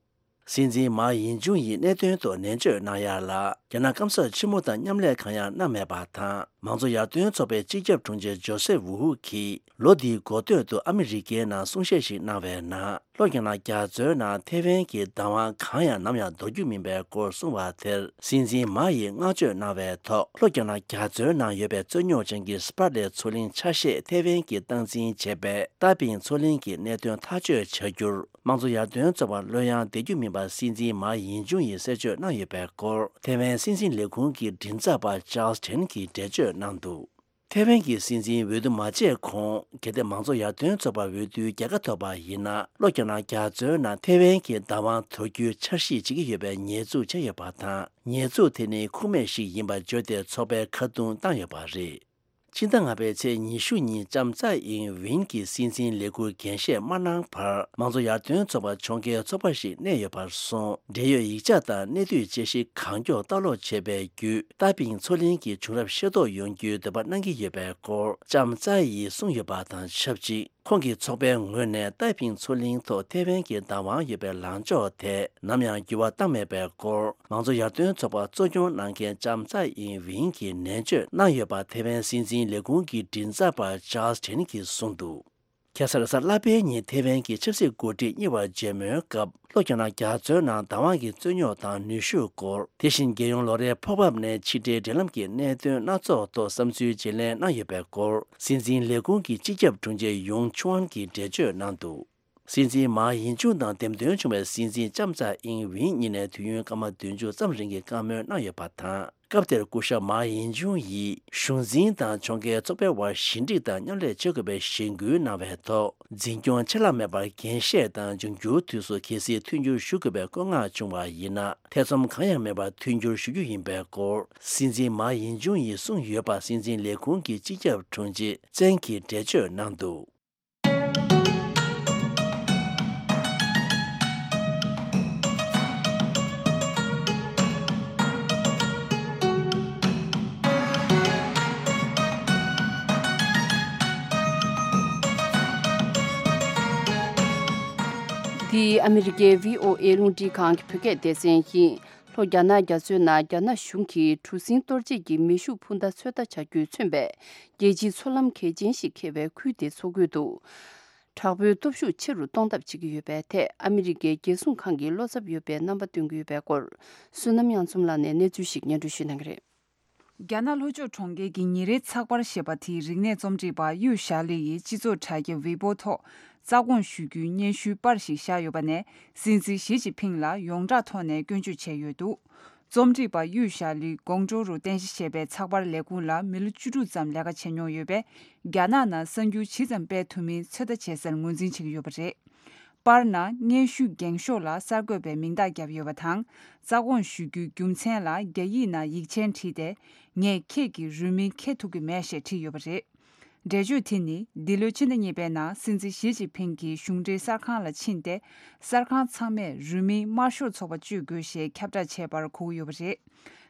སྲིད་འཛིན་མཱ་ཡིན་ཅུང་ཡིས་གནད་དོན་ཐོག་ནན་བརྗོད་གནང་ཡ་ལ། རྒྱ་ནག་སྐམ་ས་ཆེན་མོ་དང་མཉམ་ལས་གང་ཡང་གནང་མེད་པ་དང་། མང་གཙོ་ཡར་ཐོན་ཚོགས་པའི་སྤྱི་ཁྱབ་དྲུང་ཆེ་ཇོ་སེབ་ཝུའུ་གིས་ལོ་འདིའི་འགོ་སྟོད་དུ་ཨ་མི་རི་ཀའི་ནང་གསུང་བཤད་ཞིག་གནང་བའི་ནང་། ལྷོ་རྒྱ་ནག་རྒྱ་མཚོའི་ནང་ཐེ་ཝན་གྱི་བདག་དབང་གང་ཡང་ནམ་ཡང་འདོར་རྒྱུ་མིན་པའི་སྐོར་གསུངས་པ་དེར། སྲིད་འཛིན་མཱ་ཡིས་བསྔགས་བརྗོད་གནང་བའི་ཐོག་ལྷོ་རྒྱ་ནག་རྒྱ་མཚོའི་ནང་ཡོད་པའི་རྩོད་རྙོག་ཅན་གྱི་སི་པ་ར་ལེ་མཚོ་གླིང་ཆ་ཤས་ཐེ་ཝན་གྱིས་སྟངས་འཛིན་བྱས་པའི་ཏཱ་པིང་མཚོ་གླིང་གི་གནད་དོན་ཐག་གཅོད་བྱ་རྒྱུར། དམངས་གཙོ་ཡར་ཐོན་ཚོགས་པར་བློ་ཡང་བདེ་རྒྱུ་མིན་པ་སྲིད་འཛིན་མཱ་ཡིན་ཅུང་ཡིས་གསལ་བརྗོད་གནང་ཡོད་པའི་སྐོར། ཐེ་ཝན་སྲིད་འཛིན་ལས་ཁུངས་ཀྱི་མགྲིན་ཚབ་པ་ཅཱལ་སི་ཐན་གྱིས་འགྲེལ་བརྗོད་གནང་འདུག་ཐེ་ཝན་གྱི་སྲིད་འཛིན་འོས་བསྡུ་མ་བྱས་གོང་། གལ་ཏེ་མང་གཙོ་ཡར་ཐོན་ཚོགས་པ་འོས་བསྡུའི་རྒྱལ་ཁ་ཐོབ་པ་ཡིན་ན། ལྷོ་རྒྱ་ནག་རྒྱ་མཚོའི་ནང་ཐེ་ཝན་གྱི་བདག་དབང་དོར་རྒྱུའི་འཆར་གཞི་བྱེད་ཀྱི་ཡོད་པའི་ཉེས་འཛུགས་བྱས་ཡོད་པ་དང་། ཉེས་འཛུགས་དེ་ནི་ཁུངས་མེད་ཞིག་ཡིན་པར་བརྗོད་དེ་ཚོགས་པའི་ཁ་རྡུང་བཏང་ཡོད་པ་རེད། ཕྱི་ཟླ་ལྔ་པའི་ཚེས་ཉི་ཤུ་ཉིན་ལྕམ་ཚའེ་ཨིང་ཝིན་གྱིས་སྲིད་འཛིན་ལས་ཁུར་འགན་བཞེས་མ་གནང་བར། མང་གཙོ་ཡར་ཐོན་ཚོགས་པ་ཕྱོགས་འགལ་ཚོགས་པ་ཞིག་གནས་ཡོད་པར་སོང་། འབྲེལ་ཡོད་ཡིག་ཆ་དང་གནད་བསྡུས་དཔྱད་གཞི་གང་མགྱོགས་ལྟ་ཀློག་བྱས་པའི་བརྒྱུད། ཏཱ་པིང་མཚོ་གླིང་གི་བྱུང་རབས་ཤེས་རྟོགས་ཡོང་རྒྱུའི་འདོད་པ་གནང་གི་ཡོད་པའི་སྐོར་ལྕམ་ཚའེ་ཡིས་གསུངས་ཡོད་པ་དང་ཆབས་ཅིག་ཁོང་གི་ཚོགས་པའི་ངོས་ནས་ཏཱའེ་ཕིང་མཚོ་གླིང་ཐོག་ཐེ་ཝན་གྱི་བདག་དབང་ཡོད་པའི་ལངས་ཕྱོགས་དེ་ནམ་ཡང་འགྱུར་བ་བཏང་མེད་པའི་སྐོར། མང་གཙོ་ཡར་ཐོན་ཚོགས་པ་གཙོ་སྐྱོང་གནང་མཁན་ལྕམ་ཚའེ་ཨིན་ཝིན་གྱིས་ནན་བརྗོད་གནང་ཡོད་པ་ཐེ་ཝན་སྲིད་འཛིན་ལས་ཁུངས་ཀྱི་མགྲིན་ཚབ་པ་ཅཱལ་ཊེན་གྱིས་གསུངས་འདུག་ཁ་སང་གཟའ་ལྷག་པའི་ཉིན་ཐེ་ཝན་གྱི་ཆབ་སྲིད་འགོ་ཁྲིད་གཉིས་བར་མཇལ་མོལ་སྐབས། ལྷོ་རྒྱ་ནག་རྒྱ་མཚོའི་ནང་བདག་དབང་གི་རྩོད་རྙོག་དང་ནུས་ཤུགས་སྐོར། དེ་བཞིན་རྒྱལ་ཡོངས་ལོ་རེའི་ཕོགས་འབབ་ནས་ཕྱི་འབྲེལ་འབྲེལ་ལམ་གྱི་གནད་དོན་སྣ་ཚོགས་ཐོག་བསམ་ཚུལ་བརྗེ་ལེན་གནང་ཡོད་པའི་སྐོར། སྲིད་འཛིན་ལས་ཁུངས་ཀྱི་སྤྱི་ཁྱབ་དྲུང་ཆེ་ཡུང་ཆུའན་གྱིས་འགྲེལ་བརྗོད་གནང་འདུག་སྲིད་འཛིན་མཱ་ཡིན་ཅུང་དང་འདེམས་ཐོན་བྱུང་བའི་སྲིད་འཛིན་ལྕམ་ཚའེ་ཨིན་ཝིན་གཉིས་ནས་དུས་ཡུན་སྐར་མ་བདུན་ཅུ་ཙམ་རིང་གི་བཀའ་མོལ་གནང་ཡོད་པ་དང་། སྐབས་དེར་སྐུ་ཞབས་མཱ་ཡིན་ཅུང་ཡིས་གཞུང་འཛིན་དང་ཕྱོགས་འགལ་ཚོགས་པའི་བར་ཞི་འགྲིག་དང་མཉམ་ལས་བྱེད་དགོས་པའི་གཞེན་སྐུལ་གནང་བའི་ཐོག་འཛིན་སྐྱོང་ཆད་ལྷག་མེད་པར་འགན་བཞེས་དང་། འབྱུང་འགྱུར་དུས་སུ་གལ་སྲིད་མཐུན་འགྱུར་ཞུ་དགོས་པའི་བཀོད་མངགས་བྱུང་བ་ཡིན་ན། ཐེ་ཚོམ་གང་ཡང་མེད་པར་མཐུན་འགྱུར་ཞུ་རྒྱུ་ཡིན་པའི་སྐོར། སྲིད་འཛིན་མཱ་ཡིན་ཅུང་ཡིས་གསུངས་ཡོད་པ་སྲིད་འཛིན་ལས་ཁུངས་ཀྱི་སྤྱི་ཁྱབ་དྲུང་ཆེ་ཙེང་གིས་འགྲེལ་བརྗོད་གནང་འདུག་འདི་ཨ་མི་རི་ཀའི་བྷི་ཨོ་ཨེ་རླུང་འཕྲིན་ཁང་གི་བོད་སྐད་སྡེ་ཚན་ཡིན། ལྷོ་རྒྱ་ནག་རྒྱ་མཚོའི་ནང་རྒྱ་ནག་གཞུང་གིས་གྲུ་གཟིངས་གཏོར་བྱེད་ཀྱི་མེ་ཤུགས་འཕུར་མདའ་ཚོད་ལྟ་བྱ་རྒྱུས་མཚོན་པའི་རྒྱལ་སྤྱིའི་མཚོ་ལམ་གལ་ཆེན་ཞིག་འཁེལ་བའི་ཁུལ་དེའི་མཚོ་ཁུལ་དུ། དྲག་པོའི་སྟོབས་ཤུགས་ཆེ་རུ་གཏོང་ཐབས་བྱེད་ཀྱི་ཡོད་པའི་ཐད་ཨ་མི་རི་ཀའི་རྒྱལ་སྲུང་ཁང་གིས་བློ་འཚབ་ཡོད་པའི་རྣམ་པ་སྟོན་གྱི་ཡོད་པའི་སྐོར། བསོད་ནམས་དབྱངས་འཛོམས་ལགས་ནས་གནས་ཚུལ་ཞིག་སྙན་སྒྲོན་ཞུ་གནང་གི་རེད། རྒྱ་ནག་ལྷོ་ཕྱོགས་གྲོང་ཁྱེར་གྱི་ཉིན་རེའི་ཚགས་པར་ཞེས་པ་དེའི་རིག་གནས་རྩོམ་སྒྲིག་པ་གཡུ་ཞྭ་ལི་ཡིས་སྤྱི་ཚོགས་དྲ་རྒྱ་ཝེ་པོ་ཐོག་རྩ་དགོངས་ཞུ་རྒྱུའི་སྙན་ཞུའི་པར་ཞིག་བཞག་ཡོད་པ་ནས། སྲིད་འཛིན་ཞི་ཅིན་ཕིང་ལ་ཡོངས་གྲགས་ཐོག་ནས་སྐྱོན་བརྗོད་བྱས་ཡོད་འདུག་རྩོམ་སྒྲིག་པ་གཡུ་ཞྭ་ལི་ཀོང་ཀྲོའུ་རུ་རྟེན་གཞི་བྱས་པའི་ཚགས་པར་ལས་ཁུངས་ལ་མི་ལོ་བཅུ་དྲུག་ཙམ་ལས་ཀ་བྱས་མྱོང་ཡོད་པས། རྒྱ་ནག་ནང་གསར་འགྱུར་ཇི་ཙམ་སྤེལ་ཐུབ་མིན་ཚོད་ལྟ་བྱེད་སར་ངོས་འཛིན་བྱེད་ཀྱི་ཡོད་པ་རེད། པར་ནང་སྙན་ཞུ་འགེངས་ཤོག་ལ་གསར་འགོད་པའི་མིང་རྟགས་བརྒྱབ་ཡོད་པ་དང་། རྩ་དགོངས་ཞུ་རྒྱུའི་རྒྱུ་མཚན་ལ་རྒྱ་ཡིག་ནང་ཡིག་ཆེན་བྲིས་ཏེ། ངས་ཁྱེད་ཀྱི་རུས་མིང་འཁྱེར་ཐུབ་ཀྱི་མེད་ཞེས་བྲིས་ཡོད་པ་རེད། འགྲེལ་བརྗོད་དེ་ནི་འདི་ལོའི་ཕྱི་ཟླ་གཉིས་པའི་ནང་སྲིད་འཛིན་ཞི་ཅིན་ཕིང་གིས་གཞུང་འབྲེལ་གསར་ཁང་ལ་ཕྱིན་ཏེ། གསར་ཁང་ཚང་མས་རུས་མིང་དམར་ཤོག་ཚོགས་པ་སྤྱོད་དགོས་ཞེས་ཁྱབ་བསྒྲགས་བྱས་པར་གོ་གི་ཡོད་པ་རེད།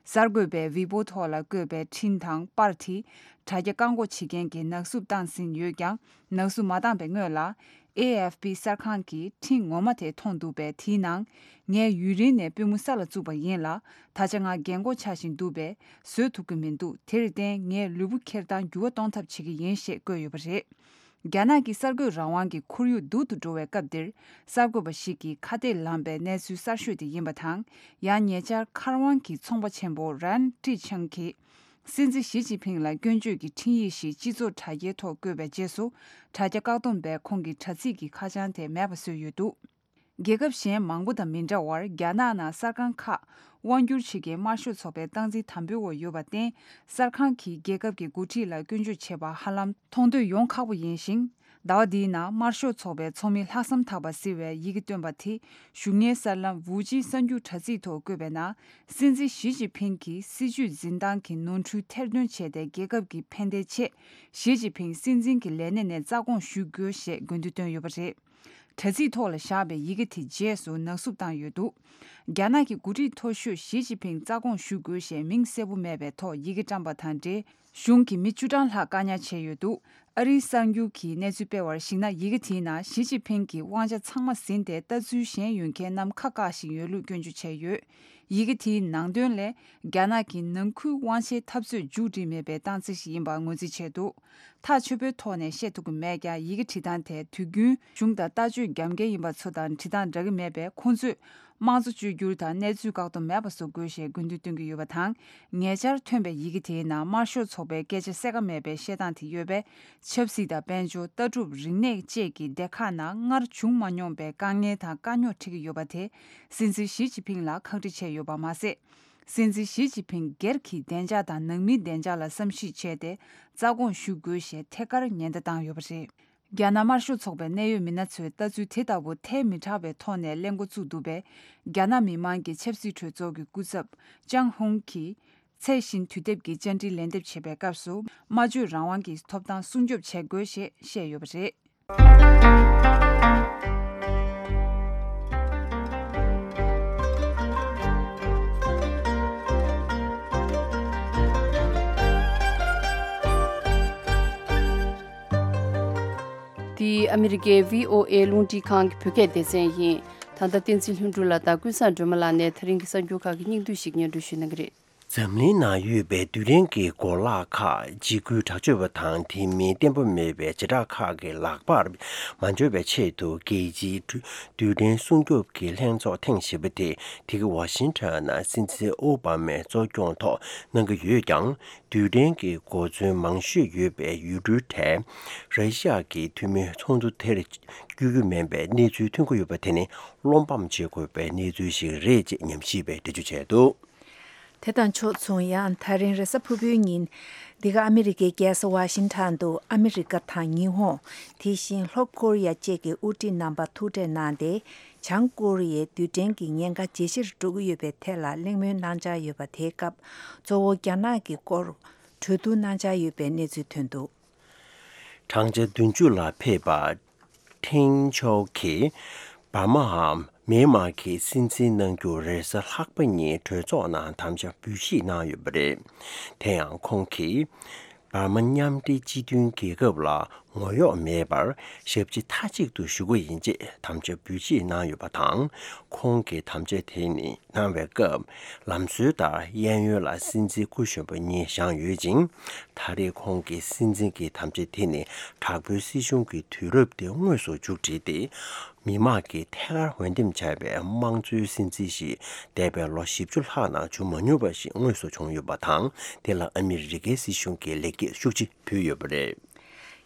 གསར་འགོད་པས་ཝི་པོ་ཐོག་ལ་བཀོད་པའི་འཕྲིན་དང་པར་དེ་དྲ་རྒྱ་བཀག་འགོག་བྱེད་མཁན་གྱིས་ནག་བསུབ་བཏང་ཟིན་ཡོད་ཀྱང་། ནག་བསུབ་མ་བཏང་པའི་སྔོན་ལ། ཨེ་ཨེཕ་པི་གསར་ཁང་གིས་འཕྲིན་ངོ་མ་དེ་མཐོང་འདུག་པས། དེའི་ནང་། ངས་ཡུན་རིང་ནས་པུས་མོ་ས་ལ་བཙུགས་པ་ཡིན་ལ། ད་ཆ་ང་རྒན་གོག་ཆགས་བཞིན་འདུག་པས། བཟོད་ཐུབ་ཀྱི་མི་འདུག་དེར་བརྟེན། ངས་ལུས་པོ་འཁྱེར་སྟངས་འགྱུར་བ་གཏོང་ཐབས་བྱེད་ཀྱི་ཡིན་ཞེས་བཀོད་ཡོད་པ་རེད། རྒྱ་ནག་གི་གསར་འགོད་རང་དབང་གི་ཁོར་ཡུག་སྡུག་ཏུ་འགྲོ་བའི་སྐབས་འདིར། གསར་འགོད་པ་ཞིག་གིས་ཁ་གཏད་ལངས་པའི་གནས་ཚུལ་གསར་ཤོས་དེ་ཡིན་པ་དང་། ཡང་ཉེ་ཆར་མཁར་དབང་གི་ཚོང་པ་ཆེན་པོ་རན་ཀྲི་ཆང་གིས། སྲིད་འཛིན་ཞི་ཅིན་ཕིང་ལ་སྐྱོན་བརྗོད་ཀྱི་འཕྲིན་ཡིག་ཞིག་སྤྱི་ཚོགས་དྲ་རྒྱའི་ཐོག་བཀོད་པའི་རྗེས་སུ། དྲ་རྒྱ་བཀག་སྡོམ་པས་ཁོང་གི་དྲ་ཚིགས་ཀྱི་ཁ་བྱང་དེ་མེད་པ་བཟོས་ཡོད་འདུག་རྒྱལ་ཁབ་གཞན་མང་པོ་དང་མི་འདྲ་བར། རྒྱ་ནག་ནང་གསར་ཁང་ཁག་དབང་སྒྱུར་བྱེད་མཁན་དམར་ཤོག་ཚོགས་པའི་སྟངས་འཛིན་དམ་པོའི་འོག་ཡོད་པར་བརྟེན། གསར་ཁང་གིས་རྒྱལ་ཁབ་ཀྱི་འགོ་ཁྲིད་ལ་སྐྱོན་བརྗོད་བྱེད་པ་ཧ་ལམ་མཐོང་ཐོས་ཡོང་ཁག་པོ་ཡིན་ཞིང་། ཟླ་བ་འདིའི་ནང་དམར་ཤོག་ཚོགས་པའི་ཚོགས་མི་ལྷག་བསམ་ཐག་པ་ཟེར་བས་ཡི་གེ་བཏོན་པ་དེ། གཞུང་གཉེར་གསར་ལམ་ཝུའུ་ཅིན་གསར་འགྱུར་དྲ་ཚིགས་ཐོག་བཀོད་པའི་ནང་། སྲིད་འཛིན་ཞི་ཅིན་ཕིང་གིས་སྲིད་བྱུས་འཛིན་སྟངས་ཀྱི་ནོར་འཁྲུལ་ཐེར་འདོན་བྱས་ཏེ། རྒྱལ་ཁབ་ཀྱི་ཕན་བདེའི་ཆེད། ཞི་ཅིན་ཕིང་སྲིད་འཛིན་གྱི་ལས་གནས་ནས་རྩ་དགོངས་ཞུ་དགོས་ཞེས་དགོས་འདུན་བཏོན་ཡོད་པ་རེད། དྲ་ཚིགས་ཐོག་ལ་བཞག་པའི་ཡི་གེ་དེ་རྗེས་སུ་ནག་བསུབ་བཏང་ཡོད་འདུག་རྒྱ་ནག་གི་འགོ་ཁྲིད་མཐོ་ཤོས་ཞི་ཅིན་ཕིང་རྩ་དགོངས་ཞུ་དགོས་ཞེས་མིང་གསལ་པོ་མེད་པའི་ཐོག་ཡི་གེ་བཀྲམ་པ་དང་འབྲེལ། གཞུང་གི་མི་བཅུ་གྲངས་ལྷག་བཀག་ཉར་བྱས་ཡོད་འདུག་ཨ་རིའི་གསར་འགྱུར་གྱིས་གནས་ཚུལ་སྤེལ་བར་གཞིགས་ན། ཡི་གེ་དེའི་ནང་ཞི་ཅིན་ཕིང་གིས་དབང་ཆ་ཚང་མ་ཟིན་ཏེ། ལྟ་ཚུལ་གཞན་ཡོད་མཁན་རྣམས་ཁ་བཀག་བཞིན་ཡོད་ལུགས་སྐྱོན་བརྗོད་བྱས་ཡོད། ཡི་གེ་དེའི་ནང་དོན་ལས། རྒྱ་ནག་གིས་ནང་ཁུལ་དབང་ཆའི་འཐབ་རྩོད་མཇུག་སྒྲིལ་མེད་པའི་རྟགས་མཚན་ཞིག་ཡིན་པར་ངོས་འཛིན་བྱས་འདུག་ཐག་ཆོད་པོའི་ཐོག་ནས་བཤད་ཐུབ་ཀྱི་མེད་ཀྱང་། ཡི་གེ་བྲིས་སྟངས་དེ་དུས་རྒྱུན་གཞུང་དང་ལྟ་སྤྱོད་རྒྱབ་འགལ་ཡིན་པ་ཚོ་དང་བྲིས་སྟངས་འདྲ་གི་མེད་པས། ཁོང་ཚོས་དམངས་གཙོ་བཅོས་བསྒྱུར་དང་གནས་ཚུལ་བཀག་སྡོམ་མེད་པ་བཟོ་དགོས་ཞེས་དགོས་འདུན་བཏོན་གྱི་ཡོད་པ་དང་། ཉེ་ཆར་ཐོན་པའི་ཡི་གེ་དེའི་ནང་དམར་ཤོག་ཚོགས་པའི་སྐད་ཆ་གསལ་ཁ་མེད་པའི་བཤད་སྟངས་དེ་ཡོད་པས། ཆབ་སྲིད་དང་། དཔལ་འབྱོར། ལྟ་གྲུབ། རིག་གནས་བཅས་ཀྱི་སྡེ་ཁག་ནང་སྔར་བྱུང་མ་མྱོང་པའི་དཀའ་ངལ་དང་དཀའ་རྙོག་འཕྲད་ཀྱི་ཡོད་པ་དེ། སྲིད་འཛིན་ཞི་ཅིན་ཕིང་ལ་ཁག་དཀྲི་བྱས་ཡོད་པ་མ་ཟད། སྲིད་འཛིན་ཞི་ཅིན་ཕིང་སྒེར་གྱི་བདེ་འཇགས་དང་ནང་མིའི་བདེ་འཇགས་ལ་བསམ་གཞིག་བྱས་ཏེ། རྩ་དགོངས་ཞུ་དགོས་ཞེས་ཐད་ཀར་ཉེན་བརྡ་བཏང་ཡོད་པ་རེད། རྒྱ་ནག་དམར་ཤོག་ཚོགས་པའི་གནད་ཡོད་མི་སྣ་ཚོས་ལྟ་ཚུལ་དེ་ལྟ་བུ་ཐལ་མི་དྲག་པའི་ཐོག་ནས་གླེང་འགོ་བཙུགས་འདུག་པས། རྒྱ་ནག་མི་དམངས་ཀྱི་ཆབ་སྲིད་གྲོས་ཚོགས་ཀྱི་སྐུ་ཚབ་ཅང་ཧུང་གིས། ཚད་གཞི་དུས་དེབ་ཀྱི་བཅར་འདྲི་ལན་འདེབས་བྱེད་པའི་སྐབས་སུ། སྨྲ་བརྗོད་རང་དབང་གི་ཐོབ་ཐང་སྲུང་སྐྱོབ་བྱེད་དགོས་ཞེས་བཤད་ཡོད་པ་རེད། འདི་ཨ་མི་རི་ཀའི་བྷི་ཨོ་ཨེ་རླུང་འཕྲིན་ཁང་གི་བོད་སྐད་སྡེ་ཚན་ཡིན། ད་ལྟ་བསྟན་འཛིན་ལྷུན་གྲུབ་ལགས་དང་ཀུན་བཟང་སྒྲོལ་མ་ལགས་ནས་ད་རིང་གི་གསར་འགྱུར་ཁག་གི་སྙིང་བསྡུས་ཤིག་སྙན་སྒྲོན་ཞུ་གནང་གི་རེད། འཛམ་གླིང་ནང་ཡོད་པའི་རྡུལ་ཕྲན་གྱི་གོ་ལག་ཁག་འཇིགས་སྐུལ་དྲག་སྤྱོད་པ་དང་དེ་མིན་བརྟན་པོ་མེད་པའི་བྱེ་བྲག་ཁག་གི་ལག་པར་མ་འབྱོར་བའི་ཆེད་དུ། རྒྱལ་སྤྱིའི་རྡུལ་ཕྲན་སྲུང་སྐྱོབ་ཀྱི་ལྷན་ཚོགས་ཐེངས་བཞི་པ་དེ་དེ་གའི་ཝ་ཤིང་ཊོན་ནང་སྲིད་འཛིན་ཨོ་བྷ་མས་གཙོ་སྐྱོང་ཐོག་གནང་གི་ཡོད་ཀྱང་། རྡུལ་ཕྲན་གྱི་གོ་མཚོན་མང་ཤོས་ཡོད་པའི་ཡུལ་གྲུའི་གྲས་ར་ཤི་ཡ་གི་འཐུས་མིའི་ཚོགས་འདུ་དེར་བསྐྱོད་རྒྱུ་མིན་པའི་གནས་ཚུལ་ཐོན་གྱི་ཡོད་པ་དེ་ནི་བློ་ཕམ་བྱེད་དགོས་པའི་གནས་ཚུལ་ཞིག་རེད་ཅེས་ཉམས་ཞིབ་པས་འགྲེལ་བརྗོད་བྱས་འདུག་དེ་དང་ཕྱོགས་མཚུངས། ཡང་ད་རིང་རེས་གཟའ་ཕུར་བུའི་ཉིན། འདི་ག་ཨ་མི་རི་ཀའི་རྒྱལ་ས་ཝ་ཤིང་ཊོན་དུ་ཨ་མི་རི་ཀ་དང་ཉི་ཧོང་། དེ་བཞིན་ལྷོ་ཀོ་རི་ཡ་བཅས་ཀྱི་དབུ་ཁྲིད་རྣམ་པ་ཐུག་འཕྲད་གནང་སྟེ། བྱང་ཀོ་རི་ཡའི་རྡུལ་ཕྲན་གྱི་ཉེན་ཁ་ཇེ་ཆེར་འགྲོ་གི་ཡོད་པའི་ཐད་ལ་གླེང་མོལ་གནང་འཆར་ཡོད་པ། དེའི་སྐབས་གཙོ་བོ་རྒྱ་ནག་གི་སྐོར་གྲོས་བསྡུར་གནང་འཆར་ཡོད་པའི་གནས་ཚུལ་ཐོན་འདུག་བགྲང་བྱ་བདུན་ཅུ་ལ་ཕེབས་པ་ཁྲིན་ཆའོ་གིས་འབར་མའམ་མེན་མར་གྱི་སྲིད་འཛིན་གནང་རྒྱུར་རེས་གཟའ་ལྷག་པ་ཉིན་གྲོས་ཚོགས་ནང་དམ་བཅའ་འབུལ་བཞེས་གནང་ཡོད་པ་རེད། དེ་ཡང་ཁོང་གིས། འབར་མ་མཉམ་འབྲེལ་སྤྱི་མཐུན་རྒྱལ་ཁབ་ལ་ངོ་གཡོག་མེད་པར་ཞབས་ཕྱི་མཐའ་གཅིག་ཏུ་ཞུ་གི་ཡིན་ཅེས་དམ་བཅའ་འབུལ་བཞེས་གནང་ཡོད་པ་དང་། ཁོང་གི་དམ་བཅའ་དེ་ནི་གནང་བའི་སྐབས་ལམ་སྲོལ་ལྟར་གཡས་གཡོན་ལ་སྲིད་འཛིན་སྐུ་གཞོན་པ་གཉིས་བཞེངས་ཡོད་ཅིང་། ད་རེས་ཁོང་གི་སྲིད་འཛིན་གྱི་དམ་བཅའ་དེ་ནི་དྲག་པོའི་སྲིད་གཞུང་གི་དུས་རབས་དེ་དངོས་སུ་མཇུག་བསྒྲིལ་ཏེ། མི་དམངས་ཀྱིས་ཐད་ཀར་འོས་འདེམས་བྱས་པའི་དམངས་གཙོའི་སྲིད་འཛིན་ཞིག་འདས་པའི་ལོ་བཞི་བཅུ་ལྷག་ནང་བྱུང་མ་མྱོང་བ་ཞིག་དངོས་སུ་བྱུང་ཡོད་པ་དང་། དེ་ལ་ཨ་མི་རི་ཀའི་སྲིད་གཞུང་གིས་ལེགས་སྐྱེས་ཤུགས་ཆེ་ཕུལ་ཡོད་པ་རེད།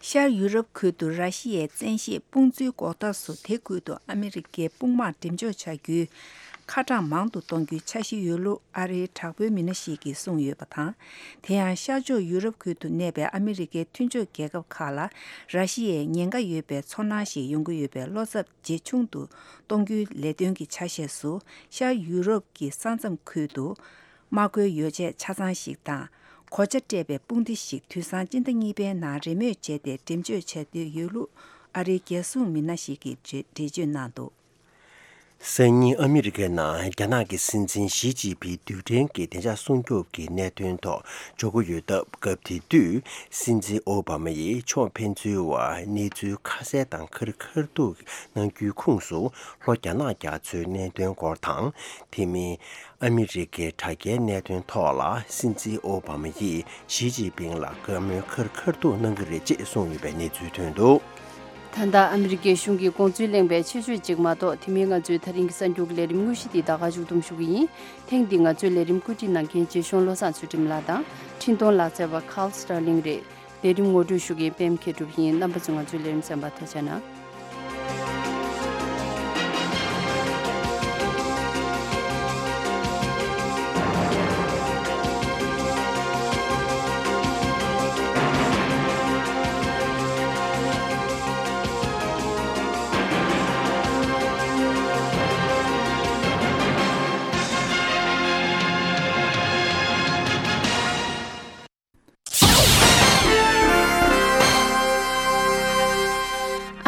ཤར་ཡུ་རོབ་ཁུལ་དུ་ར་ཤི་ཡའི་བཙན་ཤེད་དཔུང་འཛུལ་འགོག་ཐབས་སུ་དེ་ཁུལ་དུ་ཨ་མི་རི་ཀའི་དཔུང་དམག་འགྲེམས་འཇོག་བྱ་རྒྱུའི་ཁ་གྲངས་མང་དུ་གཏོང་རྒྱུའི་འཆར་གཞི་ཡོད་ལུགས་ཨ་རིའི་དྲག་པོའི་མི་སྣ་ཞིག་གིས་གསུངས་ཡོད་པ་དང་། དེ་ཡང་ཤར་ཕྱོགས་ཡུ་རོབ་ཁུལ་དུ་གནས་པའི་ཨ་མི་རི་ཀའི་མཐུན་ཕྱོགས་རྒྱལ་ཁབ་ཁག་ལ་ར་ཤི་ཡའི་ཉེན་ཁ་ཡོད་པའི་ཚོར་སྣང་ཞིག་ཡོང་གི་ཡོད་པའི་བློ་འཚབ་ཇེ་ཆུང་དུ་གཏོང་རྒྱུའི་ལས་དོན་གྱི་ཆ་ཤས་སུ་ཤར་ཡུ་རོབ་ཀྱི་ས་མཚམས་ཁུལ་དུ། དམག་མཁོའི་ཡོ་བྱད་ཆ་ཚང་ཞིག་དང་གོ་ཆ་སྤྲས་པའི་དཔུང་སྡེ་ཞིག་དུས་སང་སྤྱི་ཟླ་གཉིས་པའི་ནང་རེས་མོས་བྱས་ཏེ་འགྲེམས་འཇོག་བྱ་འདོད་ཡོད་ལུགས་ཨ་རིའི་རྒྱལ་སྲུང་མི་སྣ་ཞིག་གིས་འགྲེལ་བརྗོད་གནང་འདུག། སང་ཉིན་ཨ་མི་རི་ཀའི་ནང་རྒྱ་ནག་གི་སྲིད་འཛིན་ཞི་ཅིན་ཕིང་རྡུལ་ཕྲན་གྱི་བདེ་འཇགས་སྲུང་སྐྱོབ་ཀྱི་གནད་དོན་ཐོག་འཇོག་གི་ཡོད་སྟབས། སྐབས་དེ་དུས་སྲིད་འཛིན་ཨོ་བྷ་མ་ཡིས་ཕྱོགས་ཕན་ཚུན་བར་གནས་ཚུལ་ཁ་གསལ་དང་ཁ་རི་ཁ་ཐུག་གནང་རྒྱུའི་ཁོངས་སུ། ལྷོ་རྒྱ་ནག་རྒྱ་མཚོའི་གནད་དོན་སྐོར་དང་། དེ་མིན། ཨ་མི་རི་ཀའི་དྲ་རྒྱའི་གནད་དོན་ཐོག་ལ་སྲིད་འཛིན་ཨོ་བྷ་མ་ཡིས་ཞི་ཅིན་ཕིང་ལ་བཀའ་མོལ་ཁ་རི་ཁ་ཐུག་གནང་གི་རེད་ཅེས་གསུངས་ཡོད་པའི་གནས་ཚུལ་ཐོན་འདུག། ད་ལྟ་ཨ་མི་རི་ཀའི་གཞུང་གིས་དགོངས་ཚུལ་གླེང་བའི་ཆེད་བརྗོད་ཅིག་མ་གཏོགས། དེ་མིན་ང་ཚོའི་ད་རིང་གི་གསར་འགྱུར་གྱི་ལས་རིམ་དངོས་གཞི་འདི་ད་ག་མཇུག་བསྡོམས་ཞུ་གི་ཡིན། ཐེངས་འདིའི་ང་ཚོའི་ལས་རིམ་བཀོད་སྒྲིག་གནང་མཁན་རྗེ་གཞུང་བློ་བཟང་ཚུལ་ཁྲིམས་ལགས་དང་། འཕྲིན་གཏོང་ལག་རྩལ་བ་Carl Sterling རེད། ལས་རིམ་ངོ་སྤྲོད་ཞུ་མཁན་པད་མ་མཁས་གྲུབ་ཡིན། རྣམ་པ་ཚོས་ང་ཚོའི་ལས་རིམ་གསན་པར་ཐུགས་རྗེ་གནང་།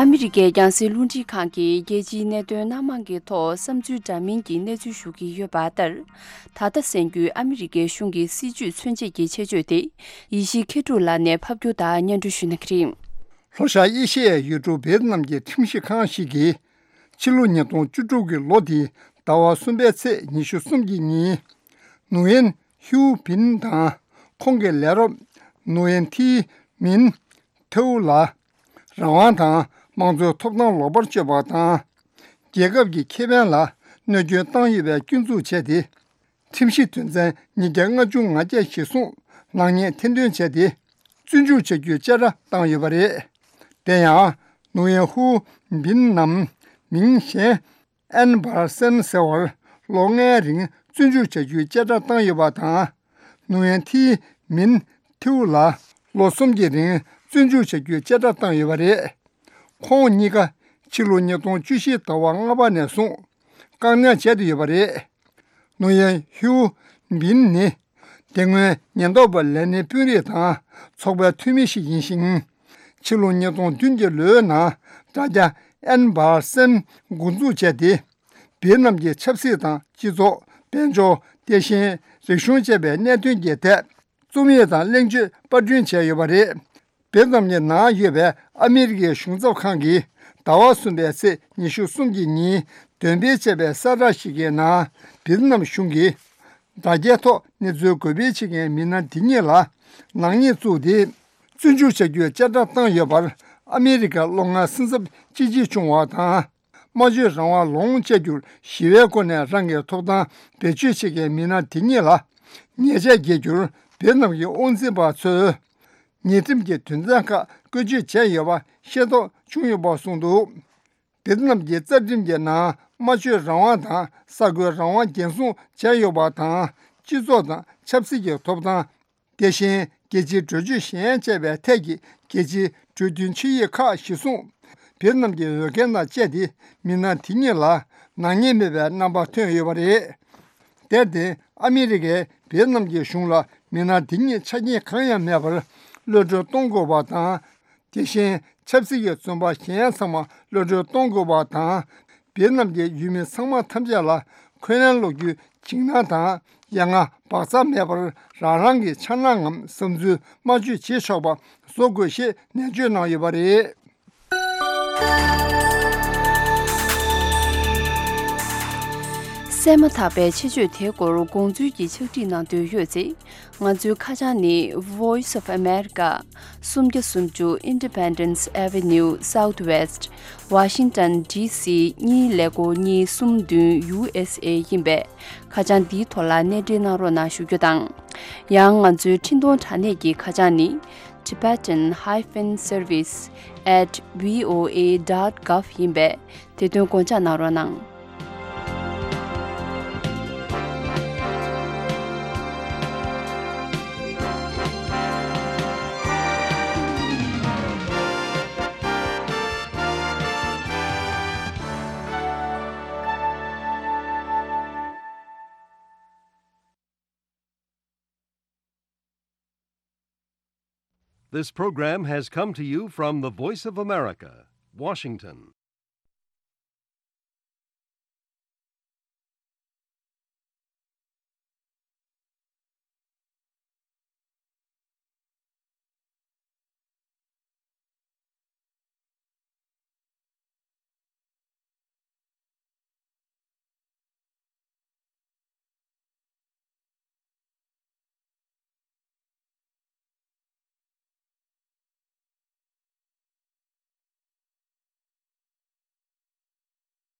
ཨ་མི་རི་ཀའི་རྒྱང་སྲིང་རླུང་འཕྲིན་ཁང་གིས་རྒྱལ་སྤྱིའི་གནད་དོན་སྣ་མང་གི་ཐོག་བསམ་ཚུལ་འདྲ་མིན་གྱི་གནས་ཚུལ་ཞུ་གི་ཡོད་པ་ལྟར། ད་ལྟ་གསན་རྒྱུའི་ཨ་མི་རི་ཀའི་གཞུང་གི་སྲིད་བྱུས་མཚོན་བྱེད་ཀྱི་ཆེད་བརྗོད་དེ། ཡེ་ཤེས་མཁས་གྲུབ་ལགས་ནས་ཕབ་སྒྱུར་དང་སྙན་སྒྲོན་ཞུ་གནང་གི་རེད། ལྷོ་ཤར་ཨེ་ཤི་ཡའི་ཡུལ་གྲུ་ཝེ་ཏི་ནམ་གྱི་ཁྲིམས་ཞིབ་ཁང་ཞིག་གིས། ཕྱི་ལོ་ཉིས་སྟོང་བཅུ་དྲུག་གི་ལོ་དེའི་ཟླ་བ་གསུམ་པའི་ཚེས་ཉི་ཤུ་གསུམ་གྱི་ཉིན། ནུ་ཡན་ཧིའུ་བིན་དང་ཁོང་གི་ལས་རོགས་ནུ་ཡན་ཐི་མིན་ཐེའུ་ལ། རང་དབང་དང་དམངས་གཙོའི་ཐོབ་ཐང་ལོག་པར་སྤྱོད་པ་དང་། རྒྱལ་ཁབ་ཀྱི་ཁེ་ཕན་ལ་གནོད་སྐྱོན་བཏང་ཡོད་པའི་སྐྱོན་འཛུགས་བྱས་ཏེ། ཁྲིམས་ཞིབ་དོན་ཚན་ཉིས་བརྒྱ་ལྔ་བཅུ་ང་བརྒྱད་གཞིར་བཟུང་ནག་ཉེས་ཐེར་འདོན་བྱས་ཏེ། བཙོན་འཇུག་བྱ་རྒྱུའི་བཅད་ཁྲ་བཏང་ཡོད་པ་རེད། དེ་ཡང་ནུ་ཡན་ཧུའུ་བིན་ནམ་མིང་གཞན་ཨན་བར་སན་ཟེར་བར་ལོ་ལྔའི་རིང་བཙོན་འཇུག་བྱ་རྒྱུའི་བཅད་ཁྲ་བཏང་ཡོད་པ་དང་། ནུ་ཡན་ཐི་མིན་ཐིའུ་ལ་ལོ་གསུམ་གྱི་རིང་བཙོན་འཇུག་བྱ་རྒྱུའི་བཅད་ཁྲ་བཏང་ཡོད་པ་རེད། ཁོང་གཉིས་ཀ་ཕྱི་ལོ་ཉིས་སྟོང་བཅུ་བཞི་ཟླ་བ་ལྔ་པ་ནས་བཟུང་བཀག་ཉར་བྱས་ཏེ་ཡོད་པ་རེད། ནུ་ཡན་ཧིའུ་བིན་ནི་དེ་སྔོན་ཉེན་རྟོག་པ་ལས་སྣེ་དཔོན་རིགས་དང་ཚོགས་པའི་འཐུས་མི་ཞིག་ཡིན་ཞིང་། ཕྱི་ལོ་ཉིས་སྟོང་བདུན་གྱི་ལོའི་ནང་དྲ་རྒྱ་ཨན་བར་སན་འགོ་འཛུགས་བྱས་ཏེ། ཝེ་ཏི་ནམ་གྱི་ཆབ་སྲིད་དང་སྤྱི་ཚོགས། དཔལ་འབྱོར། དེ་བཞིན་རིག་གཞུང་བཅས་པའི་གནད་དོན་གྱི་ཐད་རྩོམ་ཡིག་དང་གླེང་བརྗོད་པར་སྐྲུན་བྱས་ཡོད་པ་རེད། ཝེ་ཏི་ནམ་གྱི་ནང་ཡོད་པའི་ཨ་མི་རི་ཀའི་གཞུང་ཚབ་ཁང་གིས་ཟླ་བ་གསུམ་པའི་ཚེས་ཉི་ཤུ་གསུམ་གྱི་ཉིན་འདོན་སྤེལ་བྱས་པའི་གསལ་བསྒྲགས་ཤིག་གི་ནང་། ཝེ་ཏི་ནམ་གཞུང་གིས་དྲ་རྒྱའི་ཐོག་གནས་ཚུལ་འགོད་སྤེལ་བྱེད་མཁན་མི་སྣ་འདི་གཉིས་ལ་ནག་ཉེས་བཙུགས་ཏེ། བཙོན་འཇུག་བྱ་རྒྱུའི་བཅད་ཁྲ་བཏང་ཡོད་པར་ཨ་མི་རི་ཀར་ལོ་ལྔའི་སེམས་འཚབ་ཅི་ཆེ་བྱུང་བ་དང་། སྨྲ་བརྗོད་རང་དབང་ལོངས་སྤྱད་རྒྱུར་ཞི་བའི་སྒོ་ནས་རང་གི་ཐོབ་ཐང་བེད་སྤྱོད་བྱེད་མཁན་མི་སྣ་དེ་གཉིས་ལ་ཉེས་ཆད་འགེལ་རྒྱུར་ཝེ་ཏི་ནམ་གྱི་དབང་འཛིན་པ་ཚོས་ཉེས་ཁྲིམས་ཀྱི་དོན་ཚན་ཁག་བཀོལ་སྤྱོད་བྱས་ཡོད་པ་ཤེས་རྟོགས་བྱུང་ཡོད་པ་གསུངས་འདུག། ཝེ་ཏི་ནམ་གྱི་རྩ་ཁྲིམས་ཀྱི་ནང་སྨྲ་བརྗོད་རང་དབང་དང་ས་བགོས་རང་དབང་འགན་སྲུང་བྱས་ཡོད་པ་དང་། སྤྱི་ཚོགས་དང་ཆབ་སྲིད་ཀྱི་ཐོབ་ཐང་། དེ་བཞིན་རྒྱལ་སྤྱིའི་གྲོས་ཆོད་གཞན་བཅས་པའི་ཐད་ཀྱི་རྒྱལ་སྤྱིའི་གྲོས་མཐུན་ཆིངས་ཡིག་ཁག་གཞིར་བཟུང་། ཝེ་ཏི་ནམ་གྱི་འོས་འགན་དང་བཅས་ཏེ་མི་སྣ་དེ་གཉིས་ལ་ནག་ཉེས་མེད་པའི་རྣམ་པ་ཐོན་ཡོད་པ་རེད། དེར་བརྟེན་ཨ་མི་རི་ཀས་ཝེ་ཏི་ནམ་གྱི་གཞུང་ལ་མི་སྣ་དེ་གཉིས་ཆ་རྐྱེན་གང་ཡང་མེད་པར་གློད་གྲོལ་གཏོང་དགོས་པ་དང་། དེ་བཞིན་ཆབ་སྲིད་ཀྱི་བཙོན་པ་གཞན་ཚང་མ་གློད་གྲོལ་གཏོང་དགོས་པ་དང་། ཝེ་ཏི་ནམ་གྱི་ཡུལ་མི་ཚང་མ་ཐམས་ཅད་ལ་འཁོན་ལན་སློག་རྒྱུའི་འཇིགས་སྣང་དང་ཡ་ང་བག་ཚ་མེད་པར་རང་རང་གི་འཆར་སྣང་ངམ་བསམ་ཚུལ་སྨྲ་བརྗོད་བྱེད་ཆོག་པ་བཟོ་དགོས་ཞེས་ནན་བརྗོད་གནང་ཡོད་པ་རེད། གསན་མ་ཐག་པའི་ཆེད་བརྗོད་དེའི་སྐོར་དགོངས་ཚུལ་གྱི་ཕྱག་བྲིས་གནང་འདོད་ཡོད་ཚེ། ང་ཚོའི་ཁ་བྱང་ནི། Voice of America, སུམ་བརྒྱ་སུམ་ཅུ་Independence Avenue Southwest, Washington D C གཉིས་ཀླད་ཀོར་གཉིས་གསུམ་བདུན་U S A ཡིན་པས། ཁ་བྱང་འདིའི་ཐོག་ལ་གནས་འབྲེལ་གནང་རོགས་གནང་ཞུ་རྒྱུ་དང་། ཡང་ང་ཚོའི་འཕྲིན་གཏོང་དྲ་གནས་ཀྱི་ཁ་བྱང་ནི། Tibetan hyphen service at V O A dot gov ཡིན་པས། དེ་དོན་དགོངས་འཇགས་གནང་རོགས་གནང་། This program has come to you from the Voice of America, Washington.